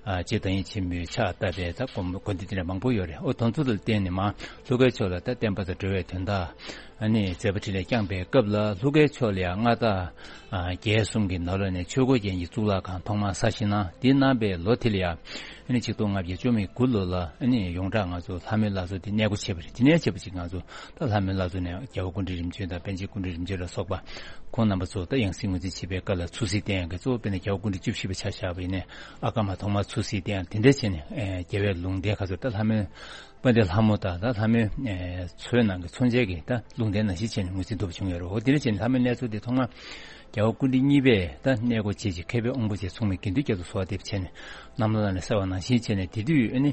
ཨ་རྗེ་བདག་ཉིད་ཆེན་པོས་ཕྱག་བཏབ་པའི་ད་དགོན་དགོན་སྡེ་དེ་འདྲ་མང་པོ་ཡོད་རེད། ཨོ་དེ་ཚོ་ལ་བརྟེན་ནས་མར་ལྷོ་ཁའི་ཕྱོགས་ལ་ད་བསྟན་པ་དང་འགྲོ་བའི་དོན་དག་ཨ་ནི་མཛད་པ་འཕྲིན་ལས་བསྐྱངས་པའི་སྐབས་ལ་ལྷོ་ཁའི་ཕྱོགས་ལ་ཡང་མངའ་བདག་ཨ་རྒྱལ་གསུམ་གྱི་ནང་ལོགས་ནས་ཆོས་འཁོར་རྒྱལ་གྱི་གཙུག་ལག་ཁང་ཐོག་མར་གསར་བཞེངས་གནང་། དེ་གནང་པའི་ལོ་དེ་ལ་ཡང་ཨ་ནི་ཆིག་སྟོང་ལྔ་བརྒྱ་བཅུ་མེད་དགུ་ལོ་ལ་ཨ་ནི་ཡོངས་གྲགས་ང་ཚོ་ལྷ་མོའི་བླ་མཚོ་དེ་གནས་སྒོ་ཕྱེ་བ་རེད། དེ་ནས་བྱས་པ་ཅིག་ང་ཚོ་ད་ལྷ་མོའི་བླ་མཚོ་ནས་རྒྱལ་བ་སྐུ་ཕྲེང་རིམ་བྱོན་དང་པཎ་ཆེན་སྐུ་ཕྲེང་རིམ་བྱོན་ལ་སོགས་པ་ཁོང་རྣམ་པ་ཚོ་ད་ཡང་སྲིད་ངོས་འཛིན་བྱེད་པའི་སྐབས་ལ་ཚུར་གཟིགས་གཏད་ཡག་གི་གཙོ་བོ་དཔེར་ན་རྒྱལ་བ་སྐུ་ཕྲེང་བཅུ་བཞི་པ་ཆ་བཞག་པ་ཡིན་ནའི་ཨ་ཀརྨ་ཐོག་མར་ཚུར་གཟིགས་གཏད་ཡག་དེ་འདྲ་བྱས་ནས་ཨེ་རྒྱལ་བའི་ལུང་བསྟན་ག་ཚོད་ད་ལྷ་མོའི་དཔལ་ལྡན་ལྷ་མོ་དང་ད་ལྷ་མོའི་ཨེ་མཚོའི་ནང་གི་མཚོན་ཆའི་གི་ད་ལུང་བསྟན་ནང་བཞིན་བྱས་ནས་ངོས་འཛིན་ཐུབ་པ་བྱུང་ཡོད་རེད། འོ་དེ་འདྲ་བྱས་ནས་ལྷ་མོའི་གནས་མཚོ་དེ་ཐོག་མར་རྒྱལ་བ་སྐུ་ཕྲེང་གཉིས་པས་ད་གནས་སྒོ་ཕྱེ་རྗེས་མཁས་པའི་དབང་པོ་ཆེ་ཚོགས་མི་དགེ་འདུན་བརྒྱད་དུ་གསོལ་བ་འདེབས་བྱས་ནས་རྣམ་ཐར་ནང་ལ་གསལ་བ་ནང་བཞིན་བྱས་ནས་དེ་དུས་ཨ་ནི་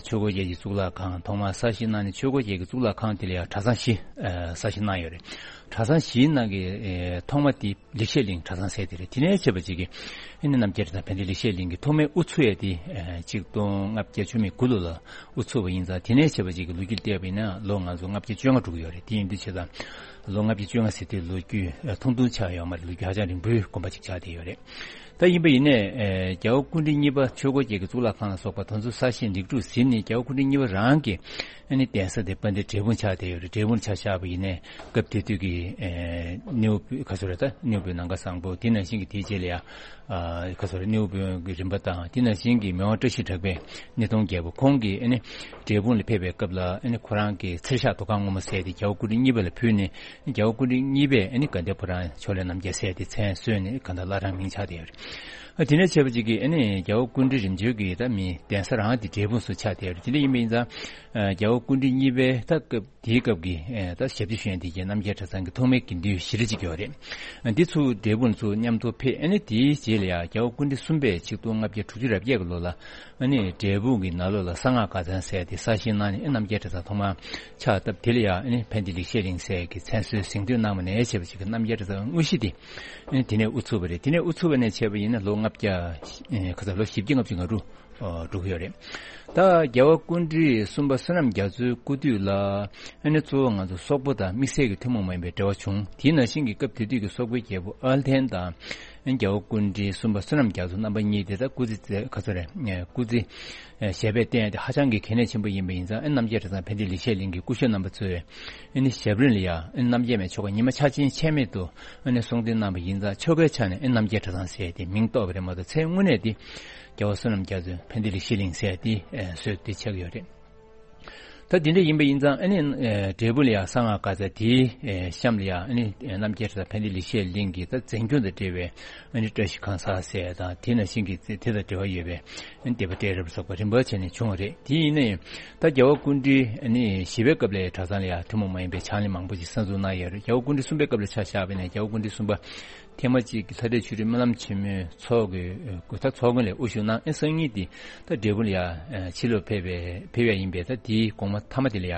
ཆོས་འཁོར་རྒྱལ་གྱི་གཙུག་ལག་ཁང་ཐོག་མར་གསར་བཞེངས་གནང་ནས་ཆོས་འཁོར་རྒྱལ་གྱི་གཙུག་ལག་ཁང་དེ་ལ་ཡང་གྲྭ་ཚང་བཞི་གསར་བཞེངས་གནང་ཡོད་རེད། གྲྭ་ཚང་བཞིའི་ནང་གི་ཐོག་མ་དེ་ལེགས་བཤད་གླིང་གྲྭ་ཚང་ཟེར་དེ་རེད། དེ་ནས་བྱས་པ་ཅིག་གིས་ཨ་ནི་རྣམ་རྒྱལ་གྲྭ་ཚང་ཕན་བདེ་ལེགས་བཤད་གླིང་གི་ཐོག་མའི་དབུ་ཚུགས་ཡས་དེ་ཆིག་སྟོང་ལྔ་བརྒྱ་བཅུ་མེད་དགུ་ལོ་ལ་དབུ་ཚུགས་པ་ཡིན་ཙང་དེ་ནས་བྱས་པ་ཅིག་གི་ལོ་རྒྱུས་བལྟས་པ་ཡིན་ན་ལོ་ང་ཚོ་ལྔ་བརྒྱ་བཅོ་ལྔ་འགྲོ་གི་ཡོད་རེད། དེ་ཡིན་དུས་བྱས་ཙང་ལོ་ལྔ་བརྒྱ་བཅོ་ལྔ་ཟེར་དུས་ལོ་རྒྱུས་ཐུང་ཐུང་ཆགས་ཡོད་མ་རེད། ལོ་རྒྱུས་ཧ་ཅང་རིང་པོའི་དགོན་པ་ཅིག་ཆགས་བསྡད་ཡོད་རེད། ད་ཡིན་པ་ཡིན་ནའི་རྒྱལ་བ་སྐུ་ཕྲེང་གཉིས་པ་ཆོས་འཁོར་རྒྱལ་གྱི་གཙུག་ལག་ཁང་ལ་སོགས་པ་དེ་ཚོ་གསར་བཞེངས་ལེགས་གྲུབ་ཟིན་ནས་རྒྱལ་བ་སྐུ་ཕྲེང་གཉིས་པ་རང་གི་ཨ་ནི་གདན་ས་དེ་དཔལ་ལྡན་འབྲས་སྤུངས་ཆགས་བསྡད་ཡོད་རེད། འབྲས་སྤུངས་ཆ་བཞག་པ་ཡིན་ནའི་སྐབས་དེ་དུས་ཀྱི་ཨེ་སྣེའུ་བུ་ག་ཚོད་རེད། ད་སྣེའུ་བུའི་ནམ་མཁའ་བཟང་པོ་དེ་ནང་བཞིན་གྱི་དེའི་རྗེས་ལ་ཡང་ཨ་ག་ཚོད་རེད། སྣེའུ་བུའི་གི་རིམ་པ་དང་དེ་ནང་བཞིན་གྱི་མི་དབང་བཀྲ་ཤིས་གྲགས་པའི་སྣེ་གདོང་རྒྱལ་པོ་ཁོང་གིས་ཨ་ནི་འབྲས་སྤུངས་ལ་ཕེབས་པའི་སྐབས་ལ་ཨ་ནི་ཁོ་རང་གི་ཚེར་ཤག་དོ་ཁང་སྔོན་མོ་ཟེར་དེ་རྒྱལ་བ་སྐུ་ཕྲེང་གཉིས་པ་ལ་ཕུལ་ནས་རྒྱལ་བ་སྐུ་ཕྲེང་གཉིས་པས་ཨ་ནི་དགའ་ལྡན་ཕོ་བྲང་ཕྱོགས་ལས་རྣམ་རྒྱལ་ཟེར་དེ་མཚན་གསོལ་ནས་གང་ལྟར་བླ་བྲང་མིང་ཆགས་བསྡད་ཡོད་རེད། ཨ་དེ་ནས་བྱས་པ་ཅིག་གིས་ཨ་ནི་རྒྱལ་བ་སྐུ་ཕྲེང་རིམ་བྱོན་གྱི་ད་མི་གདན་ས་རང་དེ་འབྲས་སྤུངས་སུ་ཆགས་བསྡད་ཡོད་རེད། དེ་འདྲ་ཡིན་པ་ཡིན་ཙང་ཨ་རྒྱལ་བ་སྐུ་ཕྲེང་གཉིས་པའི་ད་སྐབས་དེའི་སྐབས་ཀྱི་ཨ་ད་ཞབས་ཕྱི་ཞུ་མཁན་དེ་གའི་རྣམ་རྒྱལ་གྲྭ་ཚང་གི་ཐོག་མའི་དགེ་འདུན་བཞི་རེ་ཅིག་ཡོད་རེད། ཨ་འདི་ཚོ་འབྲས་སྤུངས་ཚུར་མཉམ་དུ་ཕེབས། ཨ་ནི་དེའི་རྗེས་ལ་ཡང་རྒྱལ་བ་སྐུ་ཕྲེང་གསུམ་པས་ཆིག་སྟོང་ལྔ་བརྒྱ་དྲུག་ཅུ་རེ་བརྒྱད་ཀྱི་ལོ་ལ་ཨ་ནི་འབྲས་སྤུངས་ཀྱི་ནང་ལོགས་ལ་གསང་སྔགས་ཁ་ཚང་ཟེར་དེ་གསར་བཞེངས་གནང་ནས་ཨ་རྣམ་རྒྱལ་གྲྭ་ཚང་ཐོག་མར་ཕྱག་བཏབ། དེ་ལ་ཡང་ཨ་ནི་ཕན་བདེ་ལེགས་བཤད་གླིང་ཟེར་གྱི་མཚན་གསོལ་གཟེངས་བསྟོད་གནང་བ་ནས་བྱས་པ་ཅིག་གི་རྣམ་རྒྱལ་གྲྭ་ཚང་དངོས་གཞི་དེ་ཨ་ནི་དེ་ནས་དབུ་ཚུགས་པ་རེད། དེ་ནས་དབུ་ཚུགས་པ་ནས་བྱས་པ་ཡིན་ན་ལོ་ལྔ་བརྒྱ་ཨེ་ག་ཚོད་ལོ་བཞི་བརྒྱ་ལྔ་བཅུ་ང་དྲུག་འགྲོ་གི་ཡོད་རེད། ད་རྒྱལ་བ་སྐུ་ཕྲེང་གསུམ་པ་བསོད་ནམས་རྒྱ་མཚོའི་སྐུ་དུས་ལ་ཨ་ནི་གཙོ་བོ་ང་ཚོ་སོག་པོ་དང་དམིགས་བསལ་གྱི་ཐུན་མོང་མ་ཡིན་པའི་འབྲེལ་བ་བྱུང་། དེའི་ནང་བཞིན་གྱི་སྐབས་དེ་དུས་ཀྱི་སོག་པོའི་རྒྱལ་པོ་ཨལ་ཐན་དང་ ཨ་ནི་རྒྱལ་བ་སྐུ་ཕྲེང་གསུམ་པ་བསོད་ནམས་རྒྱ་མཚོ་རྣམ་པ་གཉིས་དེ་ད་སྐུ་ཚེ་ག་ཚོད་རེད། སྐུ་ཚེ་ཞབས་པད་བརྟན་ཡ་དེ་ཧ་ཅང་གི་གལ་གནད་ཆེན་པོ་ཡིན་པ་ཡིན་ཙང་། ཨ་ནི་རྣམ་རྒྱལ་གྲྭ་ཚང་ཕན་བདེ་ལེགས་བཤད་གླིང་གི་སྐུ་ཞབས་རྣམ་པ་ཚོས་ཨ་ནི་ཞབས་རིམ་ལ་ཡ་ཨ་ནི་རྣམ་རྒྱལ་མའི་ཆོ་ག་ཉི་མ་འཆར་ཅན་ཆད་མེད་དུ་ཨ་ནི་གསུང་འདོན་གནང་བ་ཡིན་ཙང་། ཆོ་གའི་ཆ་ནས་ཨ་ནི་རྣམ་རྒྱལ་གྲྭ་ཚང་ཟེར་ཡ་དེ་མིང་བཏགས་པ་རེད་མ་གཏོགས། མཚན་དངོས་གནས་དེ་རྒྱལ་བ་བསོད་ནམས་རྒྱ་མཚོ་ཕན་བདེ་ལེགས་བཤད་གླིང་ཟེར་ཡ་དེ་ཨ་བཟོས་ཏེ་ཆགས་ཡོད་རེད། ད་དེ་འདྲ་ཡིན་པ་ཡིན་ཙང་། ཨ་ནི་ཨ་འབྲས་སྤུངས་ལ་ཡ་གསང་སྔགས་སྐར་རྩ་དེའི་ཨ་གཤམ་ལ་ཡ་ཨ་ནི་ཨ་རྣམ་རྒྱལ་གྲྭ་ཚང་ཕན་བདེ་ལེགས་བཤད་གླིང་གི་ད་མཛད་འཕྲིན་དང་འབྲེལ་བའི་ཨ་ནི་བཀྲ་ཤིས་ཁང་གསར་ཟེར་དང་། དེ་ནང་བཞིན་གྱི་དེ་དང་འབྲེལ་བ་ཡོད་པའི་ཨ་ནི་སྡེ་པ་གྲལ་རབ་སོགས་པ་རིམ་པ་བྱས་ནས་བྱུང་བ་རེད། དེ་ཡིན་ན་ཡང་ད་རྒྱལ་བ་སྐུ་ཕྲེང་ཨ་ནི་བཞི་པའི་སྐབས་ལ་གྲྭ་ཚང་ལ་ཡ་ཐུན་མོང་མ་ཡིན་པའི་ཕྱག་ལེན་མང་པོ་ཞིག་གསར་འཛུགས་གནང་ཡོད་རེད། རྒྱལ་བ་སྐུ་ཕྲེང་གསུམ་པའི་སྐབས་ལ་ཆ་བཞག་པ་ཡིན་ན། རྒྱལ་བ་སྐུ་ཕྲེང་གསུམ་པ་ཐེངས་མ་གཅིག་གི་ལྷ་འདྲེ་ཆོས་སྒྲོན་སྨོན་ལམ་ཆེན་མོའི་ཚོགས་ཀྱི་ད་ཚོགས་མགོན་ལ་དབུ་བཞུགས་གནང་། ཨེ་སང་ཉིན་དེ་ད་འབྲས་སྤུངས་ལ་ཡ་ཕྱི་ལོགས་ཕེབས་པའི་ཕེབས་ཡ་ཡིན་པས། ད་དེའི་དགོང་མོ་མཐའ་མ་དེ་ལ་ཡ་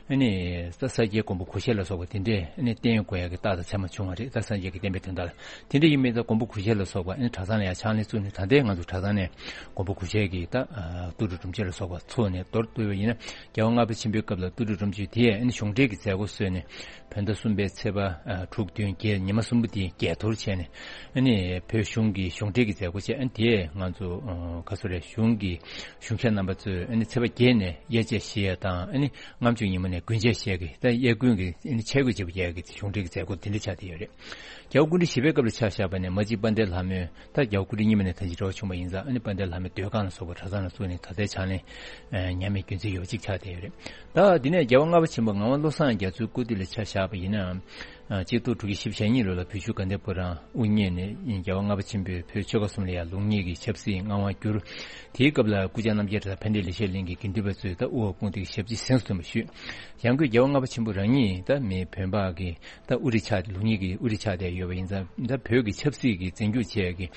ཨ་ནི་ད་ས་སྐྱའི་མགོན་པོ་གུ་ཤྲི་ལ་སོགས་པ་དེ་འདྲས་ཨ་ནི་བསྟེན་དགོས་ཡ་གི་རྟགས་དང་མཚན་མ་བྱུང་བ་རེད། ད་སངས་རྒྱས་ཀྱི་བསྟན་པའི་དོན་དག་ལ། དེ་འདྲ་ཡིན་པས་ད་མགོན་པོ་གུ་ཤྲི་ལ་སོགས་པ་ཨ་ནི་གྲྭ་ཚང་ལ་ཡ་ཕྱག་ལེན་བཙུགས་ནས། ད་ལྟའི་ང་ཚོ་གྲྭ་ཚང་ནས་མགོན་པོ་གུ་ཤྲི་གི་ད་ཨ་དུག་སྦྲུལ་སྒྲོམ་མཆོད་ལ་སོགས་པ་ཚུགས་ནས་མདོར་བསྡུས་པ་ཡིན་ན། རྒྱལ་བ་ལྔ་པ་ཆེན་པོའི་སྐབས་ལ་དུག་སྦྲུལ་སྒྲོམ་མཆོད་དེ་ཨ་ནི་གཞུང་འབྲེལ་གྱི་མཛད་སྒོ་བཟོས་ནས། བོད་ཟླ་གསུམ་པའི་ཚེས་པ་ཨ་དྲུག་བདུན་བརྒྱད་ཉི་མ་གསུམ་པོ་དེ་རྒྱས་གཏོར་བྱས་ནས། ཨ་ནི་བོད་གཞུང་གི་གཞུང་འབྲེལ་གྱི་མཛད་སྒོ་བྱས། ཨ་ནི་དེ་ང་ཚོ་ཨ་ག་ཚོད་རེད། གཞུང་གི་གཞུང་ཞབས་རྣམ་པ་ཚོས་ཨ་ནི་ཚེས་པ་བརྒྱད་ནས་དབྱར་ཆད་བཞེས་ཡ་དང་། ཨ་ནི་ལྔ་བཅུ་ཉིན་མོ་ནས་དགུན་ཆད་བཞེས་ཀྱི་ད་དབྱར་དགུན་གྱི་ཨ་ནི་ཆས་གོས་བརྗེ་པོ་རྒྱག་གི་གཞུང་འབྲེལ་གྱི་མཛད་སྒོ་དེ་འདྲ་ཆགས་བསྡད་ཡོད་རེད། རྒྱལ་བ་སྐུ་ཕྲེང་བཞི་པའི་སྐབས་ལ་ཆ་བཞག་པ་ནས། མ་གཅིག་དཔལ་ལྡན་ལྷ་མོས། ད་རྒྱལ་བ་སྐུ་ཕྲེང་གཉིས་པ་ནས་ད་ཅི་འབྲེལ་བ་བྱུང་བ་ཡིན་ཙང་། ཨ་ནི་དཔལ་ལྡན་ལྷ་མོའི་སྡོད་ཁང་ལ་སོགས་པ་གྲྭ་ཚང་ལ་བཙུགས་ནས་ད་ལྟའི་ཕྱག་ལེན་ཨ་ཉམས་མྱོང་རྒྱུན་འཛིན་ཡོད་པ་གཅིག་ཆགས་བསྡད་ཡོད་རེད། ད་འདི་ནས་རྒྱལ་བ་ལྔ་པ་ཆེན་པོ་ངག་དབང་བློ་བཟང་རྒྱ་མཚོའི་སྐུ་དུས་ལ་ཆ་བཞག་པ་ཡིན་ན། ཨ་གཅིག་སྟོང་དྲུག་བརྒྱ་བཞི་བཅུ་ཞེ་གཉིས་ལོ་ལ་བོད་བཞུགས་དགའ་ལྡན་ཕོ་བྲང་དབུ་བརྙེས་ནས། རྒྱལ་བ་ལྔ་པ་ཆེན་པོས་བོད་ཆོལ་ཁ་གསུམ་ལ་ཡང་ལུགས་གཉིས་ཀྱི་ཆབ་སྲིད་མངའ་དབང་བསྒྱུར། དེའི་སྐབས་ལ་སྐུ་བཅར་རྣམ་རྒྱལ་གྲྭ་ཚང་ཕན་བདེ་ལེགས་བཤད་གླིང་གི་དགེ་འདུན་པ་ཚོས་ད་དབུ་འོག་དཔུང་སྡེའི་ཞབས་ཕྱི་གཟེངས་སུ་ཐོན་པ་ཞུས། ཡང་སྒོས་རྒྱལ་བ་ལྔ་པ་ཆེན་པོ་རང་ཉིད་ད་མི་བོད་འབངས་ཀྱི་ད་དབུ་ཁྲིད་ཆགས་ཏེ། ལུགས་གཉིས་ཀྱི་དབུ་ཁྲིད་ཆགས་བསྡད་ཡོད་པ་ཡིན་ཙང་། ད་བོད་ཀྱི་ཆབ་སྲིད་ཀྱི་འཛིན་སྐྱོང་བྱེད་ཡག་གི་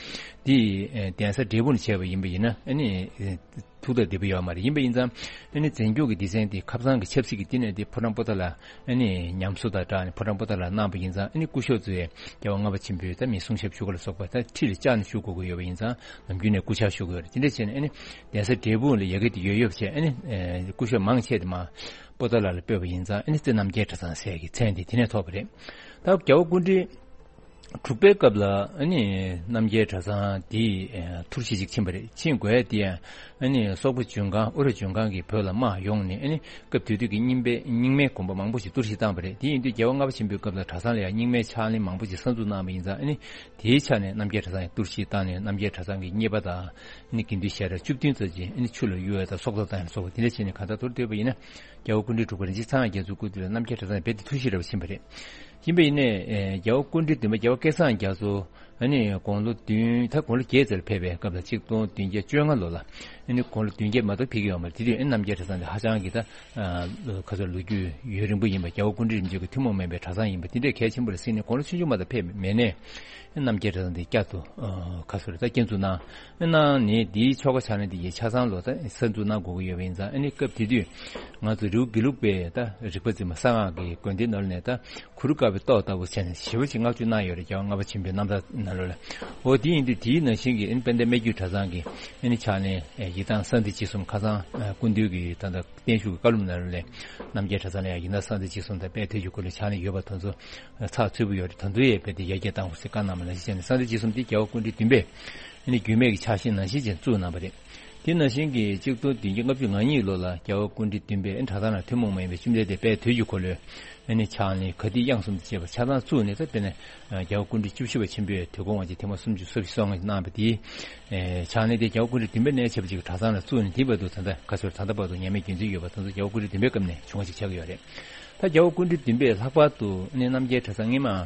འདི་ཨེ་གདན་ས་འབྲས་སྤུངས་ནས་བྱས་པ་ཡིན་པ་ཡིན་ན། ཨ་ནི་ཨེ་ཐུགས་ཐག་བདེ་པོ་ཡོད་མ་རེད། ཡིན་པ་ཡིན་ཙང་ཨ་ནི་འཛིན་སྐྱོང་གི་སྡེ་ཚན་དེ་ཁ་སང་གི་ཆབ་སྲིད་ཀྱི་བསྟི་གནས་དེ་ཕོ་བྲང་པོ་ཏཱ་ལ་ཨ་ནི་ཉམས་གསོ་དང་སྦྲགས་ནས་ཕོ་བྲང་པོ་ཏཱ་ལར་གནང་བ་ཡིན་ཙང་། ཨ་ནི་སྐུ་ཞབས་ཚོས་རྒྱལ་བ་ལྔ་པ་ཆེན་པོའི་ད་མི་གསུང་ཞབས་ཞུ་ག་ལ་སོགས་པ་ད་ཁྲི་ལ་བཅར་ནས་ཞུ་དགོས་ཀྱི་ཡོད་པ་ཡིན་ཙང་། ནམ་རྒྱུན་ནས་སྐུ་ཕྱག་ཞུ་གི་ཡོད་རེད། དེ་འདྲ་བྱས་ནས་ཨ་ནི་གདན་ས་འབྲས་སྤུངས་ལ་ཡ་གི་དེ་ཡོད་ཡོད་བྱས། ཨ་ནི་ཨེ་སྐུ་ཞབས་མང་ཆེ་དེ་མར་པོ་ཏཱ་ལ་ལ་སྤོས་པ་ཡིན་ཙང་། ཨ་ནི་རྩེ་རྣམ་རྒྱལ་གྲྭ་ཚང་ཟེར་གྱི་མཚན་དེ་དེ་ནས་ཐོབ་པ་རེད། ད་རྒྱལ་བ་སྐུ་ཕྲེང་དྲུག་པའི་སྐབས་ལ་ཨ་ནི་རྣམ་རྒྱལ་གྲྭ་ཚང་འདི་ཨེ་ཐུར་བཞི་ཅིག་ཕྱིན་པ་རེད། ཕྱིན་དགོས་དེ་ཡང་ཨ་ནི་སོག་པོ་ལྗོན་ཁང་། ཨུ་ར་ལྗོན་ཁང་གིས་བོད་ལ་དམག་ཡོང་ནས། ཨ་ནི་སྐབས་དེ་དུས་ཀྱི་རྙིང་པའི་རྙིང་མའི་དགོན་པ་མང་པོ་ཞིག་གཏོར་བཤིག་བཏང་བ་རེད། དེ་ཡིན་དུས་རྒྱལ་བ་ལྔ་པ་ཆེན་པོའི་སྐབས་ལ་གྲྭ་ཚང་ལ་ཡང་རྙིང་མའི་ཕྱག་ལེན་མང་པོ་ཞིག་གསར་འཛུགས་གནང་བ་ཡིན་ཙང་། ཨ་ནི་དེའི་ཆ་ནས་རྣམ་རྒྱལ་གྲྭ་ཚང་ཡང་གཏོར་བཤིག་བཏང་ནས། རྣམ་རྒྱལ་གྲྭ་ཚང་གི་གཉེར་པ་དང་ཨ་ནི་དགེ་འདུན་ཞལ་གྲངས་བཅུ་བདུན་ཙམ་ཅིག་ཨ་ནི་ཆུ་ལ་གཡུག་ཡ་དང་། སྲོག་ཐོག་བཏང་ཡ་སོགས་པ་དེ་འདྲ་བྱས་ནས་གང་ལྟར་མདོར་བསྡུས་པ་ཡིན་ན། རྒྱལ་བ་སྐུ་ཕྲེང་དྲུག་པ་རིན་ཆེན་ཚངས་དབྱངས་རྒྱ་མཚོའི་སྐུ་དུས་ལ་རྣམ་རྒྱལ་གྲྭ་ཚང་ནས་རྦད་དེ་ཐུར་བཤིག་འདྲ་བོ་ཕྱིན་པ་རེད། ཡིན་པ་ཡིན་ནའི་ཨེ་རྒྱལ་བ་སྐུ་ཕྲེང་བདུན་པ་རྒྱལ་བ་སྐལ་བཟང་རྒྱ་མཚོ་ཨ་ནི་དགུང་ལོ་བདུན། ད་དགུང་ལོ་བརྒྱད་ཙམ་ལ་ཕེབས་པའི་སྐབས་ལ་གཅིག་སྟོང་བདུན་བརྒྱ་བཅོ་ལྔ་ལོ་ལ། ཨ་ནི་དགུང་ལོ་བདུན་བརྒྱད་མ་གཏོགས་ཕེབས་ཀྱི་ཡོད་མ་རེད། དེ་དུས་ཨ་ནི་རྣམ་རྒྱལ་གྲྭ་ཚང་དེ་ཧ་ཅང་གི་ད་ཨ་ཁ་སང་ལོ་རྒྱུས་ཡུན་རིང་པོ་ཡིན་པ། རྒྱལ་བ་སྐུ་ཕྲེང་རིམ་བྱོན་གྱི་ཐུན་མོང་མ་ཡིན་པའི་གྲྭ་ཚང་ཡིན་པ་དེ་འདྲས་གལ་ཆེན་པོ་རེད་བསམས་ནས། དགུང་ལོ་ཆུང་ཆུང་མ་གཏོགས་ཕེབས་མེད་ནའི་ཨ་ནི་རྣམ་རྒྱལ་གྲྭ་ཚང་དེ་བསྐྱར་དུ་ཨ་ཁ་སང་རེད། ད་བསྐྱར་འཛུགས་གནང་། གནང་ནས་དེའི་ཆོ་ག་ཕྱག་ལེན་དེ་ཡི་ཆ་ཚང་ལོ་ད་གསར་འཛུགས་གནང་དགོས་ཀྱི་ཡོད་པ་ཡིན་ཙང་། ཨ་ནི་སྐབས་དེ་དུས་ང་ཚོ་རི་བོ་དགེ་ལུགས་པའི་ད་རིག་པ་འཛིན་མ་གསང་སྔགས་ཀྱི་དགོན་སྡེ་ནང་ལ་ནས་ད་གུ་རུ་དཀར་པོའི་ཏོག་ལྟ་བུ་བྱས་ནས་ཞེ་པོ་ཅིག་བསྔགས་བརྗོད་གནང་ཡོད་རེད། རྒྱལ་བ་ལྔ་པ་ཆེན་པོའི་རྣམ་ཐར་ནང་ལོགས་ལ། འོ་དེ་ཡིན་དུས་དེའི་ནང་བཞིན་གྱི་ཨ་ནི་དཔལ་ལྡན་སྨད་རྒྱུད་གྲྭ་ཚང་གི་ཨ་ནི་ཕྱག་ལེན་ཡི་དམ་གསང་བདེ་འཇིགས་གསུམ། ཁ་སང་ཨ་སྐུ་མདུན་གྱི་ད་ལྟ་བརྟན་བཞུགས་ཀྱི་བཀའ་སློབ་ནང་ལོགས་ལ་རྣམ་རྒྱལ་གྲྭ་ཚང་ལ་ཡང་ཡི་དམ་གསང་བདེ་འཇིགས་གསུམ་དང་དཔལ་དུས་ཀྱི་འཁོར་ལོའི་ཕྱག་ལེན་ཡོད་པ་དེ་ཚོ་ཚགས་ཚུད་པོ་ཡོད་རེད། ད་དུང་ཡང་རྦད་དེ་ཡར་རྒྱས་གཏང་དགོས་ཟེར་བཀའ་གནང་བ་ནང་བཞིན་བྱས་ནས། གསང་བདེ་འཇིགས་གསུམ་དེ་རྒྱལ་བ་སྐུ་ཕྲེང་བདུན་པས་ཨ་ནི་རྒྱུད་སྨད་ཀྱི་ཕྱག་བཞེས་ནང་བཞིན་བྱས་ནས་བཙུགས་གནང་བ་རེད། དེ་ནང་བཞིན་གྱི་གཅིག་སྟོང་བདུན་བརྒྱ་ལྔ་བཅུ་ང་གཉིས་ལོ་ལ་རྒྱལ་བ་སྐུ་ཕྲེང་བདུན་པས་ཨ་ནི་གྲྭ་ཚང་ལ་ཐུན་མོང་མ་ཡིན་པའི་བཅོམ་ལྡན་འདས་དཔལ་དུས་ཀྱི་འཁོར་ལོའི་ཨ་ནི་ཕྱག་ལེན་ག་དུས་དབྱངས་གསུམ་དུ་བྱས་པ་ཆ་ཚང་བཙུགས་ནས། ད་དཔེར་ན་རྒྱལ་བ་སྐུ་ཕྲེང་བཅུ་བཞི་པ་ཆེན་པོས་དུས་འཁོར་དབང་ཆེན་ཐེངས་མ་སུམ་ཅུ་སོ་བཞི་སོ་ལྔ་གནང་བ་དེའི་ཨེ་ཕྱག་ལེན་དེ་རྒྱལ་བ་སྐུ་ཕྲེང་བདུན་པའི་གནས་ཆེ་བ་ཅིག་གི་གྲྭ་ཚང་ལ་བཙུགས་ནས། དེ་བར་དུ་ད་ལྟ་ག་ཚོད་ད་ལྟ་བར་དུ་ཉམས་མྱོང་རྒྱུན་འཛིན་ཡོད་པ་དེ་ཚོ་རྒྱལ་བ་སྐུ་ཕྲེང་བདུན་པའི་སྐབས་ནས་བྱུང་བ་ཞིག་ཆགས་ཀྱི་ཡོད་རེད། ད་རྒྱལ་བ་སྐུ་ཕྲེང་བདུན་པའི་ལྷག་པར་དུ་ཨ་ནི་རྣམ་རྒྱལ་གྲྭ་ཚང་སྔོན་མ་ཨ་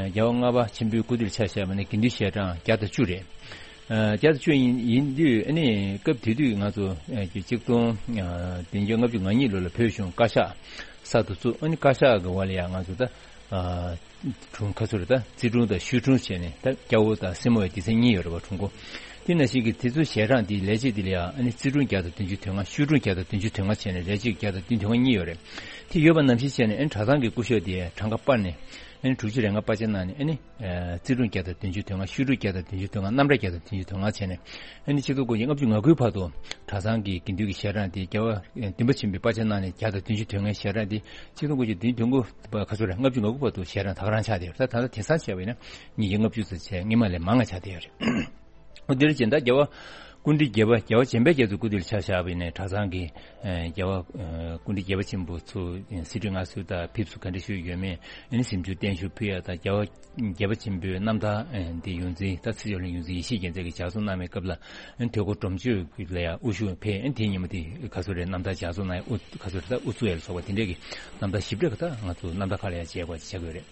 རྒྱལ་བ་ལྔ་པ་ཆེན་པོའི་སྐུ་དུས་ལ་ཆ་བཞག་པ་ན་དགེ་འདུན་ཞལ་གྲངས་བརྒྱ་དང་བཅུ་རེད། ཨ་བརྒྱ་དང་བཅུ་ཡིན་ཡིན་དུས་ཨ་ནི་སྐབས་དེ་དུས་ང་ཚོ་ཨ་གཅིག་སྟོང་ཨ་བདུན་བརྒྱ་ལྔ་བཅུ་ང་གཉིས་ལོ་ལ་བོད་གཞུང་བཀའ་ཤག་གསར་དུ་བཙུགས། ཨ་ནི་བཀའ་ཤག་གི་འོག་ལ་ཡང་ང་ཚོ་ད་ཨ་དྲུང་ཁ་ཚུར་ད་རྩིས་དྲུང་དང་ཞུས་དྲུང་བྱས་ནས། ད་སྐྱ་བོ་དང་སེར་མོ་ཡི་སྡེ་ཚན་གཉིས་ཡོད་རེད་བ། དྲུང་འགོ། དེ་ནང་བཞིན་གྱི་དེ་ཚོའི་ཞལ་གྲངས་དེའི་ལས་བྱེད་དེ་ལ་ཡང་ཨ་ནི་རྩིས་དྲུང་བརྒྱ་དང་བདུན་ཅུ་དོན་ལྔ། ཞུས་དྲུང་བརྒྱ་དང་བདུན་ཅུ་དོན་ལྔ་བྱས་ནས་ལས་བྱེད་བརྒྱ་དང་བདུན་དོན་ལྔ་གཉིས་ཡོད་རེད། དེ་ཡོད་པ་ནང་བཞིན་བྱས་ནས་ཨ་ནི་གྲྭ་ཚང་གི་སྐུ་ཞབས་དེ་གྲངས་ཀ་སྤར་ནས། ཨ་ནི་དྲུག་ཅུ་རེ་ལྔ་པར་ཆས་གནང་ནས། ཨ་ནི་ཨ་རྩིས་སྤྲོད་བརྒྱ་དང་བདུན་ཅུ་དོན་ལྔ། བཤད་སྒྲུབ་བརྒྱ་དང་བདུན་ཅུ་དོན་ལྔ། རྣམ་འགྲེལ་བརྒྱ་དང་བདུན་ཅུ་དོན་ལྔ་བྱས་ནས། ཨ་ནི་ཆིག་སྟོང་དགུ་བརྒྱ་ལྔ་བཅུ་ང་དགུའི་བར་དུ་གྲྭ་ཚང་གི་དགེ་འདུན་གྱི་ཞལ་གྲངས་དེ་རྒྱལ་བ་ཨ་བདུན་པ་ཆེན་པོའི་པར་ཆས་གནང་ནས་བརྒྱ་དང་བདུན་ཅུ་དོན་ལྔའི་ཞལ་གྲངས་དེ་ཆིག་སྟོང་དགུ་བརྒྱ་བདུན་ཅུ་དོན་དགུ་བར་ག་ཚོད་རེད། ལྔ་བཅུ་ང་དགུ་བར་དུ་ཞལ་གྲངས་ད་ག་རང་ཆགས་བསྡད་ཡོད་རེད། ད་ད་ལྟ་དེང་སང་བྱས་པ་ཡིན་ན་ཉིས་བརྒྱ་ལྔ་བཅུ་ཙམ་བྱས། སྔོན་མ་ལས་མང་བ་ཆགས་བསྡད་ཡོད་རེད། འོ་དེ་རེད་བྱས་ན། ད་རྒྱལ་བ་སྐུ་ཕྲེང་བརྒྱད་པ། རྒྱལ་བ་བྱམས་པའི་རྒྱ་མཚོའི་སྐུ་དུས་ལ་ཆ་བཞག་པ་ཡིན་ན། གྲྭ་ཚང་གི་ཨ་རྒྱལ་བ་ཨ་སྐུ་ཕྲེང་བརྒྱད་པ་ཆེན་པོ་ཚོ་ཨ་གསེར་ཁྲི་མངའ་གསོལ་དང་ཕེབས་བསུ་ག་འདྲ་ཞུས་ཡོད་མེད། ཨ་ནི་གཟིམ་ཆུང་བརྟན་བཞུགས་ཕུལ་ཡ་དང་། རྒྱལ་བ་བརྒྱད་པ་ཆེན་པོའི་རྣམ་ཐར་ཨ་འདི་ཡོངས་འཛིན། ད་ཚེ་མཆོག་གླིང་ཡོངས་འཛིན་ཡེ་ཤེས་རྒྱལ་མཚན་གྱིས་ལྗགས་རྩོམ་གནང་བའི་སྐབས་ལ། ཨ་ནི་དོལ་པོ་སྒྲོམ་གཅོད་ལ་ཡང་དབུ་བཞུགས་ཕེབས། ཨ་ནི་དེའི་ཉིན་མོ་དེ་ག་ཚོད་རེད། རྣམ་ཐར་ལྗགས་རྩོམ་གནང་ཡ། དབུ་ག་ཚོད་རེད། ད་དབུ་བཙུགས་ཡ་ལ་སོགས་པ་དེ་འདྲས་ཀྱི་རྣམ་ཐར་ཞིབ་ཕྲ་གི་ད་ང་ཚོ་རྣམ་ཐར་ཁག་ལ་ཡང་མཇལ་དགོས་ཅིག་ཆགས་ཀྱི་ཡོད་རེད།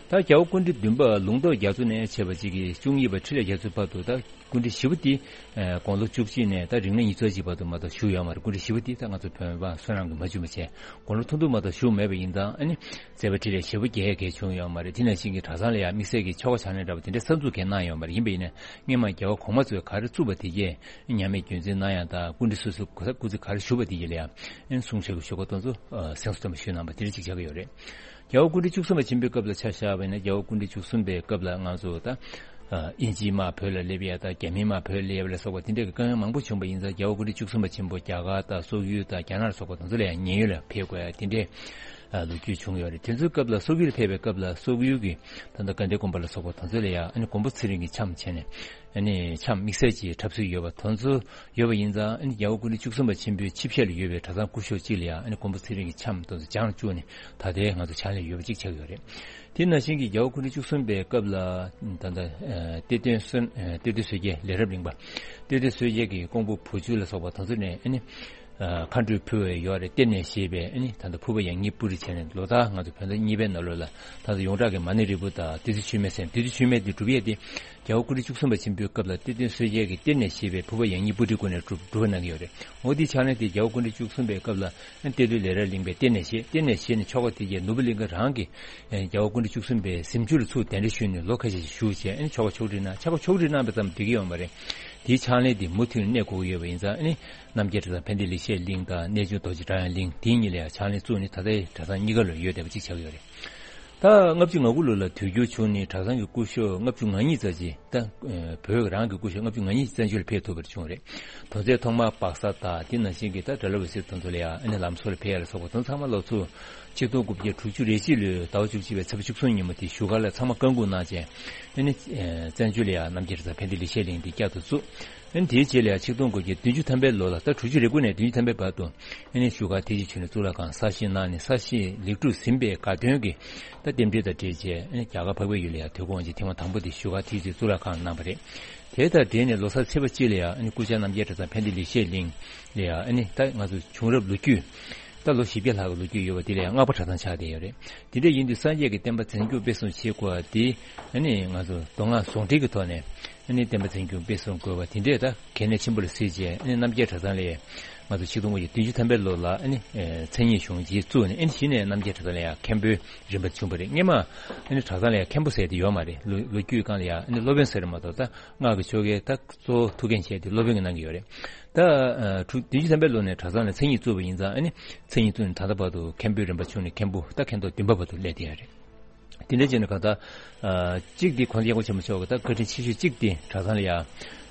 ད་རྒྱལ་བ་སྐུ་ཕྲེང་བདུན་པ་ལུང་རྟོགས་རྒྱ་མཚོ་ནས་བྱས་པ་གཅིག་གིས་བཅུ་གཉིས་པ་ཁྲི་ལས་རྒྱ་མཚོའི་བར་དུ། ད་སྐུ་ཕྲེང་བཞི་པ་དེ་ཨ་དགུང་ལོ་བཅུ་གཅིག་ནས་ད་རིང་ལོ་ཉི་ཤུ་རྩ་གཅིག་བར་དུ་མ་གཏོགས་བཞུགས་ཡོད་མ་རེད། སྐུ་ཕྲེང་བཞི་པ་དེ་ད་ང་ཚོ་བོད་པ་བསོད་ནམས་ཀྱིས་མ་བྱུང་བ་བྱས། དགུང་ལོ་ཐུང་ཐུང་མ་གཏོགས་བཞུགས་མེད་པ་ཡིན་ཙང་། ཨ་ནི་བརྩེགས་པ་ཁྲི་ལས་བཞི་པོ་རྒྱལ་ཡས་གལ་བྱུང་ཡོད་མ་རེད། དེ་ནང་བཞིན་གྱི་གྲྭ་ཚང་ལ་ཡང་དམིགས་བསལ་གྱི་ཆོ་ག་ཕྱག་ལེན་འདྲ་པོ་དེ་འདྲའི་གསར་འཛུགས་གང་ཡང་གནང་ཡོད་མ་རེད། ཡིན་པ་ཡིན་ན་སྔོན་མ་རྒྱལ་བ་གོང་མ་ཚོས་ག་རེ་བཙུགས་པ་དེ་གས་ཉམས་མེད་རྒྱུན་འཛིན་གནང་ཡ་དང་། སྐུ་ཕྲེང་སོ་སོ་སྐུ་ཚབ་སྐུ་ཚེ་ག་རེ་བཞུགས་པ་དེ་གས་ལ་ཡང་གསུང་ཆོས་ཀྱི་ཞུ་སྒོ་དེ་ཚོ་ཨ་གསན་སྲོལ་ལྟར་ཞུས་གནང་བ་དེ་འདྲ་ཅིག་ཆགས་ཀྱི་ཡོད་རེད། རྒྱལ་བ་སྐུ་ཕྲེང་བཅུ་གསུམ་པ་ཆེན་པོའི་སྐབས་ལ་ཆ་བཞག་པ་ཡིན་ན། རྒྱལ་བ་སྐུ་ཕྲེང་བཅུ་གསུམ་པའི་སྐབས་ལ་ང་ཚོ་ད་ཨ་དབྱིན་ཇིའི་དམག་བོད་ལ་སླེབས་ཡ་དང་། རྒྱ་མིའི་དམག་བོད་ལ་སླེབས་ཡ་ལ་སོགས་པ་དེ་འདྲའི་དཀའ་ངལ་མང་པོ་བྱུང་བ་ཡིན་ཙང་། རྒྱལ་བ་སྐུ་ཕྲེང་བཅུ་གསུམ་པ་ཆེན་པོ་རྒྱ་གར་དང་སོག་ཡུལ་དང་རྒྱ་ནག་ལ་སོགས་པ་དེ་ཚོ་ལ་ཡང་མཉན་ཡོད་ལ་ཕེབས་དགོས་ཡ་དེ་འདྲའི་ཨ་ལོ་རྒྱུས་བྱུང་ཡོད་རེད། དེ་ཚོའི་སྐབས་ལ་སོག་ཡུལ་ཕེབས་པའི་སྐབས་ལ་སོག་ཡུལ་གྱི་ད་ལྟ་དགའ་ལྡན་དགོན་པ་ལ་སོགས་པ་དེ་ཚོ་ལ་ཡང་ཨ་ནི་མགོན་པོ་ཚེ་རིང་གི་འཆམ་བྱས་ནས། ཨ་ནི་འཆམ་དམིགས་བསལ་གྱི་འཁྲབ་སྲོལ་ཡོད་པ་དེ་ཚོ་ཡོད་པ་ཡིན་ཙང་། ཨ་ནི་རྒྱལ་བ་སྐུ་ཕྲེང་བཅུ་གསུམ་པ་ཆེན་པོའི་ཆིབས་ཞབས་ལ་ཡོད་པའི་གྲྭ་ཚང་སྐུ་ཞབས་གཅིག་ལ་ཡང་ཨ་ནི་མགོན་པོ་ཚེ་རིང་གི་འཆམ་དེ་ཚོ་སྦྱང་བཅུག་ནས། ད་ལྟའི་ང་ཚོ་ཕྱག་ལེན་ཡོད་པ་གཅིག་ཆགས་ཡོད་རེད། དེ་ནང་བཞིན་གྱི་རྒྱལ་བ་སྐུ་ཕྲེང་བཅུ་གསུམ་པའི་སྐབས་ལ་ད་ལྟ་ཨ་གཏེར་སྟོན་བསོད་ཨ་གཏེར་སྟོན་བསོད་རྒྱལ་ལས་རབ་གླིང་པ། གཏེར་སྟོན་བསོད་རྒྱལ་གྱི་ཀོང་པོ་བུ་བཅུ་ལ་སོགས་པ་དེ་ཚོ་ནས་ཨ་ནི་ཨ་མཁའ་འགྲོས་ཕུལ་བའི་ཡོད་རེད། གཏེར་ནས་བཞེས་པའི་ཨ་ནི་ད་ལྟ་ཕུར་པ་ཡང་སྙིང་པུ་རི་བྱས་ནས། ལོ་ལྟར་ང་ཚོ་བོད་ཟླ་གཉིས་པའི་ནང་ལོགས་ལ་ད་ལྟ་ཡོངས་གྲགས་ཀྱི་མ་ཎི་རིལ་བུ་དང་བདུད་རྩི་མཆོད་མེ་ཟེར། བདུད་རྩི་མཆོད་མེ་དེ་སྒྲུབ་ཡས་དེ་རྒྱལ་བ་སྐུ་ཕྲེང་བཅུ་གསུམ་པ་ཆེན་པོའི་སྐབས་ལ་གཏེར་སྟོན་བསོད་རྒྱལ་གྱིས་གཏེར་ནས་བཞེས་པའི་ཕུར་པ་ཡང་སྙིང་པུ་རི་སྒོ་ནས་སྒྲུབ་སྒྲུབ་པ་གནང་གི་ཡོད་རེད། འོ་དེའི་ཕྱག་ལེན་དེ་རྒྱལ་བ་སྐུ་ཕྲེང་བཅུ་གསུམ་པའི་སྐབས་ལ་གཏེར་སྟོན་ལས་རབ་གླིང་པས་གཏེར་ནས་བཞེས། གཏེར་ནས་བཞེས་ནས་ཆོ་ག་དེ་རྗེས་ནོར་བུ་གླིང་ག་རང་གིས་རྒྱལ་བ་སྐུ་ཕྲེང་བཅུ་གསུམ་པའི་གཟིམ་ཆུང་ལ་ཚུར་གདན་འདྲེན་ཞུས་ནས་ལོ་ཁ་ཤས་ཤིག་བཞུགས་བྱས། ཨ་ནི་ཆོ་ག་ཕྱོགས་སྒྲིག་གནང་། ཆོ་ག་ཕྱོགས་སྒྲིག་གནང་བའི་ཙམ་འགྲིག་གི་ཡོད་མ་རེད། དེའི་ཕྱག་ལེན་དེ་མུ་མཐུད་ནས་གནས་དགོས་ཀྱི་ཡོད་པ་ཡིན་ཙང་། ཨ་ནི་རྣམ་རྒྱལ་གྲྭ་ཚང་ཕན་བདེ་ལེགས་བཤད་གླིང་དང་གནས་ཆུང་རྡོ་རྗེ་སྒྲ་དབྱངས་གླིང་དེ་གཉིས་ལ་ཡང་ཕྱག་ལེན་བཙུགས་ནས་ད་ལྟའི་གྲྭ་ཚང་གཉིས་ཀ་ལ་ཡོད་བསྡད་པ་གཅིག་ཆགས་ཀྱི་ཡོད་རེད། ད་ལྔ་བཅུ་ང་དགུ་ལོ་ལ་དུས་འགྱུར་བྱུང་ནས་གྲྭ་ཚང་གི་སྐུ་ཞབས་ལྔ་བཅུ་ང་གཉིས་ཙམ་ཅིག་ད་ཨ་བོད་རང་གི་སྐུ་ཞབས་ལྔ་བཅུ་ང་གཉིས་བཙན་བྱོལ་ལ་ཕེབས་ཐུབ་པར་བྱུང་རེད། དོན་ཚན་ཐོག་མར་སྦག་ས་དང་། དེ་ནང་བཞིན་གྱི་ད་གྲྭ་བློ་འབད་ཟེར་དེ་ཚོ་ལ་ཡང་ཨ་ནི་ལམ་བཟོ་ལ་ཕེབས་ཡ་ལ་སོགས་པ་དེ་ཚང་མ་ལོ་ཚོ་ཆིག་སྟོང་དགུ་བརྒྱ་དྲུག་ཅུ་རེ་གཅིག་ལོའི་ཟླ་བ་བཅུ་གཅིག་པའི་ཚེས་པ་བཅུ་གསུམ་ཉིན་མོ་དེ་བཞུགས་སྒར་ལ་ཚང་མ་བཀའ་འགུག་གནང་བྱས། ཨ་ནི་ཨ་བཙན་བྱོལ་ལ་ཡང་རྣམ་རྒྱལ་གྲྭ་ཚང་ཕན་བདེ་ལེགས་བཤད་གླིང་དེ་བསྐྱར་དུ་བཙུགས། ཨ་ནི་དེའི་རྗེས་ལ་ཡང་ཆིག་སྟོང་དགུ་བརྒྱ་བདུན་ཅུ་ཐམ་པའི་ལོ་ལ། ད་དྲུག་ཅུ་རེ་དགུ་ནས་བདུན་ཅུ་ཐམ་པའི་བར་དུ་ཨ་ནི་བཞུགས་སྒར་ཐེག་ཆེན་ཆོས་གླིང་གཙུག་ལག་ཁང་གསར་བཞེངས་གནང་ནས། གསར་བཞེངས་ལེགས་གྲུབ་ཟིན་པའི་དགའ་སྟོན་གྱི་ད་རྟེན་འབྲེལ་དང་འབྲེལ་བྱས། ཨ་ནི་རྒྱ་གར་འཕགས་པའི་ཡུལ་ལ་ཡང་དུས་འཁོར་དབང་ཆེན་ཐེངས་མ་དང་པོ་དེ་བཞུགས་སྒར་ཐེག་ཆེན་གཙུག་ལག་ཁང་གནང་བ་རེད། དེ་དང་འབྲེལ་ནས་ལོ་གསར་ཚེས་པ་གཅིག་ལ་ཡང་ཨ་ནི་སྐུ་བཅར་རྣམ་རྒྱལ་གྲྭ་ཚང་ཕན་བདེ་ལེགས་བཤད་གླིང་ལ་ཡང་། ཨ་ནི་ད་ང་ཚོ་བྱུང་རབས་ལོ་རྒྱུས། ད་ལོ་བཞི་བརྒྱ་ལྷག་གི་ལོ་རྒྱུས་ཡོད་པ་དེ་ལ་ཡང་སྔགས་པ་གྲྭ་ཚང་ཆགས་བསྡད་ཡོད་རེད། དེ་འདྲ་ཡིན་དུས་སངས་རྒྱས་ཀྱི་བསྟན་པ་འཛིན་སྐྱོང་སྤེལ་གསུམ་བྱེད་དགོས་པ་དེ། ཨ་ནི་ང་ཚོ་མདོ་སྔགས་ཟུང་འབྲེལ་གྱི་ཐོག་ནས་ཨ་ནི་བསྟན་པ་འཛིན་སྐྱོང་སྤེལ་གསུམ་དགོས་པ་དེ་འདྲས་ད་གལ་གནད་ཆེན་པོ་ལ་གཟིགས་བྱས། ཨ་ནི་རྣམ་རྒྱལ་གྲྭ་ཚང་ལ་ཡང་ང་ཚོ་ཆིག་སྟོང་དགུ་བརྒྱ་བདུན་ཅུ་ཐམ་པའི་ལོ་ལ་ཨ་ནི་ཨེ་མཚན་ཉིད་གཞུང་ཆེན་བཙུགས་ནས། ཨ་ནི་གཞི་ནས་རྣམ་རྒྱལ་གྲྭ་ཚང་ལ་ཡང་མཁན་པོའི་རིམ་པ་བྱུང་བ་རེད། སྔོན་མ་ཨ་ནི་གྲྭ་ཚང་ལ་ཡང་མཁན་པོ་ཟེར་དེ་ཡོད་མ་རེད། ལོ་ལོ་རྒྱུས་སྒང་ལ་ཡང་ཨ་ནི་སློབ་དཔོན་ཟེར་མ་གཏོགས། ད་སྔགས་ཀྱི་ཆོ་གའི་ད་གཙོ་བོ་ཐུགས་འགན་བཞེས་ཏེ་སློབ་དཔོན་གྱིས་གནང་གི་ཡོད་རེད། ད་ཨ་དྲུག་བདུན་ཅུ་ཐམ་པའི་ལོ་ནས་གྲྭ་ཚང་ལ་མཚན་ཉིད་བཙུགས་པ་ཡིན་ཙང་། ཨ་ནི་མཚན་ཉིད་བཙུགས་ནས་ད་ལྟ་བར་དུ་མཁན་པོའི་རིམ་པ་བྱུང་ནས་མཁན་པོ་ད་མཁན་ཐོག་བདུན་པ་བར་དུ་སླེབས་བསྡད་ཡོད་རེད། དེ་འདྲ་བྱས་ནས་གང་ལྟར་ཨ་གཅིག་དེ་༸གོང་ས་སྐྱབས་མགོན་ཆེན་པོ་མཆོག་གི་ད་བཀའ་དྲིན་ཆེ་ཤོས་གཅིག་དེ་གྲྭ་ཚང་ལ་ཡང་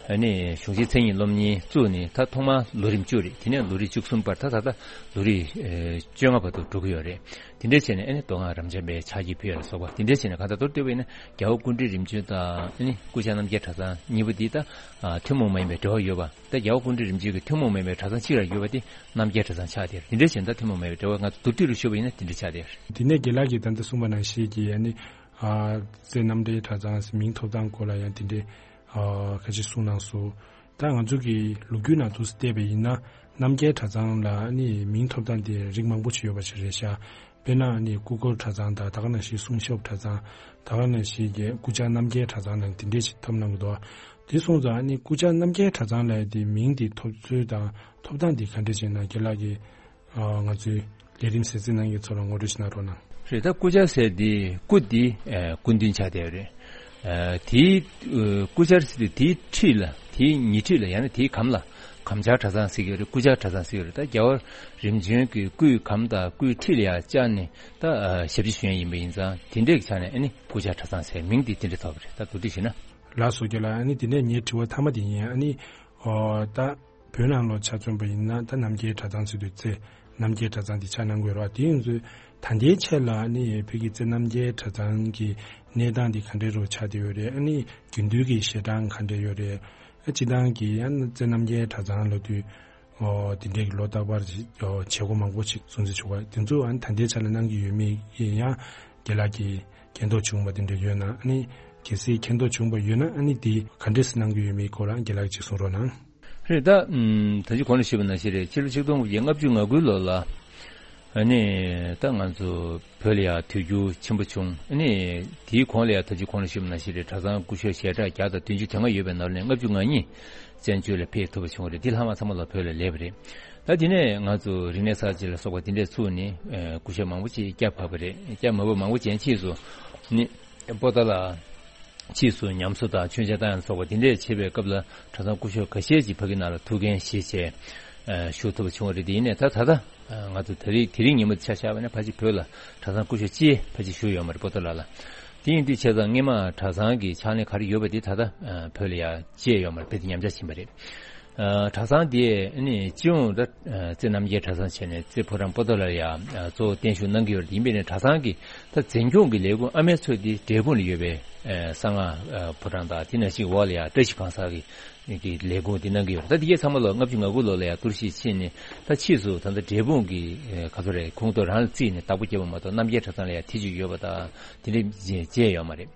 ཨ་ནི་གཞུང་ཆེན་མཚན་ཉིད་སློབ་གཉེར་བཙུགས་ནས། ད་ཐོག་མར་ལོ་རིམ་བཅུ་རེད། དེ་ནས་ལོ་རིམ་བཅུ་གསུམ་བར། ད་ད་ལྟ་ལོ་རིམ་ཨེ་བཅོ་ལྔ་བར་དུ་འགྲོ་གི་ཡོད་རེད། དེ་འདྲ་བྱས་ནས་ཨ་ནི་མདོ་སྔགས་རབ་འབྱམས་པའི་ཕྱག་རྒྱ་ཕུལ་ཡ་ལ་སོགས་པ། དེ་འདྲ་བྱས་ནས་གང་ལྟར་མདོར་བསྡུས་པ་ཡིན་ན། རྒྱལ་བ་སྐུ་ཕྲེང་རིམ་བྱོན་དང་ཨ་ནི་སྐུ་བཅར་རྣམ་རྒྱལ་གྲྭ་ཚང་གཉིས་པོ་འདི་ད་ཨ་ཐུན་མོང་མ་ཡིན་པའི་འབྲེལ་བ་ཡོད་པ། ད་རྒྱལ་བ་སྐུ་ཕྲེང་རིམ་བྱོན་གྱི་ཐུན་མོང་མ་ཡིན་པའི་གྲྭ་ཚང་གཅིག་ལ་ཡོད་པ་དེ་རྣམ་རྒྱལ་གྲྭ་ཚང་ཆགས་བསྡད་ཡོད་རེད། དེ་འདྲ་བྱས་ན་ད་ཐུན་མོང་མ་ཡིན་པའི་འབྲེལ་བ། ང་ཚོ་མདོར་བསྡུས་རུ་ཞུས་པ་ཡིན་ན་དེ་འདྲ་ཆགས་བསྡད་ཡོད་རེད། དེ་ནས་རྒན་ལགས་ཀྱིས་ད་ལྟ་གསུངས་པ་ནང་བཞིན་གྱི་ཨ་ནི་ཨ་རྩེ་རྣམ་འགྲེལ་གྲྭ་ཚང་མིང་ཐོབ་ཐང་སྐོར་ལ་ཡང་དེ་འདྲའི་ཨ་ཁ་ཅིག་གསུངས་གནང་སོང་། ད་ང་ཚོ་གི་ལོ་རྒྱུས་ནང་དུ་བལྟས་པ་ཡིན་ན། རྣམ་རྒྱལ་གྲྭ་ཚང་ལ་ཨ་ནི་མིང་ཐོབ་ཐང་དེ་རིགས་མང་པོ་ཞིག་ཡོད་པ་ཞིག་རེད་ཤག་དཔེར་ན་ཨ་ནི་སྐུ་འཁོར་གྲྭ་ཚང་དང་། ད་ག་ནང་བཞིན་གསུང་ཞབས་གྲྭ་ཚང་། ད་ག་ནང་བཞིན་གྱི་སྐུ་བཅར་རྣམ་རྒྱལ་གྲྭ་ཚང་ནང་དེ་འདྲས་ཞིག་ཐོབ་གནང་གི་འདུག་དེ་སོང་ཙང་ཨ་ནི་སྐུ་བཅར་རྣམ་རྒྱལ་གྲྭ་ཚང་ལབ་ཡ་དེ་མིང་དེ་ཐོབ་ཚུལ་དང་ཐོབ་ཐང་དེ་ག་འདྲས་བྱས་ན། རྒན་ལགས་ཀྱིས་ཨ་ང་ཚོའི་ལས་རིམ་གསན་གཟིགས་གནང་མཁན་ཚོ་ལ་ངོ་སྤྲོད་ཞིག་གནང་རོགས་གནང་། རེད། ད་སྐུ་བཅར་ཟེར་དེ་སྐུ་དེ་ཨ་སྐུ་མདུན་ཆགས་བསྡད་ཡོད་རེད། ཨ་དེའི་ཨ་སྐུ་བཅར་ཟེར་དེ་དེའི་འཁྲིས་ལ། དེའི་ཉེ་འཁྲིས་ལ། ཡང་ན་དེའི་གམ་ལ་ གམ་ཆར་གྲྭ་ཚང་ཟེར་གྱི་ཡོད་རེད། སྐུ་བཅར་གྲྭ་ཚང་ཟེར་གྱི་ཡོད་རེད། ད་རྒྱལ་བ་རིམ་བྱོན་གྱི་སྐུའི་གམ་དང་སྐུའི་ཁྲི་ལ་ཡང་བཅར་ནས་ད་ཨ་ཞབས་ཕྱི་ཞུ་མཁན་ཡིན་པ་ཡིན་ཙང་དེ་འདྲའི་ཆ་ནས་ཨ་ནི་སྐུ་བཅར་གྲྭ་ཚང་ཟེར་མིང་དེ་དེ་འདྲ་ཐོབ་པ་རེད། ད་མདོར་བསྡུས་ཞུས་ན། ལགས་སོ་རྒན་ལགས། ཨ་ནི་དེ་ནས་ངའི་དྲི་བ་མཐའ་མ་དེ་ཡིན། ཨ་ནི་ཨོ་ད་བོད་ནང་ལོགས་ཆ་མཚོན་པ་ཡིན་ན་ད་རྣམ་རྒྱལ་གྲྭ་ཚང་ཟེར་དུས་ཚེ་རྣམ་རྒྱལ་གྲྭ་ཚང་དེ་ཆ་གནང་དགོས་རེད་བ། དེ་ཡིན་ཚུལ་ད་ལྟའི་ཆ་ལ་ཨ་ནི་བོད་ཀྱི་རྩེ་རྣམ་རྒྱལ་གྲྭ་ཚང་གི་གནས་སྟངས་འདི་ག་འདྲའི་རུ་ཆགས་བསྡད་ཡོད་རེད། ཨ་ནི་རྒྱུན་དུ་གི་ཞལ་གྲངས་ག་འདྲ་ཡོད་རེད། ཨ་སྤྱི་བཏང་གི་ཡང་རྩེ་རྣམ་རྒྱལ་གྲྭ་ཚང་ལབ་དུས་ཨོ་དེ་འདྲའི་གི་ལོ་རྟག་པར་གྱི་ཨོ་བྱེད་སྒོ་མང་པོ་ཞིག་སྲུང་བརྩི་ཞུ་བ་དེ་ཚོ་ཨ་ནི་ད་ལྟའི་ཆ་ལ་གནང་གི་ཡོད་མེད་ཡང་རྒན་ལགས་ཀྱིས་མཁྱེན་རྟོགས་བྱུང་བ་དེ་འདྲ་ཡོད་ན། ཨ་ནི་གལ་སྲིད་མཁྱེན་རྟོགས་བྱུང་བ་ཡོད་ན་ཨ་ནི་དེ་ག་འདྲས་སེ་གནང་གི་ཡོད་མེད་སྐོར་ལ་རྒན་ལགས་ཀྱིས་གསུང་རོགས་གནང་། རེད། ད་ཨམ་ད་ཅི་གོང་ལ་ཞུས་པ་ནང་བཞིན་རེད། ཕྱི་ལོ་ཆིག་སྟོང་དགུ་བརྒྱ་ལྔ་བཅུ་ང་དགུའི་ལོ་ལ་ཨ་ནི་ད་ང་ཚོ་བོད་ལ་ཡང་དུས་འགྱུར་ཆེན་པོ་བྱུང་། ཨ་ནི་དེའི་གོང་ལ་ཡང་ད་ཅི་གོང་ལ་ཞུས་པ་ནང་བཞིན་རེད། གྲྭ་ཚང་སྐུ་ཞབས་ཞལ་གྲངས་བརྒྱ་དང་བདུན་ཅུ་དོན་ལྔ་ཡོད་པའི་ནང་ནས་ལྔ་བཅུ་ང་གཉིས་བཙན་བྱོལ་ལ་ཕེབས་ཐུབ་པ་བྱུང་བ་རེད། དེ་ལྷག་མ་ཚང་མ་ལ་བོད་ལ་སླེབས་པ་རེད། ད་དེ་ནས་ང་ཚོ་རིག་གནས་གསར་བརྗེ་ལ་སོགས་པ་དེ་འདྲས་ཚུགས་ནས་ཨ་སྐུ་ཞབས་མང་པོ་ཅིག་བསྐྱབས་བབས་པ་རེད། བསྐྱབས་མ་བབས་མང་པོ་ཅན་ཕྱིས་སུ་ནི་པོ་ཏཱ་ལ་ཕྱིས་སུ་ཉམས་གསོ་དང་མཆོད་མཇལ་བཏང་ཡང་སོགས་པ་དེ་འདྲས་བྱེད་པའི་སྐབས་ལ་གྲྭ་ཚང་སྐུ་ཞབས་ཁ་ཤས་ཀྱིས་ཕ་གི་ནང་ལ་ཐུགས་འགན་བཞེས་བྱས་ཨ་བཞུགས་ཐུབ་པ་བྱུང་བ་རེད། དེ་ཡིན་ནའི་ད་ད་ལྟ་ཨ་ང་ཚོ་དེ་རིང་དེ་རིང་ཉིན་མོ་ཆ་བཞག་པ་ན་ཕལ་ཆེར་བོད་ལ་གྲྭ་ཚང་སྐུ་ཞབས་གཅིག་ཕལ་ཆེར་བཞུགས་ཡོད་མ་རེད། པོ་ཏཱ་ལ་ལ། དེ་ཡིན་དུས་བྱས་ཙང་སྔས་མ་གྲྭ་ཚང་གི་ཕྱག་ལེན་ག་རེ་ཡོད་པ་དེ་ད་ལྟ་ཨ་བོད་ལ་ཡང་བཅད་ཡོད་མ་རེད། དཔེ་དེ་ཉམས་ཆག་ཕྱིན་པ་རེད། ཨ་གྲྭ་ཚང་དེ་ནི་སྤྱི་ཡོངས་ད་ཨ་རྩེ་རྣམ་རྒྱལ་གྲྭ་ཚང་བྱས་ནས་རྩེ་ཕོ་བྲང་པོ་ཏཱ་ལར་ཡང་ཨ་གཙོ་བོ་བརྟན་བཞུགས་གནང་གི་ཡོད་རེད། ཡིན་པས་ནས་གྲྭ་ཚང་གི་ད་འཛིན་སྐྱོང་གི་ལས་ཁུངས་ཨ་མའི་མཚོ་དེ་འབྲས་སྤུངས་ལ་ཡོད་པའི་ཨ་གསང་སྔགས་ཨ་ཕོ་བྲང་དང་དེ་ནང་བཞིན་འོག་ལ་ཡང་བཀྲ་ཤིས་གང་ཟག་གི་གི་ལས་ཁུངས་དེ་གནང་གི་ཡོད་རེད། ད་དེ་གའི་ཚང་མ་ལོ་ལྔ་བཅུ་ང་དགུ་ལོ་ལ་ཡང་གཏོར་བཤིག་ཕྱིན་ནས་ད་ཕྱིས་སུ་ད་ལྟ་འབྲས་སྤུངས་ཀྱི་ཨ་ག་ཚོད་རེད་ཁོངས་གཏོགས་རང་ལ་བརྩིས་ནས་བདག་པོ་བརྒྱབ་པ་མ་གཏོགས་རྣམ་རྒྱལ་གྲྭ་ཚང་ལ་ཡང་ཐེ་བྱུས་ཡོད་པ་དང་དེ་འདྲ་བྱས་ཡོད་མ་རེད།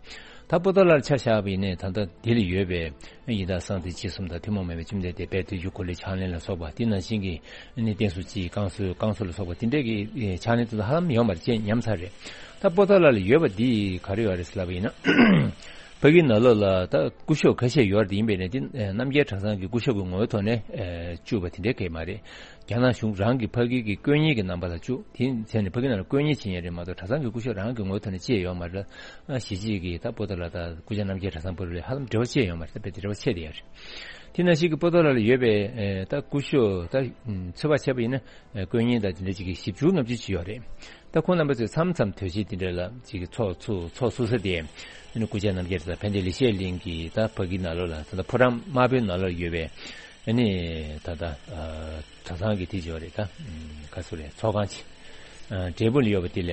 ད་པོ་ཏཱ་ལར་ཆ་བཞག་པ་ཡིན་ནའི་ད་ལྟ་དེ་ལ་ཡོད་པའི་ཡི་དྭགས་གསང་བདེ་འཆི་གསུམ་དང་ཐུན་མོང་མ་ཡིན་པའི་བཅོམ་ལྡན་འདས་དཔལ་དུས་ཀྱི་འཁོར་ལོའི་ཕྱག་ལེན་ལ་སོགས་པ་དེ་ནང་བཞིན་གྱི་ནི་བསྟན་སྲུང་སྤྱི་བསྐང་གསོ་བསྐང་གསོ་ལ་སོགས་པ་དེ་འདྲའི་གི་ཕྱག་ལེན་དེ་ཚོ་ཧ་ལམ་ཡོད་མ་རེད་ཅེས་ཉམས་ཚར་རེད། ད་པོ་ཏཱ་ལ་ལ་ཡོད་པ་འདི་ག་རེ་ཡོད་རེད་ཟེར་ལབ་པ་ཡིན་ན། ཕ་གིའི་ནང་ལོགས་ལ་ད་སྐུ་ཞབས་ཁ་ཤས་ཡོད་རེད། ཡིན་པས་ནས་འདི་རྣམ་རྒྱལ་གྲྭ་ཚང་གི་སྐུ་ཞབས་ཀྱི་ངོ་བོའི་ཐོག་ནས་བཅུག་པ་དེ་འདྲའི་གང་ཡང་མ་རེད། རྒྱ་ནག་གཞུང་རང་གི་ཕ་གི་གི་དཀོན་གཉེར་གྱི་རྣམ་པ་ལ་བཅུག་དེ་བྱས་ནས་ཕ་གི་ནང་ལ་དཀོན་གཉེར་བྱེད་མཁན་རེད་མ་གཏོགས་གྲྭ་ཚང་གི་སྐུ་ཞབས་རང་གི་ངོ་བོའི་ཐོག་ནས་བཅས་ཡོད་མ་རེད། གཞིས་བྱེས་ཀྱི་ད་པོ་ཏཱ་ལ་དང་སྐུ་བཅར་རྣམ་རྒྱལ་གྲྭ་ཚང་བར་ལ་ཧ་ལམ་འབྲེལ་བ་བཅས་ཡོད་མ་རེད། ད་དཔེ་དེ་འབྲེལ་བ་ཆད་དེ་ཡོད་རེད། དེ་ནང་བཞིན་གྱི་པོ་ཏཱ་ལ་ལ་ཡོད་པའི་ད་སྐུ་ཞབས་ད་ཚོད་དཔག་བྱས་པ་ཡིན་ན་དཀོན་གཉེར་དང་དེ་འདྲ་ཅིག་གི་བཞི་བཅུ་ལྔ་བཅུ་ཅིག་ཡོད་རེད། ད་ཁོང་རྣམ་པ་ཚོས་མཚམས་མཚམས་དུས་ཆེན་དེ་འདྲ་ལ་ཅིག་གི་ཚོགས་ཚུགས་ཚོགས་ཚུགས་ས་དེ་ཨ་ནི་སྐུ་བཅར་རྣམ་རྒྱལ་དང་ཕན་བདེ་ལེགས་བཤད་གླིང་གི་ད་ཕ་གི་ནང་ལོགས་ལ་ད་ལྟ་ཕོ་བྲང་དམར་པོའི་ནང་ལོགས་ཡོད་པའི་ཨ་ནི་ད་ལྟ་གྲྭ་ཚང་གི་དེ་ཅིག་ཡོད་རེད། ད་ག་ཚོད་རེད་ཚོགས་ཁང་ཅིག་འབྲས་སྤུངས་ལ་ཡོད་པ་དེ་ལ་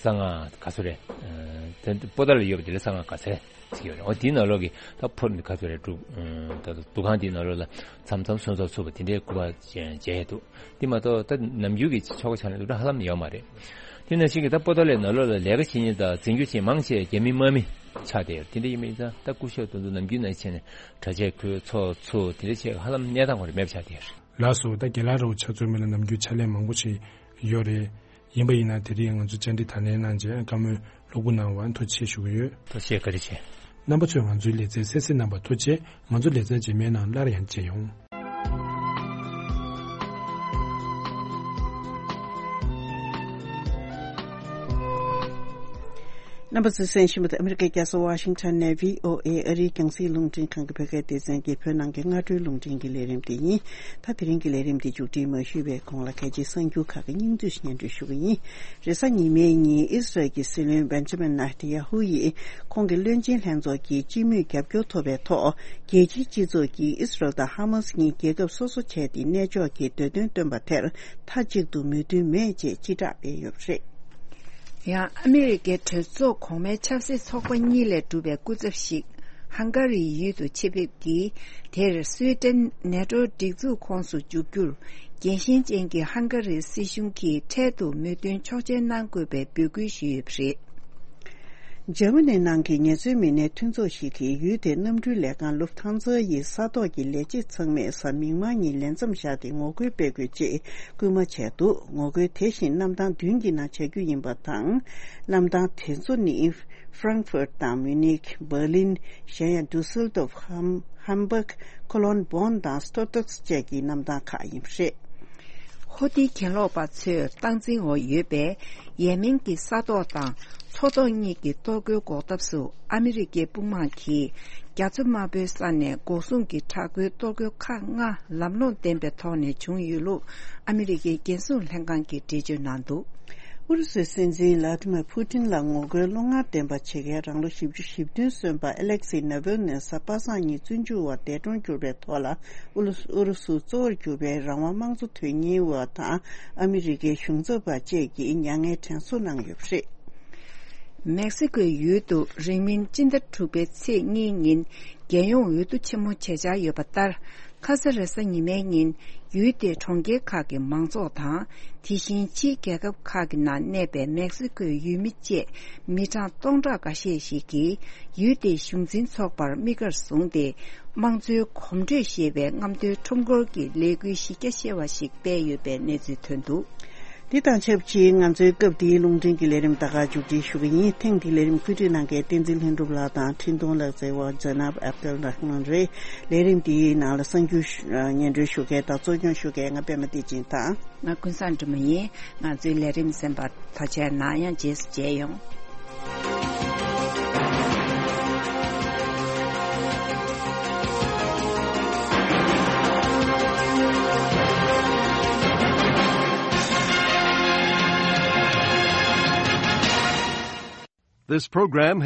གསང་སྔགས་ག་ཚོད་རེད། ད་པོ་ཏཱ་ལ་ཡོད་པ་དེ་ལ་གསང་སྔགས་ག་ཚད། ཟེར་གྱི་ཡོད་རེད། འོ་དེའི་ནང་ལོགས་ཀྱི་ད་ཕོར་ནི་ག་ཚོད་རེད་འདུག་ད་འདུ་ཁང་དེའི་ནང་ལོགས་ལ་མཚམས་མཚམས་གསོལ་ཚོགས་ཚུགས་པ་དེ་འདྲའི་སྐུ་པར་མཇལ་ཡས་འདུག་དེ་མ་གཏོགས་ད་ནམ་རྒྱུན་གྱི་ཆོ་ག་ཕྱག་ལེན་འདུག་ད་ཧ་ལམ་ཡོད་མ་རེད། དེ་ནང་བཞིན་གྱི་ད་པོ་ཏཱ་ལའི་ནང་ལོགས་ལ་ལས་ཀ་བྱེད་མཁན་དང་འཛིན་སྐྱོང་བྱེད་མཁན་མང་ཆེ་རྒྱ་མི་དམག་མི་ཆགས་བསྡད་ཡོད་རེད། དེ་འདྲ་ཡིན་པ་ཡིན་ཙང་ད་སྐུ་ཞབས་དེ་ཚོ་ནམ་རྒྱུན་ནང་བྱས་ནས་གྲྭ་ཆས་གོན་ཚོགས་ཚུགས་དེ་འདྲ་བྱས་ཧ་ལམ་གནས་སྟངས་ཁོ་རང་མེད་པ་ཆགས་བསྡད་ཡོད་རེད། ལགས་སོ། ད་རྒན་ལགས་ར་བ་ཆ་མཚོན་མི་ལ་ནམ་རྒྱུན་ཕྱག་ལས་མང་པོ་ཞིག་ཡོད་རེད། ཡིན་པ་ཡིན་ན་དེ་རིང་ང་ཚོ་བཅར་འདྲི་དང་ལེན་གནང་རྗེས་བཀའ་མོལ་ལྷུག་པོ་གནང་བར་ཐུགས་རྗེ་ཆེ་ཞུ་གི་ཡོད། ཐུགས་རྗེ་ཆེ། བཀའ་དྲིན་ཆེ། རྣམ་པ་ཚོས་ང་ཚོའི་ལེ་ཚན་གསན་གཟིགས་གནང་བར་ཐུགས་རྗེ་ཆེ། ང་ཚོ་ལེ་ཚན་རྗེས་མའི་ནང་སླར་ཡང་མཇལ་ཡོང་། རྣམ་པ་ཚོས་གསན་བཞིན་པ་དེ་ཨ་མི་རི་ཀའི་རྒྱལ་ས་ཝ་ཤིང་ཊོན་ནས་བྷི་ཨོ་ཨེ་ཨ་རིའི་རྒྱང་སྲིང་རླུང་འཕྲིན་ཁང་གི་བོད་སྐད་སྡེ་ཚན་གྱི་བོད་ནང་གི་སྔ་དྲོའི་རླུང་འཕྲིན་གྱི་ལས་རིམ་དེ་ཡིན། ད་དེ་རིང་གི་ལས་རིམ་དེ་མཇུག་སྒྲིལ་མ་ཞུས་པའི་གོང་ལ་གལ་ཆེའི་གསར་འགྱུར་ཁག་གི་སྙིང་བསྡུས་སྙན་སྒྲོན་ཞུ་གི་ཡིན། རེས་གཟའ་ཉི་མའི་ཉིན་ཨི་སི་རལ་གྱི་སྲིད་བློན་བེན་ཇ་མིན་ནེ་ཐན་ཡ་ཧུ་ཡིས་ཁོང་གི་བློན་ཆེན་ལྷན་ཚོགས་ཀྱིས་སྤྱི་མོས་རྒྱབ་སྐྱོར་ཐོབ་པའི་ཐོག་རྒྱལ་སྤྱིའི་སྤྱི་ཚོགས་ཀྱིས་ཨི་སི་རལ་དང་ཧ་མ་སི་གཉིས་རྒྱལ་ཁབ་སོ་སོ་བྱས་ཏེ་གནས་མཆོག་གི་འདོད་དོན་བཏོན་པ་དེར་མཐའ་གཅིག་ཏུ་མོས་མཐུན་མེད་ཅེས་སྤྱི་བསྒྲགས་སྤེལ་ཡོད་པ་རེད། ཡང་ཨ་མི་རི་ཀའི་གྲོས་ཚོགས་གོང་མའི་ཆབ་སྲིད་ཚོགས་པ་གཉིས་ལས་གྲུབ་པའི་སྐུ་ཚབ་ཞིག་ཧང་ག་རིའི་ཡུལ་དུ་ཆེད་ཕེབས་ཀྱིས། དེར་སུའེ་ཏེན་ནེ་ཏོ་སྒྲིག་འཛུགས་ཁོངས་སུ་འཇུག་རྒྱུར་རྒྱལ་ཞེན་ཅན་གྱི་ཧང་ག་རིའི་སྲིད་གཞུང་གིས་འཕྲལ་དུ་མོས་མཐུན་ཆོག་མཆན་གནང་དགོས་པའི་འབོད་སྐུལ་ཞུས་ཡོད་པ་རེད། འཇར་མ་ནི་ནང་གི་ངལ་རྩོལ་མི་སྣའི་མཐུན་ཚོགས་ཤིག་གིས་ཡུལ་དེའི་གནམ་གྲུའི་ལས་ཁང་ལུབ་ཐང་ཛ་ཡི་ས་ཐོག་གི་ལས་བྱེད་ཚང་མས་གཟའ་མིག་དམར་ཉིན་ལས་མཚམས་བཞག་སྟེ་ངོ་རྒོལ་སྤེལ་དགོས་ཅེས་སྐུལ་མ་བྱས་འདུག་ངོ་རྒོལ་དེ་བཞིན་གནམ་ཐང་བདུན་གྱི་ནང་བྱ་རྒྱུ་ཡིན་པ་དང་། གནམ་ཐང་དེ་ཚོ་ནི་ཧྥ་རང་ཧྥུར་དང་མུ་ནིག་བྷར་ལིན། གཞན་ཡང་ཌུ་སེལ་དོབ། ཧམ་ཧམ་སྦག་ཁོ་ལོན། བོན་དང་སྟོད་ཏོག་སི་བཅས་ཀྱི་གནམ་ཐང་ཁག་ཡིན་པ་རེད། ཧོ་ཏི་གྱེན་ལོག་པ་ཚོས་སྟངས་འཛིན་འོག་ཡོད་པའི་ཡེ་མེན་གྱི་ས་ཐོག་དང་མཚོ་ཐོག་གཉིས་ཀྱི་གཏོར་རྒོལ་འགོག་ཐབས་སུ་ཨ་མི་རི་ཀའི་དཔུང་དམག་གིས་ རྒྱ་མཚོ་དམར་པོའི་ས་ནས་འགོག་སྲུང་གི་དྲག་པོའི་གཏོར་རྒོལ་ཁག་ལྔ་ལམ་ལྷོང་ལྡན་པའི་ཐོག་ནས་བྱུང་ཡོད་ལུགས་ཨ་མི་རི་ཀའི་རྒྱལ་སྲུང་ལྷན་ཁང་གིས་འགྲེལ་བརྗོད་གནང་འདུག། ཨུ་རུ་སུའི་སྲིད་འཛིན་ལ་ཏི་མར་ཕུ་ཏིན་ལ་ངོ་རྒོལ་བློ་ངར་ལྡན་པ་བྱེད་མཁན་རང་ལོ་བཞི་བཅུ་ཞེ་བདུན་སོན་པ་ཨེ་ལེག་སི་ནཱ་བྷེལ་ནེ་གཟའ་པ་སངས་ཉིན་བཙོན་འཇུག་འོག་འདས་གྲོངས་གྱུར་པའི་ཐོག་ལ། ཨུ་རུ་སུ་གཙོ་བོར་གྱུར་པའི་རང་དབང་དམངས་གཙོ་དོན་གཉེར་བ་དང་ཨ་མི་རི་ཀའི་གཞུང་ཚབ་པ་བཅས་ཀྱིས་མྱ་ངན་དྲན་གསོ་གནང་ཡོད་པ་རེད། མེག་སི་ཀོའི་ཡུལ་དུ་རིང་མིན་སྤྱི་ཟླ་དྲུག་པའི་ཚེས་གཉིས་ཉིན་རྒྱལ་ཡོངས་འོས་བསྡུ་ཆེན་མོ་བྱེད་འཆར་ཡོད་པ་ལྟར། ཁ་ས་རེ་ས་ཉི་མའི་ཉིན་ཡུལ་དེའི་གྲོང་ཁྱེར་ཁག་གི་མང་ཚོགས་དང་། དེ་བཞིན་ཕྱིའི་རྒྱལ་ཁབ་ཁག་གི་ནང་གནས་པའི་མེག་སི་ཀོའི་ཡུལ་མི་བཅས་མི་གྲངས་སྟོང་ཕྲག་འགའ་ཤས་ཤིག་གིས་ཡུལ་དེའི་གཞུང་འཛིན་ཚོགས་པར་དམིགས་བཀར་བཟུང་སྟེ། དམངས་གཙོའི་གོམ་བགྲོད་ཞེས་པའི་རྔམ་སྟོན་ཁྲོམ་སྐོར་གྱི་ལས་འགུལ་གཞི་རྒྱ་ཆེ་བ་ཞིག་སྤེལ་ཡོད་པའི་གནས་ཚུལ་ཐོན་འདུག། འདི་དང་ཆབས་ཅིག་ང་ཚོའི་སྐབས་འདིའི་རླུང་འཕྲིན་གྱི་ལས་རིམ་ད་ག་མཇུག་སྒྲིལ་ཞུ་གི་ཡིན། ཐེངས་འདིའི་ལས་རིམ་བཀོད་སྒྲིག་གནང་མཁན་བསྟན་འཛིན་ལྷུན་གྲུབ་ལགས་དང་འཕྲིན་གཏོང་ལག་རྩལ་བ་ཛེ་ནབ་ཨབ་དལ་ར་ཧ་མན་རེད། ལས་རིམ་འདིའི་ནང་ལ་གསར་འགྱུར་སྙན་སྒྲོན་ཞུ་མཁན་དང་གཙོ་སྐྱོང་ཞུ་མཁན་ང་པད་མ་བདེ་ཆེན་དང་། ང་ཀུན་བཟང་སྒྲོལ་མ་ཡིན། ང་ཚོའི་ལས་རིམ་གསན་པར་ཐུགས་རྗེ་གནང་། ཡང་རྗེས་སུ་མཇལ་ཡོང་། This program